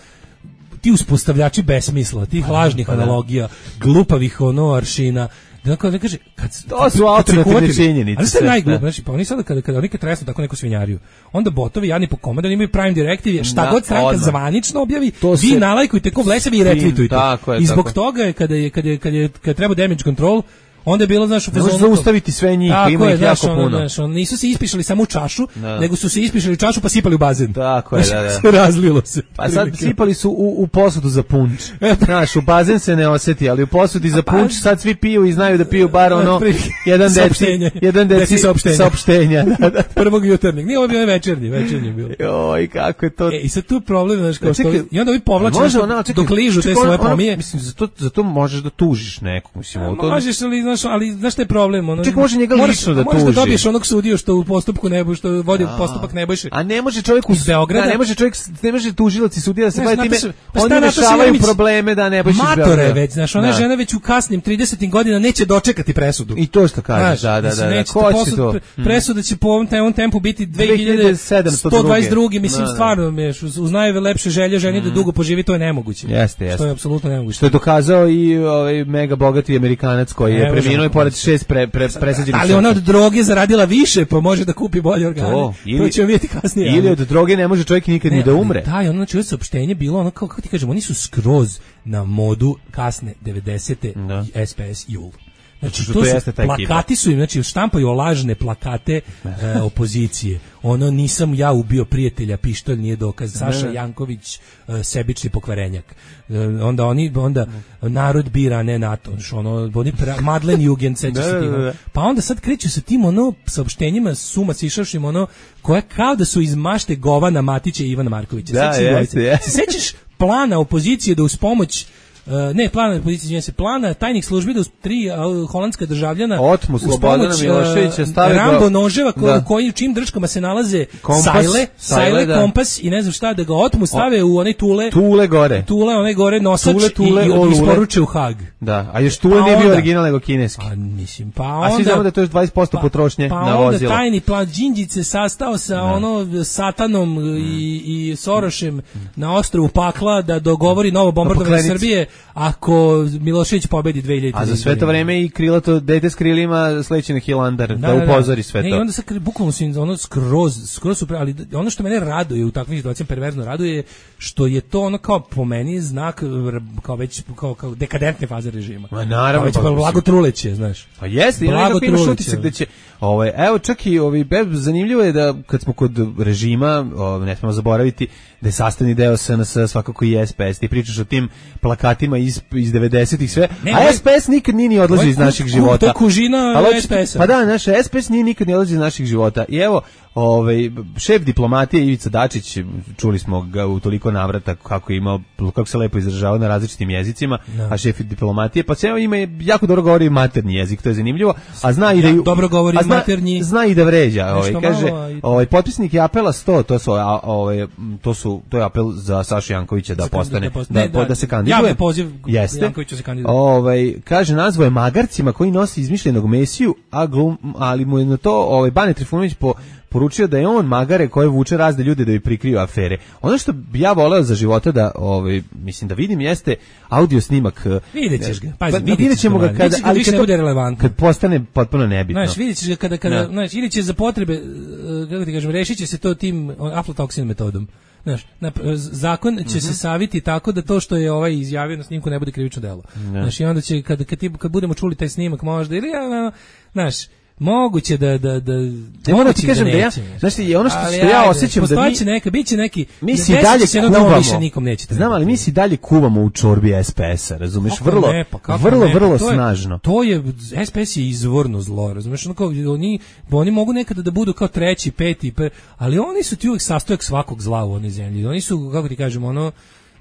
S7: ti uspostavljači besmisla, tih lažnih analogija, glupavih ono aršina. Dakle, ne kaže, kad
S6: to su alternativne činjenice.
S7: Ali što je najglup, znači, pa oni sada kada kada oni kad tresnu tako neku svinjariju, onda botovi jadni po komandi imaju Prime Directive, šta da, god stranka odmah zvanično objavi, to vi se nalajkujte ko blesavi i retvitujte. I zbog tako. toga je kada je kada je kada je kada treba damage control, onda je bilo, znaš, u fazonu...
S6: Ne zaustaviti sve njih, ima ih jako puno. Ono,
S7: znaš, ono, nisu se ispišali samo u čašu, da. nego su se ispišali u čašu pa sipali u bazen.
S6: Tako je,
S7: znaš,
S6: da, da.
S7: razlilo se.
S6: Pa sad sipali su u, u posudu za punč. Znaš, u bazen se ne osjeti, ali u posudi za punč sad svi piju i znaju da piju bar ono, jedan deci, jedan deci
S7: saopštenja.
S6: saopštenja.
S7: Prvog jutarnjeg. Nije ovo bio večernji, večernji bilo.
S6: Joj, kako je to...
S7: E, i sad tu je problem, znaš, kao što... I onda ovi povlače dok ližu te svoje pomije.
S6: Mislim, zato možeš da tužiš nekog, mislim.
S7: Možeš, ali, znaš, ali, znaš te problem, ono.
S6: Ček, može njega lično da tuži.
S7: Možeš da dobiješ onog sudiju što u postupku Nebojše, što vodi a, postupak Nebojše.
S6: A ne može čovjek iz Beograda, ne može čovjek, ne može tužilac i sudija da se bavi time.
S7: Pa
S6: oni rešavaju probleme da Nebojše iz Beograda.
S7: Matore već, znaš, ona žena već u kasnim tridesetim godina neće dočekati presudu.
S6: I to što kažeš, da, da, da. da. Ko će to?
S7: Presuda će po ovom ovom tempu biti dve hiljade sto dvadeset druge mislim, stvarno, uz najlepše želje ženi da dugo poživi, to je nemoguće.
S6: Jeste, jeste.
S7: To je apsolutno nemoguće.
S6: Što je dokazao i ovaj mega bogati Amerikanac koji je preminuo i pored šest pre, pre, presađenih.
S7: Ali ona od droge zaradila više, pa može da kupi bolje organe. To, ili, to ćemo vidjeti kasnije.
S6: Ili od droge ne može čovjek nikad ne, ni da umre.
S7: Da, i ono znači saopštenje bilo ono kao, kako ti kažem, oni su skroz na modu kasne devedesete da. I S P S Jul. Znači, to, to su, plakati su im, znači, štampaju lažne plakate e, opozicije. Ono, nisam ja ubio prijatelja, pištolj nije dokaz. Saša Janković, e, sebični pokvarenjak. E, onda oni, onda narod bira, ne NATO. Ono, oni pra, Madlen Jugend, seća se tim. Pa onda sad kreću sa tim, ono, saopštenjima suma sišavšim, ono, koje kao da su iz mašte Govana Matića i Ivana Markovića.
S6: Da, jeste, jeste.
S7: Se sećaš plana opozicije da uz pomoć Uh, ne, plana policije se plana tajnih službi da uz tri uh, holandska državljana
S6: otmu Slobodana Miloševića stavili
S7: Rambo noževa ko, da. koji u čim drškama se nalaze kompas, sajle, sajle, da. kompas i ne znam šta, da ga otmu stave o, u one tule
S6: tule gore,
S7: tule one gore nosač
S6: tule, tule,
S7: i, i isporuče u Hag.
S6: Da, a još tule nije bio original nego kineski.
S7: A mislim, pa onda,
S6: a svi znamo da to je dvadeset posto
S7: pa,
S6: potrošnje
S7: pa
S6: na vozilo.
S7: Pa onda tajni plan Đinđić sastao sa da. ono Satanom mm. i, i Sorošem mm. na ostrvu Pakla da dogovori novo bombardovanje Srbije ako Milošević pobedi dve hiljade.
S6: A za sve to vreme i krilato dete s krilima sleće na Hilandar da, da upozori sve to.
S7: Ne, i onda se bukvalno su ono skroz, skroz super, ali ono što mene raduje u takvim situacijama, perverzno raduje, što je to ono kao po meni znak kao već kao, kao dekadentne faze režima.
S6: Ma naravno.
S7: Kao već blago truleće, znaš.
S6: Pa jeste, ima nekako imaš utisak da će, ovaj, evo čak i ovi, zanimljivo je da kad smo kod režima, ovaj, ne smemo zaboraviti da je sastavni deo S N S svakako i S P S. Ti pričaš o tim plakatima iz, iz devedesetih sve, ne, a S P S nikad nije ni odlazi iz naših života.
S7: To je kužina S P S-a.
S6: Pa da, naš S P S nije nikad ni odlazi iz naših života. I evo, ovaj, šef diplomatije Ivica Dačić, čuli smo ga u toliko navrata kako je imao, kako se lepo izražavao na različitim jezicima, no. a šef diplomatije, pa se evo ima jako dobro govori materni jezik, to je zanimljivo, a zna i da
S7: ja, dobro govori
S6: zna,
S7: maternji.
S6: Zna i da vređa, ovaj, kaže, ovaj, potpisnik je apela sto, to su, a, ovaj, to su, to je apel za Sašu Jankovića da postane, da, da, da, da se kandiduje.
S7: Javni poziv Jankoviću se kandiduje.
S6: Ovaj, kaže, nazvao je magarcima koji nosi izmišljenog Mesiju, a glum, ali mu je na to, ovaj, Bane Trifunović po poručio da je on magare koje vuče razne ljude da bi prikrio afere. Ono što bi ja voleo za života da, ovaj, mislim da vidim jeste audio snimak.
S7: Vidjet ćeš ga. Pazi,
S6: pa, vidjet ćemo ga kada,
S7: ali više ne bude relevantno.
S6: Kad postane potpuno nebitno.
S7: Znaš, vidjet ćeš ga kada, kada, znaš, ili će za potrebe, kako ti kažem, rešit će se to tim aflatoksin metodom. Znaš, zakon će mm-hmm. se saviti tako da to što je ovaj izjavio na snimku ne bude krivično delo. Znaš, i onda će, kad, kad, kad budemo čuli taj snimak možda, ili, znaš, Moguće da da da
S6: ne moram ti kažem da, da ja, znači ono što, što ja osjećam da mi
S7: neka biće neki
S6: mi si dalje
S7: kuvamo, više nikom neće.
S6: Znam, ali mi si dalje kuvamo u čorbi S P S-a, razumeš? Vrlo
S7: ne, pa
S6: vrlo
S7: ne,
S6: vrlo
S7: to je,
S6: snažno.
S7: To je S P S je izvorno zlo, razumeš? Ono kao oni oni mogu nekada da budu kao treći, peti, pe, ali oni su ti uvek sastojak svakog zla u onoj zemlji. Oni su, kako ti kažemo, ono,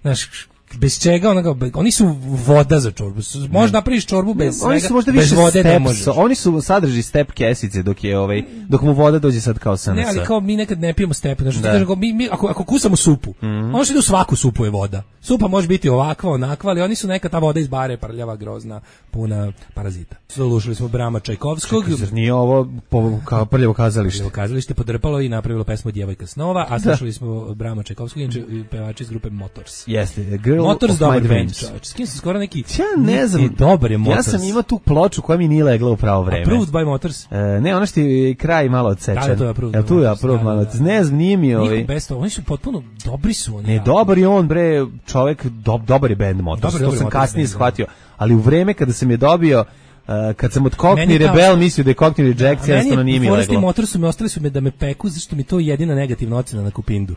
S7: znaš, bez čega, ono, oni su voda za čorbu. Možeš napraviš čorbu bez svega,
S6: oni su možda
S7: bez
S6: više
S7: vode
S6: step,
S7: ne možeš.
S6: Oni su sadrži step kesice dok je ovaj dok mu voda dođe sad kao S N S.
S7: Ne, ali kao mi nekad ne pijemo step, znači da. Kažem, mi, mi ako ako kusamo supu, mm-hmm. ono što ide u svaku supu je voda. Supa može biti ovakva, onakva, ali oni su neka ta voda iz bare prljava, grozna, puna parazita. Slušali smo Brama Čajkovskog.
S6: Čekaj, zar nije ovo po, kao prljavo kazalište?
S7: Prljavo kazalište podrpalo i napravilo pesmu Djevojka snova, a slušali da. smo Brama Čajkovskog i pevači iz grupe Motors.
S6: Jeste, Girl
S7: Motors
S6: of My Dreams.
S7: S kim sam skoro neki...
S6: Ja ne znam,
S7: dobar je Motors.
S6: Ja sam imao tu ploču koja mi nije legla u pravo vreme.
S7: Approved by Motors?
S6: E, ne, ono što je kraj malo odsečen.
S7: Da, to je Approved by
S6: Motors. Tu je Approved malo odsečen. Ne znam, nije mi ovaj...
S7: Best, oni su potpuno, dobri su oni.
S6: Ne, ja. Dobar je on, bre, čovjek, do, dobar je band Motors. Dobar, to sam kasnije shvatio. Ali u vreme kada sam je dobio, Uh, kad sam od Cockney Rebel mislio da je Cockney Rejects, jednostavno nije mi leglo.
S7: Meni Motorsu mi ostali su me da me peku, zašto mi to je jedina negativna ocena na Kupindu.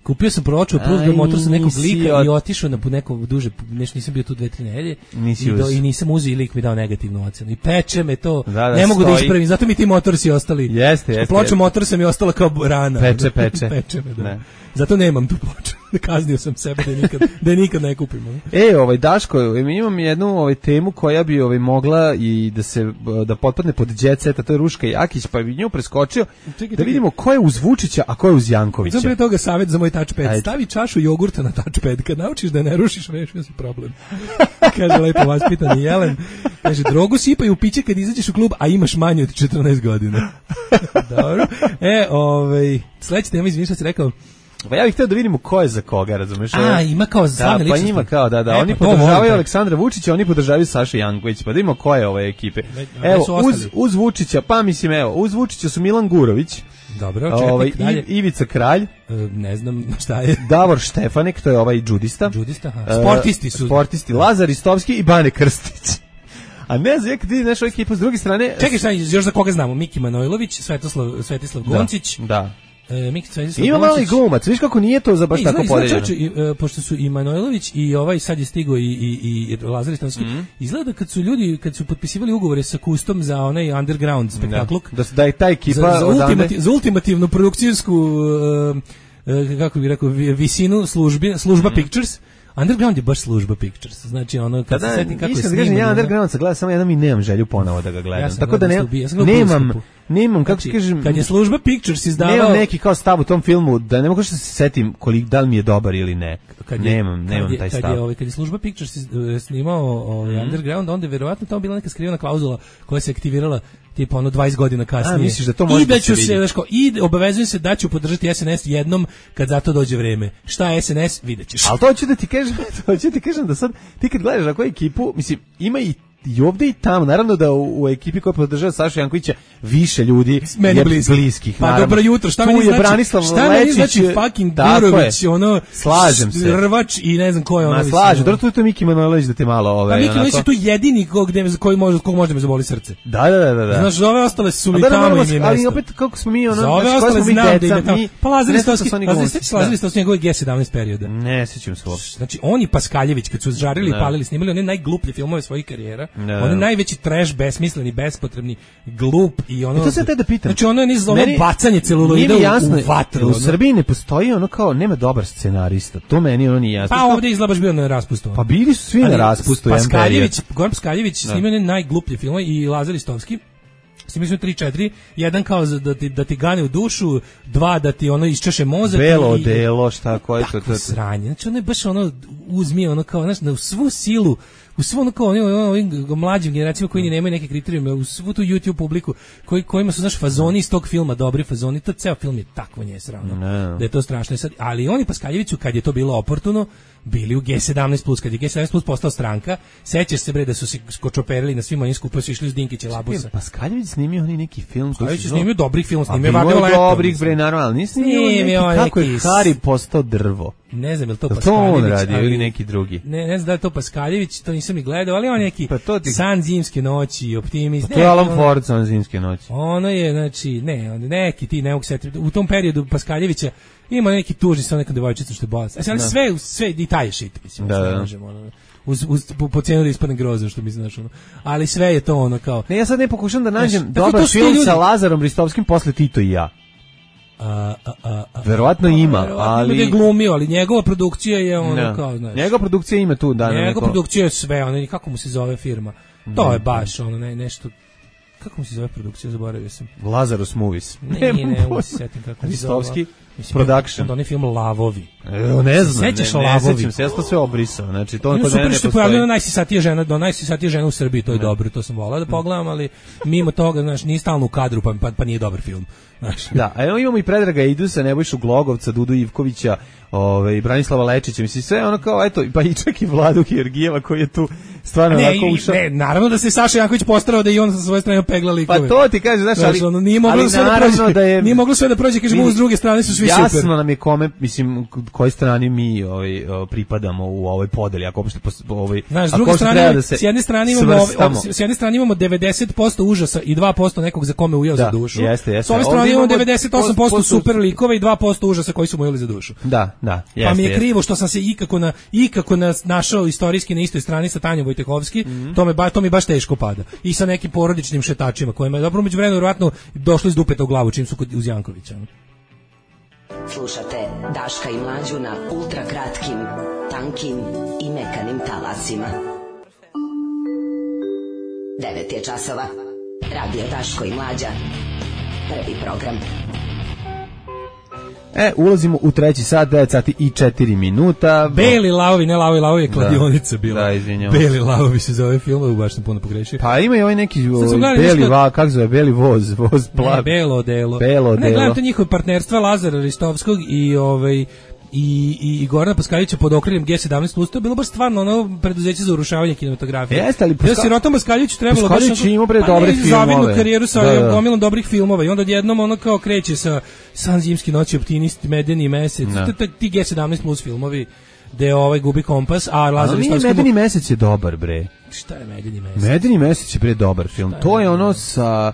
S7: Kupio sam proču Approved by Motors nekog lika od... i otišao na neko duže, nešto nisam bio tu dve, tri nedelje i, do, i nisam uzeo i lik mi dao negativnu ocenu. I peče me to, da, da, ne mogu stoji. Da ispravim, zato mi ti Motorsi ostali.
S6: Jeste, jeste.
S7: Ploča Motorsa mi je ostala kao rana.
S6: Peče, peče.
S7: peče me, da. Ne. Zato nemam tu ploču. Kaznio sam sebe da je nikad, da je nikad ne kupim.
S6: E, ovaj Daško, mi imam jednu ovaj temu koja bi ovaj mogla i da se da potpadne pod jet set, a to je Ruška Jakić, pa bi nju preskočio. Čekaj, da vidimo ko je uz Vučića, a ko je uz Jankovića.
S7: Zato pre toga savjet za moj touchpad. Ajde. Stavi čašu jogurta na touchpad, kad naučiš da ne rušiš, rešio si problem. Kaže lepo vaspitani Jelen. Kaže, drogu sipaj u piće kad izađeš u klub, a imaš manje od četrnaest godina. Dobro. E, ovaj, sledeća tema, izvinite što si rekao.
S6: Pa ja bih htio da vidimo ko je za koga, razumeš?
S7: A, ima kao
S6: da, pa ima kao, da, da, e, oni pa podržavaju Aleksandra Vučića, oni podržavaju Sašu Janković, pa da vidimo ko je ove ekipe. Evo, uz, uz Vučića, pa mislim, evo, uz Vučića su Milan Gurović,
S7: dobro, čekaj, ovaj,
S6: I, Ivica Kralj,
S7: e, ne znam šta je,
S6: Davor Štefanek, to je ovaj džudista,
S7: džudista, aha. Sportisti su,
S6: sportisti, Lazar Istovski i Bane Krstić. A ne znam, kad vidiš ovu ekipu s druge strane...
S7: Čekaj, šta, još za koga znamo? Miki Manojlović, Svetoslav, Svetislav Goncić.
S6: Da, da.
S7: E, Miki Svetislav
S6: Ima mali glumac, viš kako nije to za baš e, tako podeljeno.
S7: E, pošto su i Manojlović i ovaj sad je stigao i, i, i Lazar Istovski, mm-hmm. izgleda kad su ljudi, kad su potpisivali ugovore sa Kustom za onaj underground spektakluk,
S6: da, da je ta ekipa
S7: za, za, ultimati, za ultimativnu produkcijsku, uh, uh, kako bih rekao, visinu službi, služba mm-hmm. Pictures, Underground je baš služba Pictures. Znači ono kad se setim kako je snimano.
S6: Ja Underground se gleda samo jednom i nemam želju ponovo da ga gledam. Ja tako da ne, nemam nemam kako znači, kažem.
S7: Kad je služba Pictures izdavao
S6: nemam neki kao stav u tom filmu da ne mogu da se setim koliko da li mi je dobar ili ne. Kad je, nemam, nemam
S7: je,
S6: taj stav.
S7: Kad je ovaj kad je služba Pictures snimao ovaj mm. Underground, onda je verovatno tamo bila neka skrivena klauzula koja se aktivirala tipa ono dvadeset godina kasnije.
S6: A, misliš da to može
S7: I da ću
S6: da se,
S7: se daško, i obavezujem se da ću podržati S N S jednom kad za to dođe vreme. Šta je S N S, videćeš.
S6: Al to hoću da ti kažem, to hoću da ti kažem da sad ti kad gledaš na koju ekipu, mislim, ima i i ovdje i tamo, naravno da u, u ekipi koja podržava Sašu Jankovića više ljudi
S7: meni
S6: je
S7: bliski.
S6: bliskih.
S7: Pa dobro jutro, šta meni znači?
S6: Branislav
S7: šta
S6: Lečić,
S7: meni znači fucking Gurović, ono
S6: slažem se.
S7: Rvač i ne znam ko je ono.
S6: Ma slažem, dobro tu je to Miki Manojlović da te malo ove.
S7: Pa Miki Manojlović je tu jedini kog gde koji može kog može da me zaboli srce.
S6: Da, da, da, da.
S7: Znaš, ove ostale su mi tamo i mi
S6: ali opet kako smo mi ono,
S7: za ove ostale znam da ide tamo. Pa Lazar Istovski, Lazar Istovski njegov G sedamnaest perioda.
S6: Ne sećam se uopšte.
S7: Znači oni Paskaljević kad su žarili i palili, snimali one najgluplje filmove svojih karijera, one najveći trash, besmisleni, bespotrebni, glup i ono.
S6: E to se te da pitam.
S7: Znači ono je niz ono bacanje celuloida u, u vatru.
S6: U Srbiji ne postoji ono kao nema dobar scenarista. To meni ono nije jasno.
S7: Pa ovdje izgleda baš bio na raspustu.
S6: Pa bili su svi na raspustu.
S7: Paskaljević, Goran Paskaljević snimio je najgluplje filmove i Lazar Istovski. Snimili smo tri četiri, jedan kao da ti, da ti gane u dušu, dva da ti ono isčeše mozak.
S6: Belo delo, šta, koje to?
S7: Tako sranje. Znači ono je baš ono, uzmi ono kao, znaš, na svu silu, u svu ono kao ovim mlađim generacijama koji nemaju neke kriterijume, u svu tu YouTube publiku koji, kojima su, znaš, fazoni iz tog filma, dobri fazoni, to ceo film je takvo nje sravno, no. Da je to strašno. Sad, ali oni Paskaljeviću, kad je to bilo oportuno, bili u G sedamnaest plus, kad je G sedamnaest plus postao stranka, sećaš se bre da su se skočoperili na svim onim skupima, su išli uz Dinkića Labusa.
S6: Paskaljević snimio oni neki film.
S7: Paskarević je snimio dobrih film, snimio
S6: Vardilo
S7: Vardilo Leto.
S6: Dobrih, bre, naravno, ali snimio neki, kako je Hari postao drvo.
S7: Ne znam je li to
S6: to
S7: Paskaljević.
S6: To on radio ili neki drugi.
S7: Ne, ne znam da je to Paskaljević, to nisam ni gledao, ali on je neki
S6: pa ti...
S7: San zimske noći, Optimist.
S6: Pa to je Alan on... Ford, San zimske noći.
S7: Ono je, znači, ne, neki ti ne mogu setiti. U tom periodu Paskaljevića ima neki tužni sa nekom devojčicom što je bolest. Ali da. sve, sve i taj shit, mislim, da, da. Možemo, ono, uz, uz, po, po cijenu da ispadne groza, što mislim, znaš, ono. Ali sve je to ono kao...
S6: Ne, ja sad ne pokušam da nađem znaš, dobar film ljudi... sa Lazarom Ristovskim posle Tito i ja.
S7: A, a, a, a,
S6: verovatno ima, verovatno ali
S7: je glumio, ali njegova produkcija je ono no. kao, znaš.
S6: Njegova produkcija ima tu, da.
S7: Njegova
S6: neko...
S7: produkcija je sve, ono, kako mu se zove firma. To je baš ono ne, nešto. Kako mu se zove produkcija, zaboravio sam.
S6: Lazarus Movies.
S7: Ne, ne, ne, ne se setim kako se zove.
S6: Ristovski Production.
S7: Onda onaj film Lavovi.
S6: E, ne znam,
S7: sećaš
S6: ne,
S7: Lavovi?
S6: Ne sećam se, ja sam to sve obrisao. Znači, to kod
S7: mene
S6: ne
S7: postoji. Pojavljena je najsisatija žena, do najsisatija žena u Srbiji, to je ne. dobro, to sam volao da pogledam, ali mimo toga, znaš, nije stalno u kadru, pa, pa, pa nije dobar film. Znaš.
S6: Da, a evo imamo i Predraga Idusa, Nebojšu Glogovca, Dudu Ivkovića, ovaj Branislava Lečića, mislim sve ono kao eto, pa i čak i Vladu Georgijeva koji je tu stvarno
S7: ne,
S6: onako ušao.
S7: Ne, naravno da se Saša Janković postarao da i on sa svoje strane pegla likove.
S6: Pa to ti kaže, znaš, ali,
S7: ono, nije moglo sve da prođe, da je, nije moglo sve da prođe, kažemo, s druge strane su svi
S6: jasno
S7: super.
S6: Jasno nam je kome, mislim, kojoj strani mi ovaj, pripadamo u ovoj podeli, ako uopšte ovaj,
S7: znaš, s druge strane, da s jedne strane imamo ovaj, s jedne strane imamo devedeset posto užasa i dva posto nekog za kome ujeo
S6: da,
S7: za dušu.
S6: Jeste, jeste.
S7: S ove strane imamo devedeset osam posto super likova i dva posto užasa koji su mu ujeli za dušu.
S6: Da, da, jeste.
S7: Pa mi je krivo što sam se ikako na ikako na našao istorijski na istoj strani sa Tanjom Vojtehovski, mm-hmm. to me ba, to mi baš teško pada. I sa nekim porodičnim šetačima kojima je dobro međuvremenu verovatno došlo iz dupeta u glavu čim su kod uz Jankovića.
S1: Slušate Daška i Mlađu na ultra kratkim, tankim i mekanim talasima. devet je časova. Radio Daško i Mlađa. Prvi program.
S6: E, ulazimo u treći sat, devet sati i četiri minuta.
S7: Beli lavovi, ne lavovi, lavovi je kladionica bila.
S6: Da, izvinjam.
S7: Beli lavovi se zove film, baš sam puno pogrešio.
S6: Pa ima i ovaj neki ovaj, beli nešto... va, kako zove, beli voz, voz plav.
S7: Ne, belo delo.
S6: Belo
S7: ne,
S6: delo.
S7: gledam to njihovo partnerstva Lazara Ristovskog i ovaj i i i Gorana Paskaljevića pod okriljem G sedamnaest plus, to je bilo baš stvarno ono preduzeće za urušavanje kinematografije.
S6: Jeste, ali
S7: Paska... ja sirotom Paskaljeviću trebalo
S6: baš Paskaljević ima bre dobre filmove.
S7: Zavidnu karijeru sa
S6: da, da.
S7: gomilom dobrih filmova i onda odjednom ono kao kreće sa San zimski noći, Optimist, Medeni mesec, ti G sedamnaest plus filmovi gde ovaj gubi kompas, a Lazar Ristovski...
S6: Medeni mesec je dobar, bre.
S7: Šta je Medeni mesec?
S6: Medeni mesec je bre dobar film. Je to je ono sa...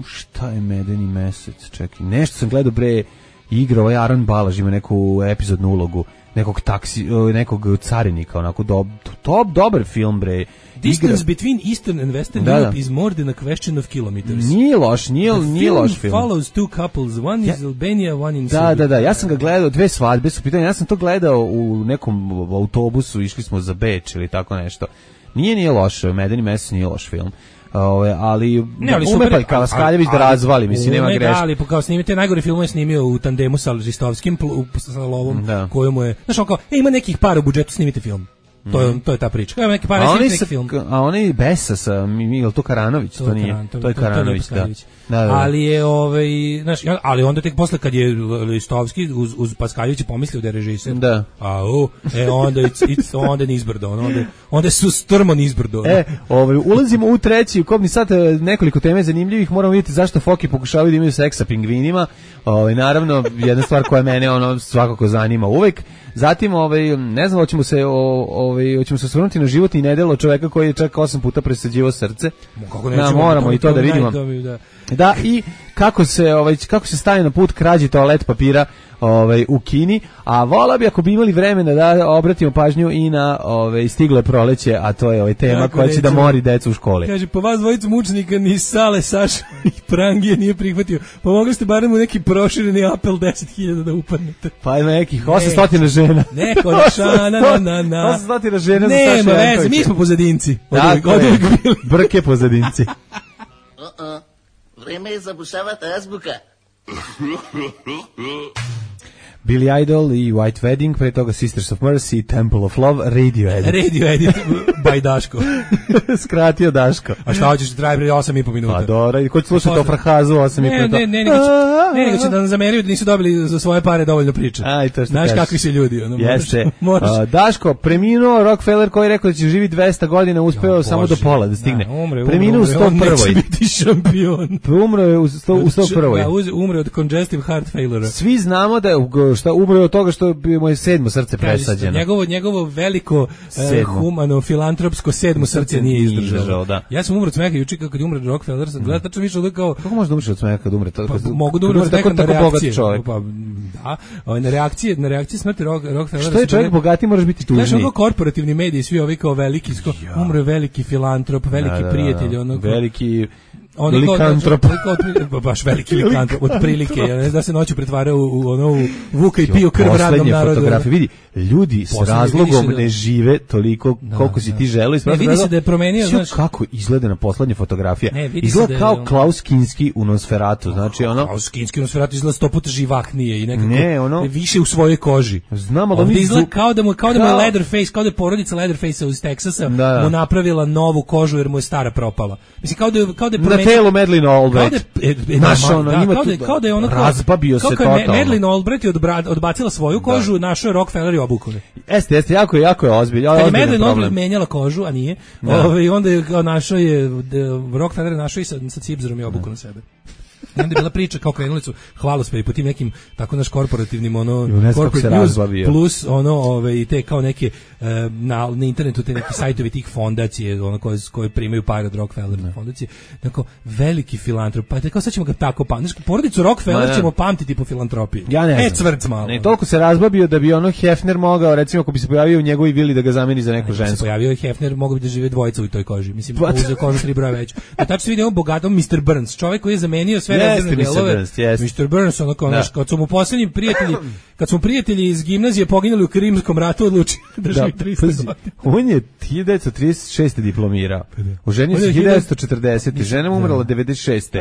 S6: Šta je Medeni mesec? Čekaj, nešto sam gledao bre, igra ovaj Aron Balaž ima neku epizodnu ulogu nekog taksi, nekog carinika, onako do, top dobar film bre.
S7: Distance igra... between Eastern and Western da, Europe da. is more than a question of kilometers.
S6: Nije loš, nije, nije loš film.
S7: The film follows two couples, one ja, is Albania, one in Serbia.
S6: Da, da, da, ja sam ga gledao, dve svadbe su pitanje, ja sam to gledao u nekom autobusu, išli smo za Beč ili tako nešto. Nije, nije loš, Medeni mesec nije loš film. Ove, ali,
S7: ne, ali
S6: ume pa i Kalaskaljević da razvali, mislim, nema greške. Da,
S7: ali kao snimite najgore filmove snimio u tandemu sa Ristovskim, sa Lovom, da. Kojemu je, znaš, on kao, e, ima nekih para u budžetu, snimite film. To je, to je ta priča. Kao neki para snimite neki film.
S6: A oni Besa sa, Miguel, to Karanović, to, to nije, Karan, to, to je Karanović, to, to, to je da. Da, da.
S7: Ali je, ovaj, znaš, ali onda tek posle kad je Ristovski uz, uz Paskaljević pomislio da je režiser.
S6: Da.
S7: A, u, e, onda, it's, it's, onda nizbrdo, onda, onda su strmo nizbrdo.
S6: E, ovaj, ulazimo u treći, u kobni sat, nekoliko teme zanimljivih, moramo vidjeti zašto Foki pokušavaju da imaju seks sa pingvinima. Ovaj, naravno, jedna stvar koja mene ono svakako zanima uvek. Zatim, ovaj, ne znam, hoćemo se, ovaj, hoćemo se osvrnuti na životni nedelo čoveka koji je čak osam puta presađivao srce.
S7: Kako nećemo,
S6: da, moramo i to da vidimo.
S7: Da.
S6: Da, i kako se ovaj kako se staje na put krađi toalet papira ovaj u Kini, a vola bi ako bi imali vremena da obratimo pažnju i na ovaj stiglo je proleće, a to je ovaj tema kako koja će da mori decu u školi.
S7: Kaže, pa vas dvojicu mučnika ni Sale, Saša i Prangije nije prihvatio. Pa mogli ste barem u neki prošireni apel deset hiljada da upadnete.
S6: Pa ima nekih osamsto žena.
S7: Neko na na na na.
S6: osamsto žena za
S7: Saša. Nema veze, mi smo pozadinci.
S6: Brke pozadinci.
S12: Vreme je zabušavati azbuka.
S6: Billy Idol i White Wedding, pre toga Sisters of Mercy, Temple of Love, Radio Edit.
S7: Radio Edit by Daško.
S6: Skratio Daško.
S7: A šta hoćeš, traje bre osam i po minuta.
S6: Pa dobro, i ko će slušati o Frahazu osam i po minuta?
S7: Ne, ne, ne, nego će, ne, nego će da nam zameriju da nisu dobili za svoje pare dovoljno priče.
S6: Aj, to što
S7: znaš
S6: kažeš.
S7: kakvi su ljudi. Ono,
S6: Jeste.
S7: Moraš, moraš.
S6: Uh, Daško, preminuo Rockefeller koji je rekao da će živi dvesta godina, uspeo
S7: ja,
S6: samo do pola da stigne.
S7: Da, umre,
S6: preminuo u sto prvoj.
S7: On neće biti šampion.
S6: Umro je u sto prvoj.
S7: Da, umre od congestive heart failure.
S6: Svi znamo da je šta umro od toga što je mu je sedmo srce presađeno.
S7: Njegovo njegovo veliko uh, humano filantropsko sedmo srce nije izdržalo.
S6: Da.
S7: Ja sam umro od smeha juče kad je umro Rockefeller, sam gledao tačno više od kao
S6: kako može da umreš od smeha kad umre to?
S7: Pa, mogu da umre od smeha na reakcije. Pa da, na reakcije, na reakcije smrti Rockefeller.
S6: Što je čovjek bogati, možeš biti tužniji.
S7: Znaš, ono korporativni mediji, svi ovi kao veliki, umro je veliki filantrop, veliki prijatelj, ono
S6: veliki
S7: on
S6: likantrop,
S7: baš veliki likantrop, otprilike, ja ne znam da se noću pretvara u, u ono u Vuka i piju krv radnom narodu.
S6: Fotografije, vidi, ljudi s razlogom ne žive toliko koliko si ti želeo.
S7: Ne, vidi se da je promenio, znaš.
S6: Kako izgleda na poslednja fotografija.
S7: Ne,
S6: izgleda kao je, Klaus Kinski u Nosferatu, znači ono.
S7: Klaus Kinski u Nosferatu izgleda sto puta živahnije i nekako
S6: ne, ono,
S7: više u svojoj koži.
S6: Znamo da
S7: on izgleda kao da mu kao da mu je Leatherface, kao da je porodica Leatherface iz Teksasa mu napravila novu kožu jer mu je stara propala. Mislim kao da kao da je
S6: na telu Madeleine Albright.
S7: Našao ono, ima kao da, kao da je ono
S6: razbabio se totalno.
S7: Kako je Madeleine Albright odbacila svoju kožu, našao je Rockefeller i obukao.
S6: Jeste, jeste, jako, jako je ozbiljno.
S7: Kad je Madeleine Albright menjala kožu, a nije, ovaj, onda je našao je, Rockefeller našao i sa, sa cipzerom i obukao na sebe. I onda je bila priča kao krenuli su hvalospevi po tim nekim tako naš korporativnim ono corporate news plus ono ove i te kao neke uh, na, na internetu te neki sajtovi tih fondacije ono koje koje primaju pare od Rockefeller ne. fondacije tako veliki filantrop pa tako sad ćemo ga tako pamtiti porodicu Rockefeller Ma, ćemo pamtiti po filantropiji
S6: ja ne
S7: e cvrc malo
S6: ne toliko se razbabio da bi ono Hefner mogao recimo ako bi se pojavio u njegovoj vili da ga zameni za neku žensku
S7: se pojavio je Hefner mogao bi da žive dvojica u toj koži mislim uzeo kožu tri broja već a tačno se vidi on bogatom mister Burns čovjek koji je zamenio sve
S6: Jeste, mister Burns, yes.
S7: mister Burns, ono kao naš, kad su mu posljednji prijatelji, kad su prijatelji iz gimnazije poginuli u Krimskom ratu, odlučili da živi tristo godina.
S6: On je hiljadu devetsto trideset šeste diplomirao. Oženio se hiljadu devetsto četrdesete. Žena mu umrla devedeset šeste.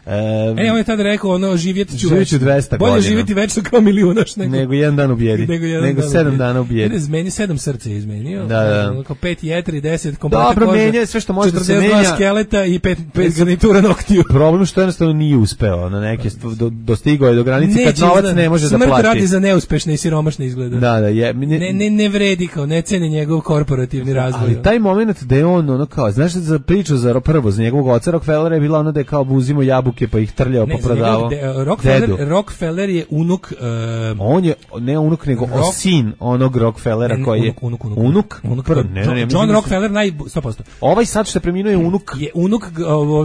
S7: E, on je tada rekao, ono, živjeti ću
S6: večno. dvesta godina.
S7: Bolje živjeti večno kao milijunaš nego...
S6: Nego jedan dan u bijedi. Nego, jedan nego dan sedam ubijedi. dana u bijedi.
S7: Izmeni sedam srce je izmenio.
S6: Da, da.
S7: Ono, kao pet jetri, deset kompata
S6: Dobro, koža. Dobro, menja sve što može da se menja.
S7: četrdeset dva skeleta i pet, pet garnitura noktiju.
S6: Problem što jednostavno nije uspeo na neke do, dostigao je do granice kad novac izgleda, ne može da plati.
S7: Smrt radi za neuspešne i siromašne izgleda.
S6: Da, da, je.
S7: Ne, ne, ne, ne vredi kao, ne ceni njegov korporativni razvoj.
S6: Ali taj moment da je on, ono kao, znaš za priču za prvo, za njegovog oca Rockefellera je bila ono da je kao buzimo jabuke pa ih trljao pa prodavao.
S7: Rockefeller, Rockefeller je unuk... Uh,
S6: on je, ne unuk, nego rock, sin onog Rockefellera koji je...
S7: Unuk, unuk,
S6: unuk. unuk,
S7: unuk prvo, ne, ne, ne, John Rockefeller naj... sto posto.
S6: Ovaj sad što preminuo je unuk.
S7: Je unuk...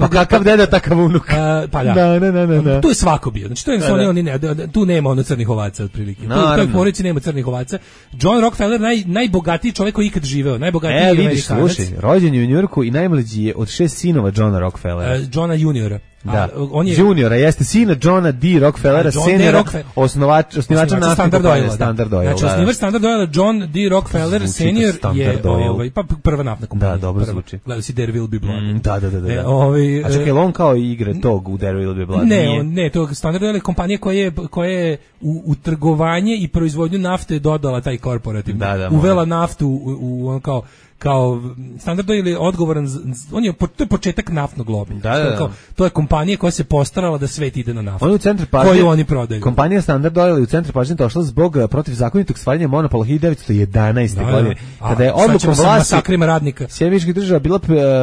S6: Pa kakav deda, takav unuk.
S7: Pa da.
S6: Da, da, da, da.
S7: Tu je svako bio. Znači to je da, da. Oni ne, tu nema ono crnih ovaca otprilike. Tu u toj porodici nema crnih ovaca. John Rockefeller naj najbogatiji čovjek koji ikad živeo, najbogatiji
S6: e, vidiš, slušaj, rođen je u Njujorku i najmlađi je od šest sinova Johna Rockefellera.
S7: Uh, Johna juniora.
S6: Da, a, on je juniora, jeste sina Johna D. Rockefellera, seniora, Rockefeller, osnovač, osnivača naftne
S7: Standard Oil.
S6: Standard Oil.
S7: Znači, osnivač Standard Oil, John D. Rockefeller, senior je ovaj, pa prva naftna kompanija.
S6: Da, dobro zvuči.
S7: Gledao si There Will Be Blood.
S6: Mm, da, da, da. da.
S7: E, ovaj,
S6: a čekaj, on kao igre tog u There Will Be Blood?
S7: Ne, on, ne, to Standard Oil je kompanija koja je, koja je u, u trgovanje i proizvodnju nafte dodala taj korporativni.
S6: Da, da,
S7: uvela naftu u, u on kao kao Standard Oil je odgovoran, on je, to je početak naftnog lobija.
S6: Da, da, da.
S7: Kao, to je kompanija koja se postarala da svet ide na naftu.
S6: On je u centru pažnje,
S7: koju oni prodaju.
S6: Kompanija Standard Oil je u centru pažnje došla zbog protivzakonitog stvaranja monopola hiljadu devetsto jedanaeste. Da, godine.
S7: Da.
S6: Kada je odlukom vlasti
S7: masakrima radnika
S6: Sjedinjenih Država bila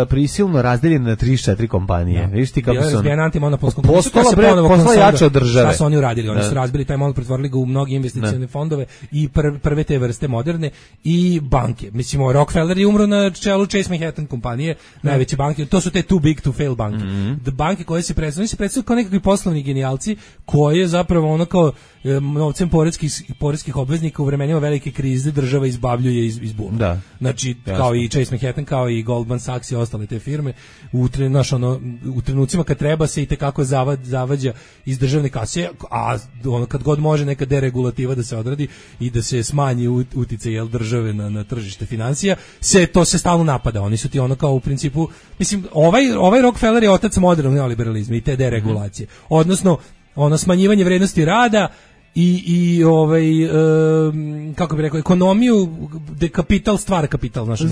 S6: prisilno razdeljena na trideset četiri kompanije.
S7: Da.
S6: Vidiš ti kako su
S7: oni antimonopolskom
S6: postala bre, postala jača od države.
S7: Šta su oni uradili? Oni da. su razbili taj monopol, pretvorili ga u mnoge investicione fondove i pr prve te vrste moderne i banke. Mislimo, Rockefeller je umro na čelu Chase Manhattan kompanije, najveće banke, to su te too big to fail banke. Mm -hmm. Banke koje se predstavljaju, oni se predstavljaju kao nekakvi poslovni genijalci koje zapravo ono kao e, novcem poreskih, poreskih obveznika u vremenima velike krize država izbavljuje iz, iz buma.
S6: Da.
S7: Znači, jasno. Kao i Chase Manhattan, kao i Goldman Sachs i ostale te firme, u, tre, naš, ono, u trenucima kad treba se i tekako zavad, zavađa iz državne kase, a ono, kad god može neka deregulativa da se odradi i da se smanji uticaj jel, države na, na tržište financija, se to se stalno napada. Oni su ti ono kao u principu, mislim, ovaj, ovaj Rockefeller je otac modernog neoliberalizma i te deregulacije. Odnosno, ono smanjivanje vrednosti rada i i ovaj um, kako bih rekao ekonomiju gde kapital stvara kapital, znači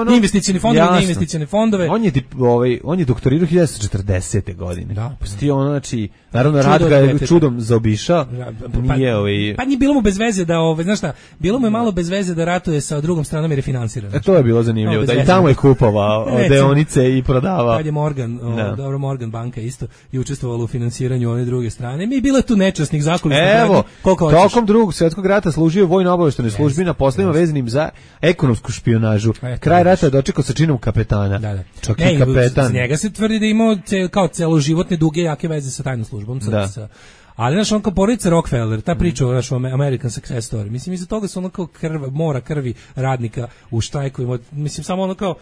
S6: ono,
S7: investicioni fondovi, ne investicioni fondove.
S6: On je ovaj on je doktorirao hiljadu devetsto četrdesete godine.
S7: Da,
S6: pa sti ono znači naravno rad ga je čudom zaobišao.
S7: Pa,
S6: nije ovaj
S7: pa nije bilo mu bez veze da ovaj znaš šta, bilo mu je malo bez veze da ratuje sa drugom stranom jer je finansiran.
S6: E to je bilo zanimljivo, no, da i tamo je kupovao deonice i prodavao.
S7: Kad je Morgan, o, dobro Morgan banka isto i učestvovala u finansiranju one druge strane. Mi je bilo tu nečasnih zakulisnih
S6: radnji. Koliko hoćeš. Tokom drugog svjetskog rata služio vojno-obavještajnoj službi na poslovima vezanim za ekonomsku špijunažu. E, Kraj rata je dočekao sa činom kapetana.
S7: Da, da.
S6: Čak ne, i kapetan.
S7: Z njega se tvrdi da je imao ce, kao celoživotne duge jake veze sa tajnom službom. Sa,
S6: da.
S7: Sa, ali znaš, on kao porodica Rockefeller, ta priča o našom American Success Story, mislim, iza toga su ono kao krv, mora krvi radnika u štrajkovima, mislim, samo ono kao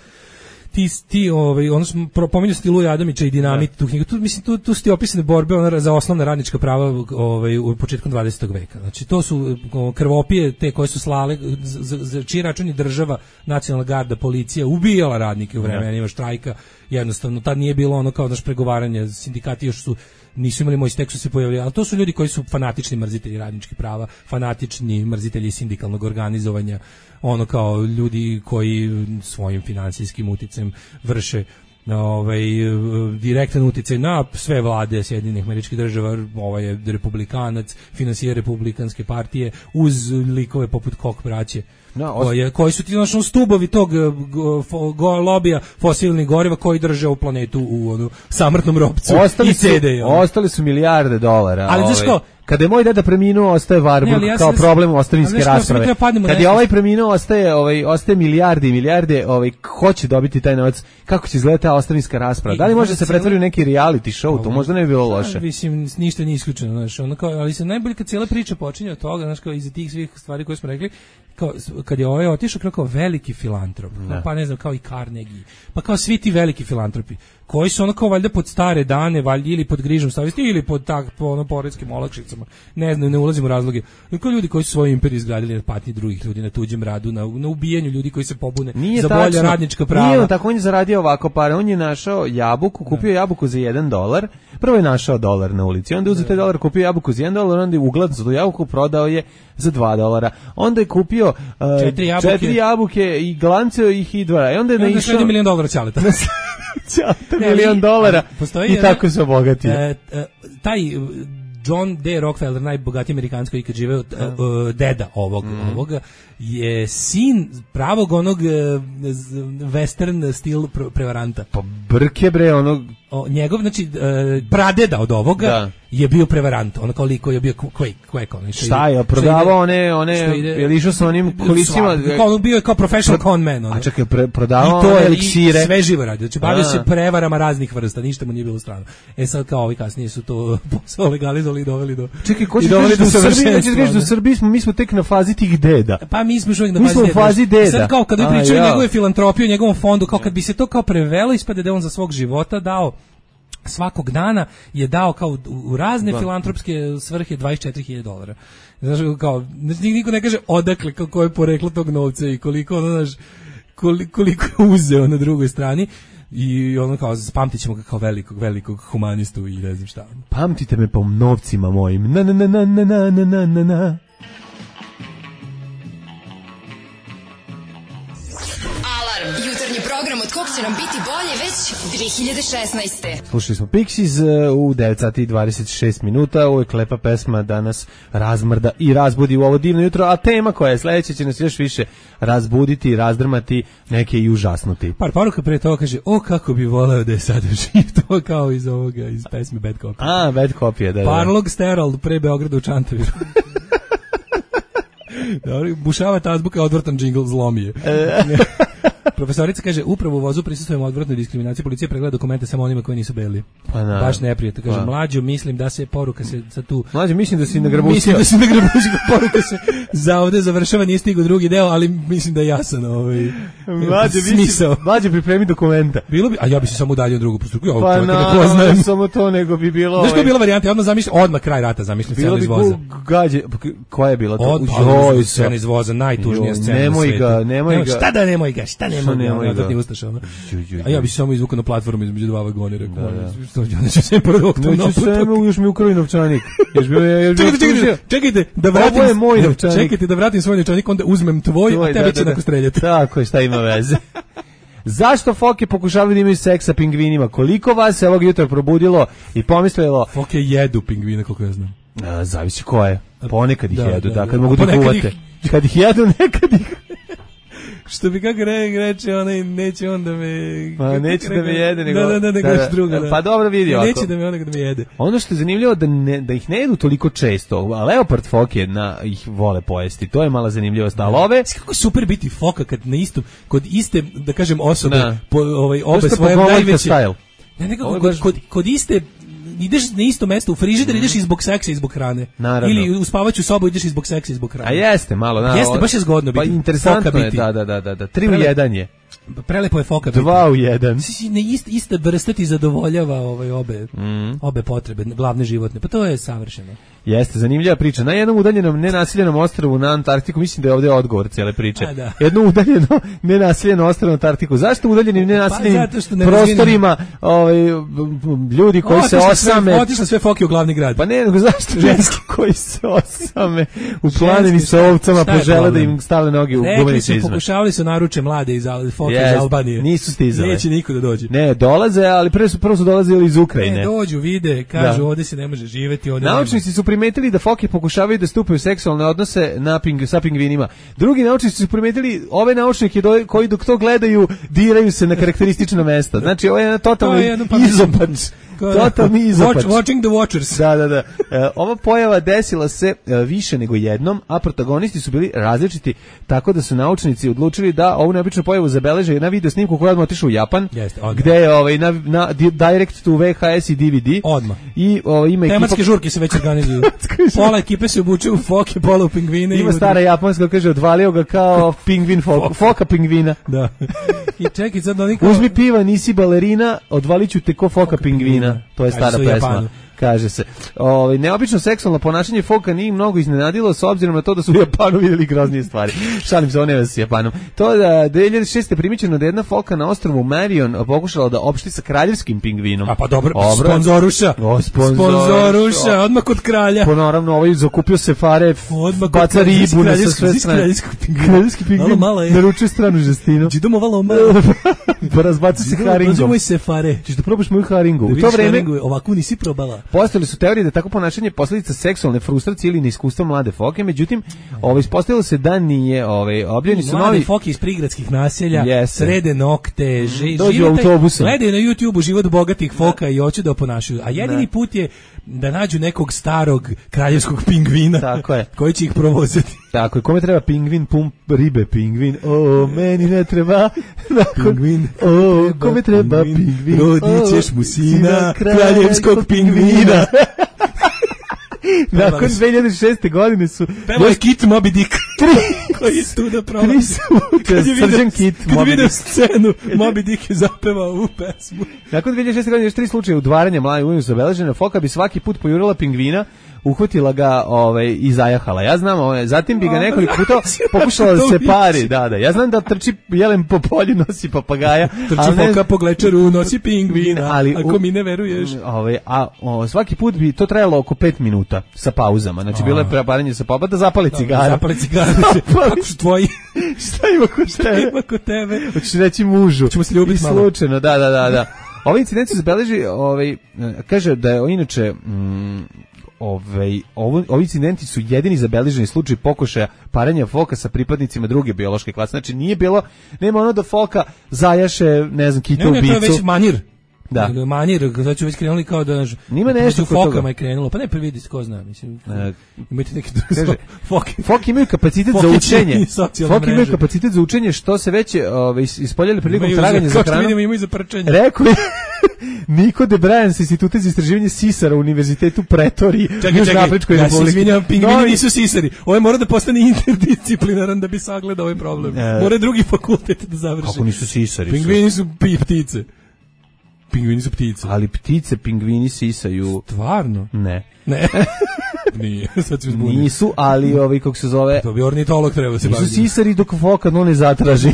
S7: ti ti ovaj ono smo pominjali ste Luja Adamića i Dinamit tu knjigu, tu mislim tu tu su opisane borbe ona za osnovna radnička prava ovaj u početku dvadesetog veka. Znači to su krvopije te koje su slale za, za čiji račun je država, nacionalna garda, policija ubijala radnike u vremenima štrajka. Jednostavno tad nije bilo ono kao naš pregovaranje, sindikati još su nisu imali moj tekst se pojavljali, ali to su ljudi koji su fanatični mrzitelji radničkih prava, fanatični mrzitelji sindikalnog organizovanja, ono kao ljudi koji svojim finansijskim uticajem vrše ovaj direktan uticaj na sve vlade Sjedinjenih Američkih Država. Ovaj je republikanac, finansira republikanske partije uz likove poput Koch braće. No, os... koji, koji su ti znači stubovi tog go, go, lobija fosilnih goriva koji drže u planetu u onu samrtnom ropcu
S6: ostali
S7: i C D.
S6: Su, ostali su milijarde dolara.
S7: Ali znaš ko,
S6: kada je moj deda preminuo, ostaje Warburg ja kao problem u ostavinske rasprave. Kad je ovaj preminuo, ostaje, ovaj, ostaje milijarde i milijarde, ovaj, ko će dobiti taj novac, kako će izgledati ta ostavinska rasprava. Da li može se pretvoriti u neki reality show, to možda ne bi bilo loše.
S7: Mislim, ništa nije isključeno, znaš, ono kao, ali se najbolje kad cijela priča počinje od toga, znaš, kao iza tih svih stvari koje smo rekli, kao, kad je ovaj otišao kao veliki filantrop, ne. pa ne znam, kao i Carnegie, pa kao svi ti veliki filantropi, koji su ono kao valjda pod stare dane, valjda ili pod grižom savjesti, ili pod tak, po ono poreskim olakšicama, ne znam, ne ulazim u razloge, kao ljudi koji su svoju imperiju izgradili na patnji drugih ljudi, na tuđem radu, na, na ubijanju ljudi koji se pobune
S6: nije
S7: za
S6: tačno,
S7: bolja radnička prava.
S6: Nije on tako, on je zaradio ovako pare, on je našao jabuku, kupio ne. jabuku za jedan dolar, prvo je našao dolar na ulici, onda je uzeo taj dolar, kupio jabuku za jedan dolar, onda je uglancao tu jabuku, prodao je za dva dolara, onda je kupio uh,
S7: četiri, jabuke.
S6: četiri jabuke i glanceo ih i dva, i onda je
S7: I onda
S6: naišao...
S7: je milion dolara ćaleta.
S6: Ćaleta milion dolara i tako se obogatio.
S7: E, e, taj John D. Rockefeller, najbogatiji Amerikanac koji ikad živeo, uh, deda ovog, mm. ovoga, je sin pravog onog uh, western stil prevaranta.
S6: Pa brke bre, onog...
S7: O, njegov, znači, uh, pradeda od ovoga da. je bio prevarant, ono koliko je bio Quake, Quake, ono.
S6: Šta je, prodavao one, one, je li išao sa onim kolicima?
S7: Kao, bio je kao professional con man, ono.
S6: A čekaj, pre, prodavao one eliksire.
S7: I sve živo radio, znači bavio se prevarama raznih vrsta, ništa mu nije bilo strano. E sad kao ovi kasnije su to posao legalizovali i doveli do...
S6: Čekaj, ko će kažeš da u Srbiji, nećeš kažeš da u Srbiji smo, mi smo tek na fazi tih deda.
S7: Pa mi smo još uvijek na
S6: mi
S7: fazi deda.
S6: fazi deda.
S7: Sad kao kad vi pričaju njegove filantropije, njegovom fondu, kao kad bi se to kao prevelo, ispade da on za svog života dao svakog dana je dao kao u razne da. filantropske svrhe dvadeset četiri hiljade dolara. Znaš, kao, niko ne kaže odakle, kako je poreklo tog novca i koliko, ono, znaš, koliko, koliko je uzeo na drugoj strani. I ono kao, pamtit ćemo ga kao velikog, velikog humanistu i ne znam šta.
S6: Pamtite me po novcima mojim. Na, na, na, na, na, na, na, na, na.
S12: Jutarnji program od kog će nam biti bolje već dve hiljade šesnaeste.
S6: Slušali smo Pixies u devet sati i dvadeset šest minuta. Ovo je lepa pesma da nas razmrda i razbudi u ovo divno jutro, a tema koja je sledeća će nas još više razbuditi, razdrmati, neke i užasnuti.
S7: Par poruka pre toga kaže, o kako bi voleo da je sada živ, to kao iz ovoga, iz pesme Bad Copy.
S6: A, Bad Copy, da, da.
S7: Parlog Steral pre Beograda u Čantaviru. Dobro, bušavata azbuka, odvrtan džingl, zlomije. Profesorica kaže, upravo u vozu prisustvujemo odvratnoj diskriminaciji, policija pregleda dokumente samo onima koji nisu beli.
S6: Pa na.
S7: Baš neprijatno. Kaže, pa. Mlađo, mislim da se poruka se za tu...
S6: Mlađo, mislim da si nagrabusio.
S7: Mislim da si nagrabusio, poruka se za ovde završava, nije stigao drugi deo, ali mislim da je jasan ovaj
S6: Mlađo,
S7: smisao.
S6: Mlađo, pripremi dokumenta.
S7: Bilo bi, a ja bi se samo udaljio drugu postupku. Ja
S6: pa na, ne poznajem. Samo to, nego bi bilo...
S7: Znaš koja je bila varijanta? Ja odmah zamišljam, odmah kraj rata zamišljam scenu iz voza.
S6: Gađe, koja je bila to?
S7: Od, scena iz voza, najtužnija scena
S6: nemoj ga, nemoj ga.
S7: Šta da nemoj ga, šta nema, nema, ja ne ustaša. A ja bi se samo izvukao na platformu između dva vagona, rekao, što ja neću se prvog tom
S6: naputak. Neću se, još mi ukrali novčanik.
S7: Čekajte, čekajte, čekajte, da vratim, ovo je moj novčanik. Čekajte, da vratim svoj novčanik, onda uzmem tvoj, a tebe će nakon streljati.
S6: Tako je, šta ima veze. Zašto foke pokušavaju da imaju seks sa pingvinima? Koliko vas se ovog jutra probudilo i pomislilo...
S7: Foke jedu pingvine, koliko ja znam.
S6: A, zavisi ko je. Ponekad ih da, jedu, da, da, kad da, mogu da kuvate. Ih... Kad ih jedu, nekad ih...
S7: Što bi kako re, reče, onaj, neće on da me...
S6: Pa neće da me jede, nego...
S7: Da, da, da, nego da, da, druga, da.
S6: Pa dobro vidi ovako.
S7: Neće da me onak da me jede.
S6: Ono što je zanimljivo, da, ne, da ih ne jedu toliko često, a leopard foke na, ih vole pojesti, to je mala zanimljivost, ali ove...
S7: Kako super biti foka kad na istom, kod iste, da kažem, osobe, po, ovaj, obe svoje najveće... Ne, nekako, kod, kod, kod iste... ideš na isto mesto u frižider, mm. ideš i zbog seksa i zbog hrane.
S6: Naravno.
S7: Ili u spavaću sobu ideš i zbog seksa i zbog hrane.
S6: A jeste, malo. Na,
S7: jeste, baš je zgodno biti.
S6: Pa interesantno je, da, da, da, da. Tri Prele... u jedan je.
S7: Prelepo je foka biti.
S6: Dva u jedan.
S7: Ne, ista, ista vrsta ti zadovoljava ovaj, obe, mm. obe potrebe, glavne životne. Pa to je savršeno.
S6: Jeste, zanimljiva priča. Na jednom udaljenom nenaseljenom ostrvu na Antarktiku, mislim da je ovdje odgovor cijele priče.
S7: A, da.
S6: Jedno udaljeno nenaseljeno ostrvo na Antarktiku. Zašto udaljenim nenaseljenim pa, ne prostorima ovaj, ljudi koji o, se osame...
S7: Otišla sve foke u glavni grad.
S6: Pa ne, nego zašto ženski koji se osame u planini sa ovcama požele da im stale noge u gumenice izme.
S7: Pokušavali su naruče mlade iz foke yes, iz Albanije.
S6: Nisu stizale.
S7: Neće niko da dođe.
S6: Ne, dolaze, ali prvo su, prvo su dolazili iz Ukrajine.
S7: Ne, dođu, vide, kažu da. Ovdje se ne može živjeti.
S6: Naučnici su primetili da foke pokušavaju da stupaju seksualne odnose na ping, sa pingvinima. Drugi naučnici su primetili ove naučnike do, koji dok to gledaju diraju se na karakteristična mesta. Znači ovo je jedan totalni izopač. Totalni izopač.
S7: Watch, watching the watchers.
S6: Da, da, da. E, ova pojava desila se e, više nego jednom, a protagonisti su bili različiti, tako da su naučnici odlučili da ovu neobičnu pojavu zabeleže na video snimku koja odmah otišao u Japan,
S7: Jeste,
S6: gde je ovaj, na, na direct to V H S i D V D.
S7: Odmah.
S6: I ovaj, ima
S7: tematske
S6: ekipa...
S7: žurke se već organizuju. Pola ekipe se obuče u foke, pola u pingvine.
S6: Ima stara japanska, kaže, odvalio ga kao pingvin foka, foka pingvina.
S7: Da. I čekaj, sad oni kao...
S6: Uzmi piva, nisi balerina, odvaliću te ko foka, foka pingvina. pingvina. To je stara pesma. Kaže se. Ovaj neobično seksualno ponašanje foka nije mnogo iznenadilo s obzirom na to da su u Japanu vidjeli groznije stvari. Šalim se, one s Japanom. To da dvije hiljade šeste primijećeno da jedna foka na ostrvu Marion pokušala da opšti sa kraljevskim pingvinom.
S7: A pa dobro, Obra. sponzoruša.
S6: O,
S7: sponzoruša. Sponzoruša, odmah kod kralja.
S6: Po naravno, ovaj zakupio se fare,
S7: odmah
S6: baca ribu na sve strane. Kraljevski pingvin. Naručuje stranu žestinu.
S7: Idemo malo malo.
S6: Pa razbaci se haringom.
S7: Prođemo se fare.
S6: Ćeš da probaš moju haringu. U to vreme
S7: ovako nisi probala.
S6: Postojale su teorije da tako ponašanje je posljedica seksualne frustracije ili neiskustva mlade foke, međutim, ovaj ispostavilo se da nije, ovaj objavljeni su
S7: mlade
S6: novi
S7: foke iz prigradskih naselja, yes. srede nokte, ži,
S6: dođu autobusom.
S7: Gledaju na YouTubeu život bogatih foka i hoće da oponašaju. A jedini ne. put je da nađu nekog starog kraljevskog pingvina
S6: tako je.
S7: koji će ih provozati.
S6: Tako je, kome treba pingvin, pump ribe pingvin, o, meni ne treba
S7: pingvin,
S6: o, kome treba pingvin,
S7: rodit ćeš mu sina kraljevskog pingvina.
S6: Nakon dvije hiljade šeste godine su...
S7: Pevao je Kit Moby Dick. Koji je tu da prolazi.
S6: Tri su Srđan Kit Moby Dick.
S7: Kad je vidio scenu, Moby Dick je zapevao u pesmu.
S6: Nakon dvije hiljade šeste godine još tri slučaje udvaranja mlade ujnu zabeležene. Foka bi svaki put pojurila pingvina, uhvatila ga ovaj, i zajahala. Ja znam, ovaj, zatim bi ga nekoliko puta pokušala da se pari. Da, da. Ja znam da trči jelen po polju, nosi papagaja.
S7: Trči foka ne... po glečeru, nosi pingvina. Ali, ako mi ne veruješ.
S6: Ovaj, a o, svaki put bi to trajalo oko pet minuta sa pauzama. Znači, a. bilo je preparanje sa pauza, da zapali cigaru.
S7: Zapali cigaru. Kako su tvoji?
S6: Šta ima kod tebe?
S7: Šta ima kod tebe?
S6: Hoćeš reći mužu.
S7: Ćemo se ljubiti malo.
S6: Slučajno, da, da, da. da. Ovaj incident se zabeleži, ovaj, kaže da je inače... Mm, Ove, ovo, ovi incidenti su jedini zabeleženi slučaj pokušaja paranja foka sa pripadnicima druge biološke klase. Znači nije bilo, nema ono da foka zajaše, ne znam, kitu ubicu.
S7: Ne, ne, to je već manir.
S6: Da.
S7: Manir, sad ću već krenuli kao da...
S6: Nima nešto
S7: kod fokama je krenulo, pa ne previdi, ko zna, mislim. E, imate neki drugi foke.
S6: Foke imaju kapacitet za učenje. Foke imaju kapacitet za učenje, što se već ove, ispoljali prilikom traganja za hranom.
S7: Kao što vidimo, imaju za prčenje.
S6: Rekao je Niko de Bryan sa Instituta za istraživanje sisara u Univerzitetu Pretoriji.
S7: Čekaj, čekaj, ja se izvinjam, pingvini nisu sisari. Ovo mora da postane interdisciplinaran da bi sagledao ovaj problem. E, mora drugi fakultet da završi.
S6: Kako nisu sisari?
S7: Pingvini su ptice. Pingvini su ptice.
S6: Ali ptice pingvini sisaju.
S7: Stvarno?
S6: Ne.
S7: Ne. Nije, sad ću zbuniti.
S6: Nisu, ali ovaj, kako se zove...
S7: To bi ornitolog trebao se baviti.
S6: Nisu sisari dok foka no ne zatraži.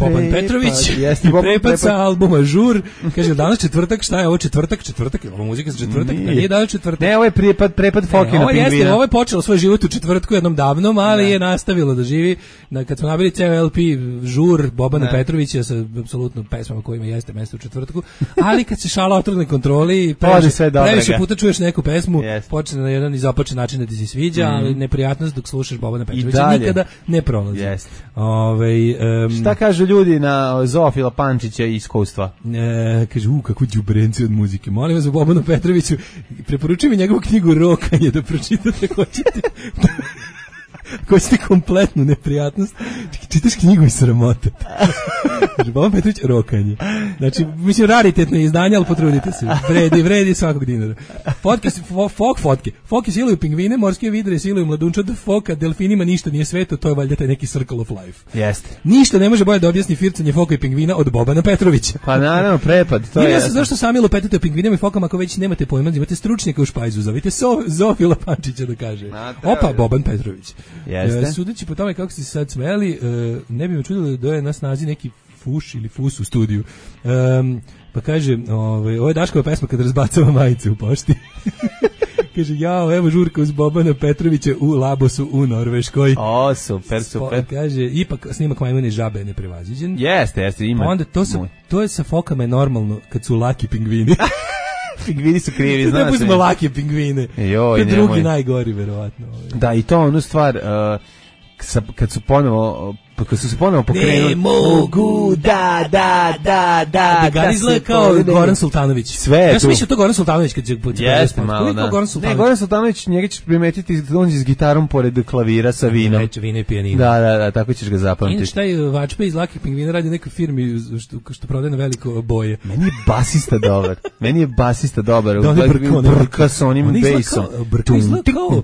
S7: Boban Petrović
S6: jeste,
S7: i
S6: Boban
S7: prepad
S6: Prepad.
S7: sa albuma Žur. Kaže, danas četvrtak, šta je ovo četvrtak? Četvrtak, je ovo muzika za četvrtak?
S6: Nije.
S7: Nije danas četvrtak.
S6: Ne, ovo je prepad, prepad Fokina
S7: ovo jeste,
S6: pingvina.
S7: ovo je počelo svoj život u četvrtku jednom davnom, ali ne. je nastavilo da živi. Na, kad smo nabili ceo el pe Žur Bobana ne. Petrovića sa apsolutno pesmama kojima jeste mesto u četvrtku, ali kad se šala otrgne kontroli, previše, previše puta čuješ neku pesmu, yes. počne na jedan i započne način da ti se sviđa, mm. ali neprijatnost dok slušaš Bobana Petrovića nikada ne prolazi.
S6: Yes.
S7: Ove, um,
S6: šta kažu ljudi na Zoofila Pančića i iskustva?
S7: E, kaže, u, kako đubrenci od muzike. Molim vas za Bobanu Petroviću, preporučujem mi njegovu knjigu Rokanje da pročitate, hoćete. Hoćete kompletnu neprijatnost. Čitaš knjigu i sramote. Boban Petrović, Rokanje. Znači, mislim, raritetno izdanje, ali potrudite se. Vredi, vredi svakog dinara. Fotke, fo, fok fotke. Foke siluju pingvine, morske vidre siluju mladunčad, foka, delfinima ništa nije sveto, to je valjda taj neki circle of life.
S6: Jeste.
S7: Ništa ne može bolje da objasni fircanje foka i pingvina od Bobana Petrovića.
S6: Pa naravno, prepad, to je.
S7: Ja se zašto sami lupetate o pingvinima i fokama ako već nemate pojma, imate stručnjaka u špajzu, zovite so, Zofila Pančića da kaže. Opa, Boban Petrović.
S6: Jeste.
S7: Sudeći po tome kako ste se sad smeli, ne bi me čudilo da je na snazi neki fuš ili fus u studiju. Um, pa kaže, ovaj, ovo je Daškova pesma kad razbacava majice u pošti. Kaže, jao, evo žurka uz Bobana Petrovića u Labosu u Norveškoj.
S6: O, super, super.
S7: Spo, kaže, ipak snimak Majmune žabe je neprevaziđen.
S6: Jeste, jeste, ima.
S7: Onda to, sa, to je sa fokama je normalno kad su laki pingvini.
S6: Pingvini su krivi, znaš.
S7: Ne pustimo lake pingvine.
S6: Joj,
S7: to je drugi najgori, verovatno.
S6: Da, i to onu stvar, uh, kad su ponovo, kad su se ponovo pokrenuli.
S7: Ne mogu, da, da, da, da. Da ga izgleda kao Goran Sultanović.
S6: Sve je tu.
S7: Ja sam mislio to Goran Sultanović kad će...
S6: Jeste malo, da.
S7: Goran Sultanović.
S6: Ne, Goran Sultanović, njega ćeš primetiti, on je s gitarom pored klavira sa vinom.
S7: Reče vino i pijanino.
S6: Da, da, da, tako ćeš ga zapamtiti.
S7: Inače, taj Vačpe iz Lakih pingvina radi u nekoj firmi što, što prodaje na veliko boje.
S6: Meni je basista dobar. Meni je basista dobar.
S7: Da, on je brka,
S6: brka sa onim bejsom.
S7: Brka izgleda kao...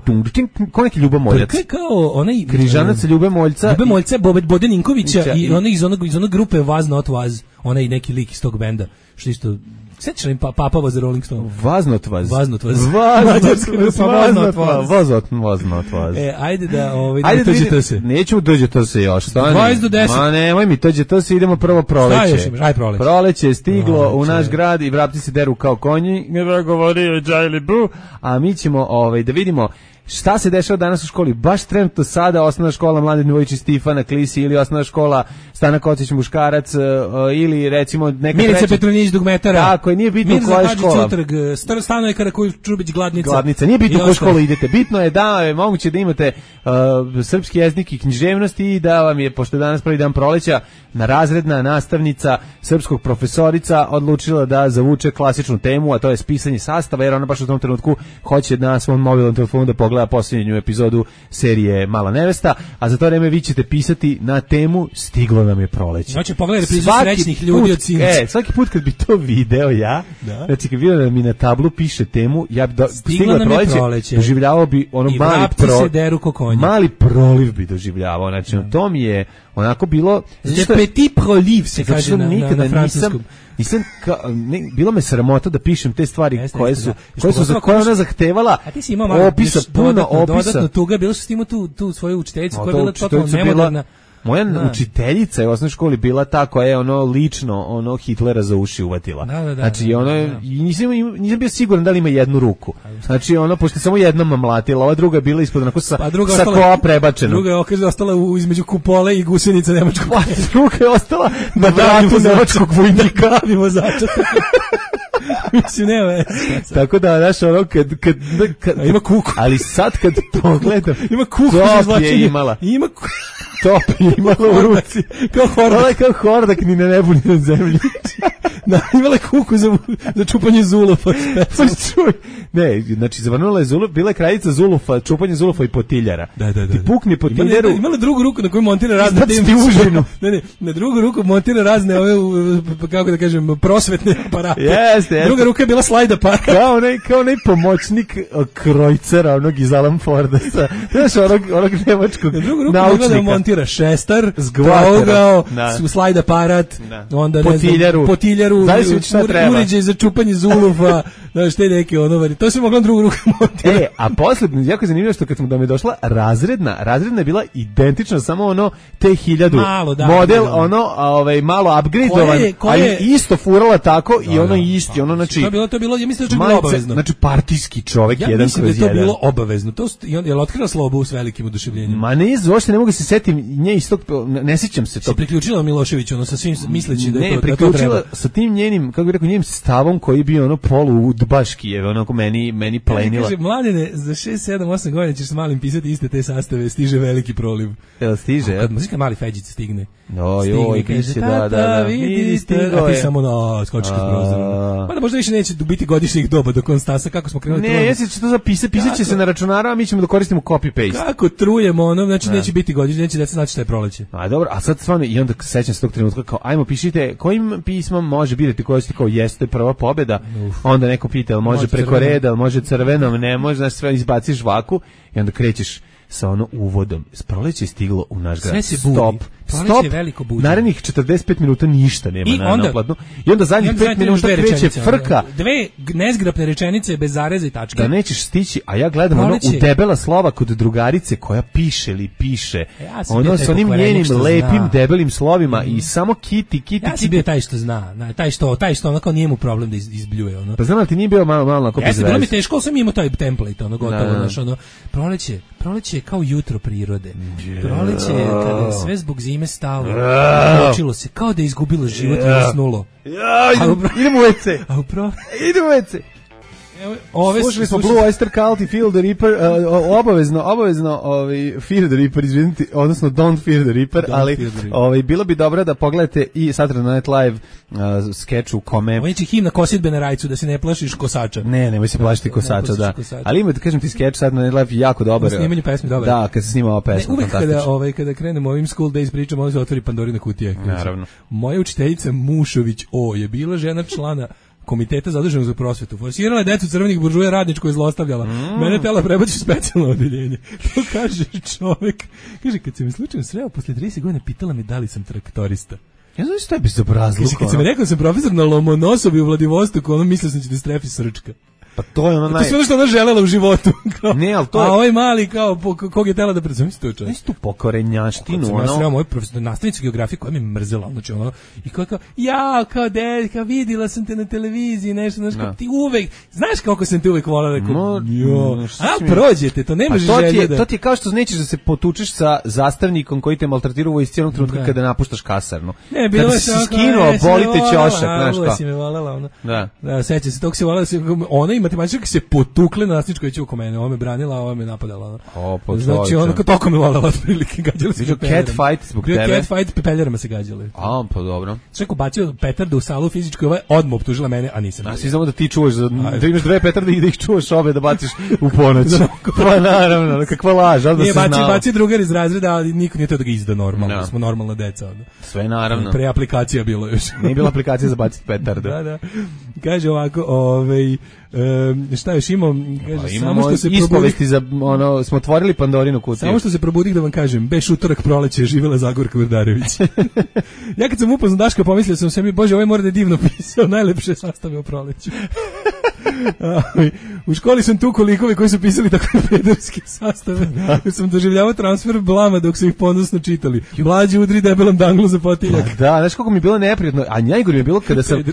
S6: Kao neki Ljuba Moljac.
S7: Brka je kao onaj...
S6: Križanac Ljube Moljca.
S7: Ljube Moljca, Bobe Ninkovića i onaj iz onog, iz onog grupe Was Not Was, onaj neki lik iz tog benda, što isto... Sjećaš li pa, Papa was a Rolling Stone?
S6: Was Not Was.
S7: Was Not Was.
S6: Mađarska grupa Was Not Was. Was Not Was.
S7: E, ajde da ovaj, ajde da dođe se.
S6: Nećemo dođe to se još.
S7: dvadeset do deset.
S6: Ma nemoj mi, dođe to se, idemo prvo proleće.
S7: Šta još imaš? Aj proleće.
S6: Proleće je stiglo proleće. U naš grad i vrapci se deru kao konji. Ne govori o Džajli Bu. A mi ćemo ovaj, da vidimo šta se dešava danas u školi. Baš trenutno sada osnovna škola Mladen Dvojić i Stifana Klisi ili osnovna škola Stana Kocić Muškarac ili recimo neka
S7: Milica
S6: treća...
S7: Petronić Dugmetara.
S6: Tako je, nije bitno
S7: Mirza
S6: koja je
S7: Hadžić
S6: škola.
S7: Utrg, Stanoje Karaković Čubić Gladnica.
S6: Gladnica, nije bitno koju školu idete. Bitno je da je moguće da imate uh, srpski jezik i književnost i da vam je, pošto je danas prvi dan proleća, na razredna nastavnica srpskog profesorica odlučila da zavuče klasičnu temu, a to je spisanje sastava, jer ona baš u tom trenutku hoće na svom mobilnom telefonu da pogleda posljednju epizodu serije Mala nevesta, a za to vreme vi ćete pisati na temu Stiglo nam je proleće.
S7: Znači, pogledaj reprizu srećnih ljudi od Sinac.
S6: E, svaki put kad bi to video ja, da. Znači kad vidio da mi na tablu piše temu, ja bi do, Stiglo nam je proleće, doživljavao bi ono
S7: i
S6: mali, pro,
S7: se deru ko konji.
S6: Mali proliv bi doživljavao, znači da. To mi je onako bilo...
S7: Le petit proliv se kaže na, na, na francuskom.
S6: Nisam, ka, ne, bilo me sramota da pišem te stvari Jeste, koje su, da. koje su za koje ona zahtevala opisa, puno opisa.
S7: Dodatno tuga, bilo su s tim tu, tu svoju učiteljicu koja je bila totalno nemoderna.
S6: Moja da. učiteljica je u osnovnoj školi bila ta koja je ono lično ono Hitlera za uši uvatila.
S7: Da, da, da,
S6: znači ono
S7: da, da.
S6: nisam nisam bio siguran da li ima jednu ruku. Znači ono pošto samo jednom mlatila, ova druga je bila ispod onako sa, pa sa kola prebačena.
S7: Druga je okaže ostala u, između kupole i gusenica nemačkog.
S6: Pa druga je ostala na vratu nemačkog vojnika
S7: i vozača. Mislim, nema.
S6: Tako da, znaš, ono, kad, kad, kad,
S7: ima kuku.
S6: Ali sad kad pogledam,
S7: ima kuku
S6: top je imala.
S7: Ima kuku.
S6: Top je imala u ruci.
S7: Kao hordak.
S6: Ona je kao hordak, ni na nebu, ni na zemlji.
S7: Da, imala kuku za, za čupanje zulufa.
S6: Pa čuj. Ne, znači, zavrnula je zuluf, bila je kraljica zulufa, čupanje zulufa i potiljara.
S7: Da, da, da.
S6: Ti pukne potiljaru.
S7: Imala, imala drugu ruku na kojoj montira razne
S6: teme. užinu.
S7: Ne, ne, na drugu ruku montira razne, ove, kako da kažem, prosvetne aparate.
S6: Jeste, jeste.
S7: Druga ruka je bila slajd aparat.
S6: Kao onaj, kao onaj pomoćnik krojcera, onog iz Alan Forda, sa, znaš, onog, onog nemačkog naučnika.
S7: montira šestar,
S6: Zgvater,
S7: trougao,
S6: da.
S7: slajd aparat,
S6: da.
S7: onda
S6: potiljaru,
S7: ne znam, potiljaru, uređaj za čupanje zulufa, znaš, te neke ono, to se moglo na drugu ruku montira.
S6: E, a posle, jako je zanimljivo što kad smo da mi je došla razredna, razredna je bila identična, samo ono T hiljadu
S7: malo, da,
S6: model,
S7: da.
S6: ono, a, ovaj, malo upgradeovan, ali isto furala tako da, i ono da, isti, ono, znači...
S7: To je bilo, to je bilo, ja mislim da je bilo obavezno.
S6: Znači, partijski čovek,
S7: ja
S6: jedan kroz jedan. Ja
S7: mislim da je to bilo obavezno. To je li otkrila Slobu s velikim oduševljenjem?
S6: Ma ne, uopšte ne mogu se setim nje iz tog, ne sjećam se to.
S7: Se priključila Miloševiću, ono, sa svim misleći da je to,
S6: ne, priključila sa tim njenim, kako bih rekao, njenim stavom koji je bio ono polu udbaški, je onako meni, meni plenila.
S7: Kaže, Mladene, za šest, sedam, osam godina ćeš s malim pisati iste te sastave, stiže veliki proliv.
S6: Jel stiže?
S7: Kad muzika mali Feđić stigne.
S6: No, joj, piše, da, da, da.
S7: Vidi, stigo je. A ti samo na skočiš s prozorom. Pa da možda više neće biti godišnjih doba dok on stasa, kako smo krenuli.
S6: Ne, jesi će to zapisati, pisat će se na računara, a mi ćemo da koristimo copy-paste.
S7: Kako trujemo ono, znači ne. Neće biti godišnji, neće deca znači šta je proleće.
S6: A dobro, a sad stvarno, i onda sećam se tog trenutka, kao, ajmo pišite, kojim pismom može birati koji ste, kao, jeste prva pobjeda, uf. Onda neko pita, može, može preko crvenom. Reda, može crvenom, ne može, znaš, sve izbaciš žvaku i onda krećeš sa ono uvodom. Proleće je stiglo u naš grad. Stop. Stop. Narednih četrdeset pet minuta ništa nema I na naplatnu. I onda zadnjih pet minuta kreće frka.
S7: Dve nezgrapne rečenice bez zareza i tačke.
S6: Da nećeš stići, a ja gledam Proleće. Ono u debela slova kod drugarice koja piše ili piše.
S7: Ja
S6: ono sa onim njenim lepim zna. Debelim slovima mm. i samo kiti, kiti,
S7: ja kiti. Ja sam bio taj što zna, taj što, taj što onako nije mu problem da izbljuje. Ono.
S6: Pa znam li ti nije bio malo, malo ako
S7: bez veze. Bilo mi teško, sam imao taj template, ono gotovo, znaš, ono, proleće, proleće je kao jutro prirode. Proleće je kada sve zbog zime stalo, počilo se, kao da je izgubilo život i usnulo.
S6: Ja, idemo u ve ce.
S7: A upravo?
S6: Idemo u ve ce.
S7: Ove
S6: slušali smo Blue Oyster Cult i Feel the Reaper, uh, obavezno, obavezno ovaj, Fear the Reaper, izvinite, odnosno Don't Fear the Reaper, Don't ali the Reaper. Ovaj, bilo bi dobro da pogledate i Saturday Night Live uh, skeč u kome...
S7: Ovo je himna kosidbe na rajcu, da se ne plašiš kosača.
S6: Ne, nemoj se plašiti kosača, da. Kosača. Ali ima, da kažem ti, skeč Saturday Night Live jako dobar.
S7: U snimanju pesmi dobar.
S6: Da, kad se snima ova pesma,
S7: ne, uvek kada, ovaj, kada krenemo ovim School Days pričamo, ovo se otvori Pandorina kutija.
S6: Naravno.
S7: Moja učiteljica Mušović O je bila žena člana komiteta zaduženog za prosvetu. Forsirala je decu crvenih buržuja radničko je zlostavljala. Mm. Mene tela prebaci u specijalno odeljenje. To kaže čovjek. Kaže, kad se mi slučajno sreo, posle trideset godina pitala me da li sam traktorista.
S6: Ja znam što je bezobrazluk.
S7: Kaže, kad se mi rekao da sam profesor na Lomonosovi u Vladivostoku, ono mislio sam će da strefi srčka.
S6: Pa to je ono naj...
S7: To je ono što ona želela u životu.
S6: Ne, ali to je...
S7: A ovaj mali, kao, po, kog je tela da predstavim se to čovjek.
S6: Nisi tu pokorenjaštinu, ono...
S7: Ja sam ja moj profesor, nastavnica geografije koja mi je mrzela, znači ono, i koja kao, ja, kao dedka, vidila sam te na televiziji, nešto, znaš, kao, ti uvek, znaš kako sam te uvek volala, rekao,
S6: no,
S7: jo, a prođete, to nemaš
S6: pa
S7: želje da...
S6: To ti je kao što nećeš da se potučeš sa zastavnikom koji te maltretirao u vojsci onog trenutka kada napuštaš kasarnu.
S7: Ne, bilo
S6: kada
S7: je
S6: si skinuo, boli te ćošak, znaš
S7: kao.
S6: si
S7: me volela, ono.
S6: Da.
S7: Da, seća se, tog se volela, ona i matematičarka se potukle na nastavničkoj će oko mene, ona me branila, a ona me napadala.
S6: O, pa
S7: znači, ono kao toko me volela otprilike, gađali se
S6: cat fight zbog tebe.
S7: Cat fight, pepeljarama se gađali.
S6: A, pa dobro.
S7: Sve ko bacio petardu u salu fizičkoj, ovaj odmah optužila mene, a nisam.
S6: A svi znamo da ti čuvaš, da imaš dve petarde i da ih čuvaš obe da baciš u ponoć. Pa naravno, kakva laž, ali da se znao.
S7: Nije, baci drugar iz razreda, ali niko nije to da ga izda normalno, no. Smo normalna deca. Onda.
S6: Sve naravno.
S7: Pre aplikacija bilo još.
S6: Nije bila aplikacija za baciti petardu.
S7: Da, da. Kaže ovako, ovaj... Um, šta još imam, kaže,
S6: pa,
S7: samo što se
S6: ispovesti za ono, smo otvorili Pandorinu kutiju.
S7: Samo što se probudih da vam kažem, beš utorak proleće, živela Zagorka Vrdarević. Ja kad sam upoznao Daška, pomislio sam sebi, bože, ovaj mora da je divno pisao, najlepše sastave o proleću. U školi sam tu kolikovi koji su pisali takve pederske sastave. Ja sam doživljavao transfer blama dok su ih ponosno čitali. Mlađi udri debelam danglu za potiljak.
S6: Da, znaš kako mi je bilo neprijatno, a najgore mi je bilo kada sam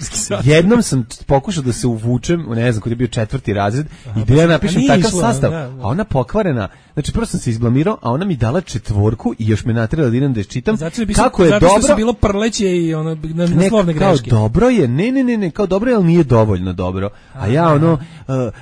S6: jednom sam pokušao da se uvučem, ne znam, kad je bio četvrti razred, aha, i da ja napišem takav sastav, da, da. A ona pokvarena, znači prvo sam se izblamirao, a ona mi dala četvorku i još me naterala da idem da je čitam.
S7: Zato
S6: bi kako je
S7: zato
S6: dobro,
S7: što je bilo prleće i ono na, na
S6: ne,
S7: slovne greške.
S6: Kao dobro je, ne, ne, ne, ne, kao dobro je, ali nije dovoljno dobro. A ja ono uh,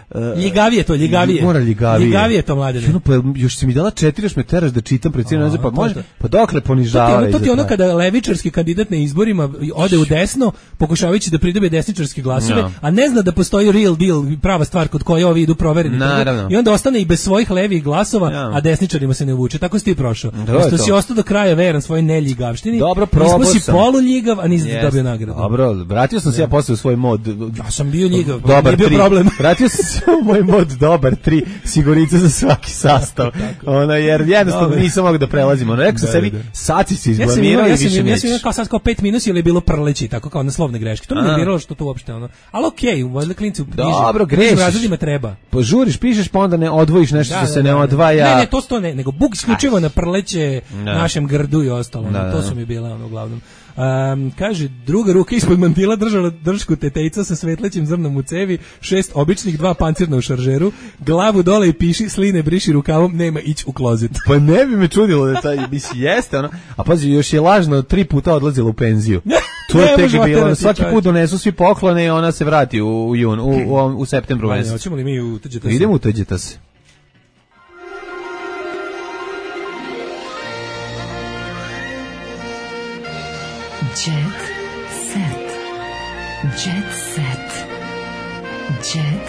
S6: uh,
S7: ljigavije to, ljigavije.
S6: Mora ljigavije.
S7: Ljigavije to mladene.
S6: Ono, pa još si mi dala četiri, još me teraš da čitam pred cijelom naziv, pa može, pa dokle ponižava.
S7: To, to ti ono kada levičarski kandidat na izborima ode u desno, pokušavajući da pridobije desničarske glasove, no. A ne zna da postoji real deal, prava stvar kod koje ovi idu provereni. I onda ostane i bez svojih levih glasova, ja. A desničarima se ne uvuče. Tako si ti prošao. Što si ostao do kraja veran svojoj neljigavštini.
S6: Dobro, probao
S7: sam. Si poluljigav, a nisi yes. dobio nagradu.
S6: Dobro, vratio sam se ja posle u svoj mod.
S7: Ja sam bio ljigav,
S6: dobar,
S7: nije bio
S6: tri.
S7: problem.
S6: Vratio sam se moj mod dobar, tri sigurice za svaki sastav. Ono, jer jednostavno
S7: Dobar.
S6: nisam mogao da prelazim. Ono, rekao sam
S7: Da,
S6: sebi,
S7: da.
S6: sad si se
S7: Ja sam
S6: izblamirao
S7: imao,
S6: i
S7: ja sam,
S6: više
S7: ja sam
S6: nećeš.
S7: imao kao sad kao pet minusa ili je bilo prleći, tako kao na slovne greške. To mi je
S6: A.
S7: nerviralo što to uopšte ono. Ali okej, okay, valjda klinci u nižim-
S6: Dobro,
S7: nižim
S6: grešiš.
S7: razredima treba.
S6: Požuriš, pišeš, pa onda ne odvojiš nešto što se ne odvaja.
S7: Ne, ne, to sto ne, nego buk isključivo na prleće
S6: Da.
S7: našem grdu i ostalo.
S6: Da, da.
S7: To su mi bila ono uglavnom. Um, kaže, druga ruka ispod mantila držala dršku tetejca sa svetlećim zrnom u cevi, šest običnih, dva pancirna u šaržeru, glavu dole i piši, sline briši rukavom, nema ići u klozet.
S6: Pa ne bi me čudilo da taj, misli, jeste ono, a pazi, još je lažno tri puta odlazila u penziju. To je
S7: Ne
S6: tek
S7: može
S6: bilo, ono,
S7: oterati,
S6: svaki
S7: čovječe.
S6: put donesu svi poklone i ona se vrati u, u jun, u, u, u septembru
S7: Vanja,
S6: mesecu.
S7: hoćemo li mi u tuđe
S6: Idemo u tuđeta se.
S5: Jet set. Jet set. Jet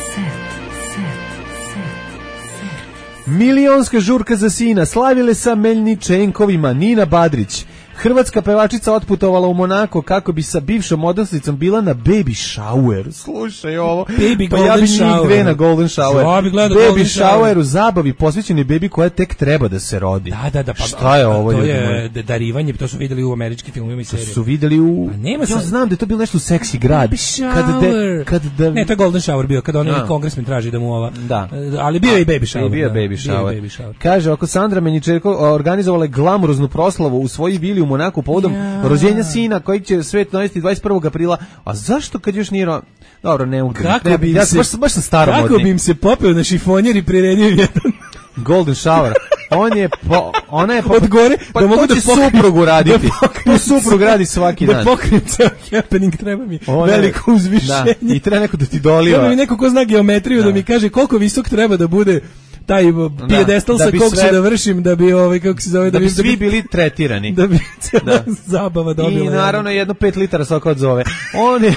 S5: set. Set. Set.
S6: Milionska žurka za sina, slavile sa Meljničenkovima, Nina Badrić. Hrvatska pevačica otputovala u Monako kako bi sa bivšom modelnicom bila na baby shower. Slušaj ovo.
S7: Baby
S6: pa ja
S7: golden
S6: bi njih
S7: shower.
S6: dve na golden shower.
S7: Ja bi gledao
S6: baby
S7: golden shower.
S6: shower u zabavi posvećeni bebi koja tek treba da se rodi.
S7: Da, da, da, pa
S6: šta je
S7: a,
S6: ovo,
S7: to
S6: ljudi
S7: je
S6: moji?
S7: d- darivanje, to su videli u američkim filmovima i
S6: To
S7: serijama.
S6: su videli u...
S7: Pa nema
S6: ja
S7: sad-
S6: znam da je to bilo nešto u seksi grad.
S7: Baby
S6: Kad de,
S7: shower.
S6: kad da...
S7: Ne, to je golden shower bio, kada onaj
S6: Da.
S7: kongresmen traži da mu ova...
S6: Da.
S7: E, Ali bio je i baby shower.
S6: I bio je
S7: da.
S6: baby
S7: Bio
S6: shower.
S7: je baby shower.
S6: Kaže, ako Sandra Menjičerko organizovala je glamuroznu proslavu u svojoj vili u Monaku povodom
S7: Ja.
S6: rođenja sina kojeg će svet navesti dvadeset prvog aprila, a zašto kad još nije... ro- Dobro, ne mogu.
S7: Kako
S6: ne,
S7: bi im
S6: ja
S7: se-
S6: baš, baš sam staromodni.
S7: Kako bi im se popeo na šifonjer i priredio jedan
S6: Golden shower. On je po, ona je po,
S7: od gore,
S6: pa
S7: da mogu
S6: to
S7: da
S6: će
S7: pokrijem-
S6: suprugu raditi.
S7: da pokrijem
S6: Tu suprug radi svaki
S7: da
S6: dan.
S7: pokrijem ceo happening, treba mi
S6: Ona je-
S7: veliko uzvišenje.
S6: Da, i treba neko da ti
S7: Treba
S6: doliva.
S7: mi neko ko zna geometriju da.
S6: Da.
S7: mi kaže koliko visok treba da bude taj pijedestal
S6: da
S7: sa
S6: bi
S7: kog
S6: sve-
S7: se da vršim da bi ovaj kako se zove
S6: Da bi
S7: da
S6: svi bili tretirani.
S7: da bi cijela
S6: Da.
S7: zabava dobila.
S6: I naravno jedno pet litara soka od zove. On je...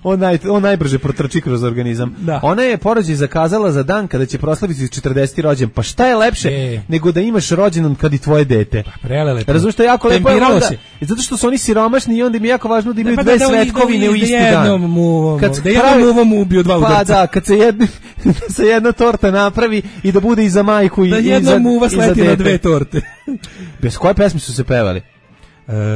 S6: On, naj, on najbrže protrči kroz organizam.
S7: Da.
S6: Ona je porođaj zakazala za dan kada će proslaviti četrdeseti rođendan. Pa šta je lepše
S7: E.
S6: nego da imaš rođendan kad i tvoje dete?
S7: Prelepo.
S6: Razumiješ, to je jako lepo.
S7: Tempiralo
S6: onda-
S7: se.
S6: Zato što su oni siromašni i onda im je jako važno da imaju
S7: Pa
S6: dve
S7: da, da,
S6: svetkovine
S7: da,
S6: u
S7: da
S6: isti
S7: jednom
S6: dan.
S7: muvom-
S6: Kad
S7: da jednom
S6: pravi-
S7: muvom ubiju dva
S6: Pa
S7: udarca.
S6: da, kad se, jedni, se jedna torta napravi i da bude i za majku i,
S7: Da
S6: i za,
S7: jedna muva
S6: i za
S7: sleti na
S6: dete.
S7: dve torte.
S6: Bez koje pesme su se pevali?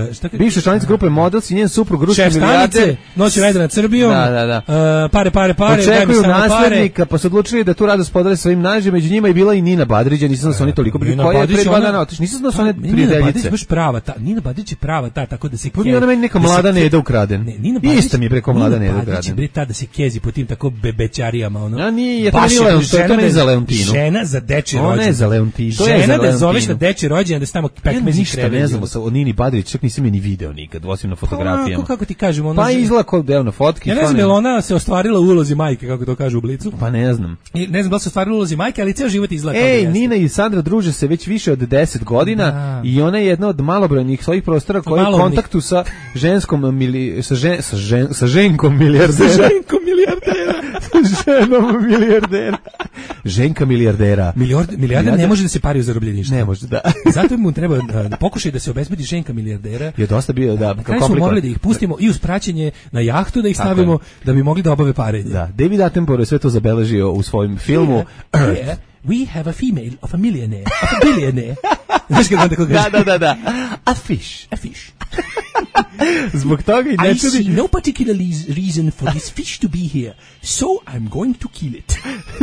S7: E, šta
S6: Bivša članica grupe Models i njen suprug ruski
S7: Šef
S6: milijarder
S7: stanice, noć vede nad Srbijom.
S6: Da, da, da.
S7: E, pare, pare, pare, daj mi
S6: očekuju
S7: samo pare.
S6: naslednika, pa su odlučili da tu radost podele svojim nađe, među njima je bila i Nina Badrić, nisam znao da su oni toliko bili,
S7: Nina
S6: koja je
S7: Badrić,
S6: pre dva
S7: ona-
S6: dana otišla, nisam znao da su one
S7: Pa, Nina Badrić
S6: prijateljice.
S7: baš prava, ta, Nina Badrić je prava ta, tako da se
S6: Pa nije ona meni neka
S7: da se
S6: mlada
S7: ke-
S6: Neda ukraden.
S7: Ne, Nina Badrić,
S6: Ista mi je preko mlada Neda
S7: Nina Badrić je
S6: ukraden.
S7: bre ta da se kezi po tim tako bebećarijama, ono.
S6: A nije, to
S7: Baš
S6: nije
S7: je
S6: Leon- to je- to
S7: žena
S6: ne
S7: da-
S6: za Leontinu.
S7: Žena za dečji
S6: Ona je
S7: rođendan.
S6: za Leontinu, to je
S7: Žena
S6: za
S7: da zoveš
S6: Leontinu.
S7: na dečji rođendan da se tamo
S6: Ja
S7: pekmezi
S6: ništa ne
S7: krevi.
S6: znamo sa o Nini Badrić, čak nisam je ni video nikad, osim na fotografijama.
S7: Onako, kako ti kažemo, ona...
S6: Pa izgleda kao deo na fotki.
S7: Ja ne znam, je li ona se ostvarila u ulozi majke, kako to kaže u Blicu.
S6: Pa ne znam.
S7: I ne znam da li se ostvarila u ulozi majke, ali ceo život izgleda kao da
S6: Ej,
S7: jeste.
S6: Nina i Sandra druže se već više od deset godina
S7: Da.
S6: i ona je jedna od malobrojnih svojih prostora koja je u
S7: Malobrojnih.
S6: kontaktu sa ženskom mili, sa, žen, sa, žen, sa ženkom milijardera.
S7: Ženko milijardera.
S6: Sa ženom milijardera. Ženka milijardera.
S7: Milijarder, milijarder ne može da se pari u zarobljeništvu.
S6: Ne može, da.
S7: Zato mu treba da, da pokušaj da se obezbedi ženka milijardera.
S6: Je dosta bio, da,
S7: Na kraju smo morali da ih pustimo i uz praćenje na jahtu da ih
S6: Tako
S7: stavimo
S6: je.
S7: da bi mogli da obave parenje.
S6: Da, David Attenborough je sve to zabeležio u svojim filmu Earth.
S7: Yeah, we have a female of a millionaire, of a billionaire. Znaš kako on tako kaže?
S6: Da, da, da, da. A fish.
S7: A fish.
S6: Zbog toga i ne
S7: I see
S6: čudi,
S7: no particular leas- reason for this fish to be here, so I'm going to kill it.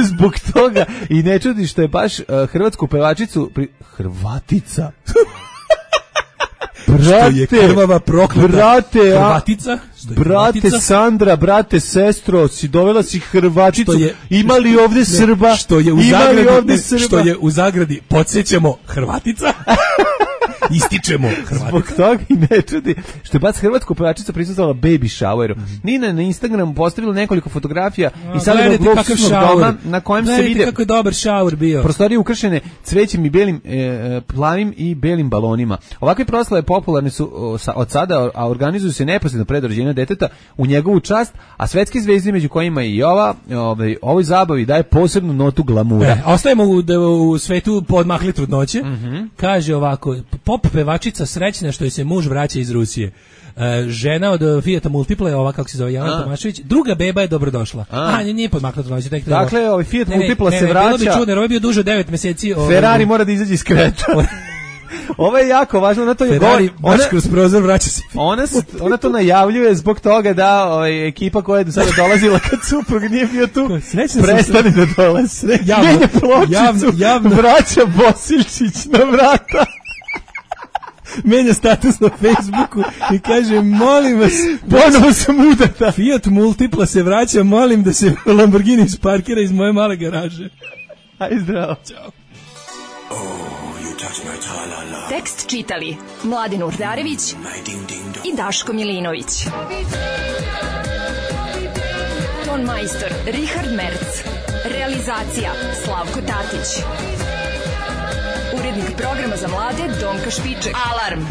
S6: zbog toga i ne čudi što je baš uh, hrvatsku pevačicu pri... Hrvatica.
S7: Što je krvava prokleta
S6: brate, a-
S7: Hrvatica, što je
S6: brate
S7: Hrvatica.
S6: Sandra, brate sestro, si dovela si Hrvaticu,
S7: Što je-
S6: ima li ovde
S7: Ne,
S6: Srba,
S7: što je u
S6: ima li
S7: zagradi,
S6: ovde
S7: ne,
S6: Srba,
S7: što je u zagradi, podsjećamo Hrvatica. Ističemo Hrvatica.
S6: zbog toga i ne čudi što je baš hrvatsku pevačica prisustvovala baby showeru. Nina na Instagramu postavila nekoliko fotografija i sada
S7: Gledajte
S6: je
S7: kakav
S6: luksuznog
S7: šaur.
S6: doma na kojem se
S7: Gledajte
S6: vide
S7: kako je dobar šaur bio.
S6: prostorije ukršene cvećem i belim, e, plavim i belim balonima. Ovakve proslave popularne su o, sa, od sada, a organizuju se neposredno pred rođenja deteta u njegovu čast, a svetske zvezde među kojima i ova, ovaj, ovoj zabavi daje posebnu notu glamura.
S7: E, ostajemo u, da- u svetu podmahli trudnoće. Kaže ovako, pop pevačica srećna što joj se muž vraća iz Rusije. Uh, žena od Fijata Multipla je ova, kako se zove, Jelena Tomašević. Druga beba je dobrodošla. A, A nije podmaknuto noći. Tek
S6: dakle, ovaj Fiat
S7: ne,
S6: Multipla
S7: ne,
S6: se
S7: ne,
S6: vraća.
S7: Bilo bi čudno, jer ovo je bio duže od devet meseci. Ovaj,
S6: Ferrari mora da izađe iz kreta. Ovo je jako važno, ona to je
S7: Ferrari baš kroz prozor vraća se.
S6: Ona, ona to najavljuje zbog toga da ovaj, ekipa koja je do sada dolazila kad suprug nije bio tu, prestane da dolazi. Menja pločicu, javno, javno. Vraća Bosiljčić na vrata.
S7: Menja status na Facebooku i kaže, molim vas,
S6: ponovo sam udata.
S7: Fiat Multipla se vraća, molim da se Lamborghini isparkira iz moje male garaže.
S6: Aj zdravo.
S7: Ćao.
S12: Tekst čitali Mladin Urdarević i Daško Milinović. Ton majstor Richard Merc. Realizacija Slavko Tatić. Urednik programa za mlade Donka Špiček. Alarm!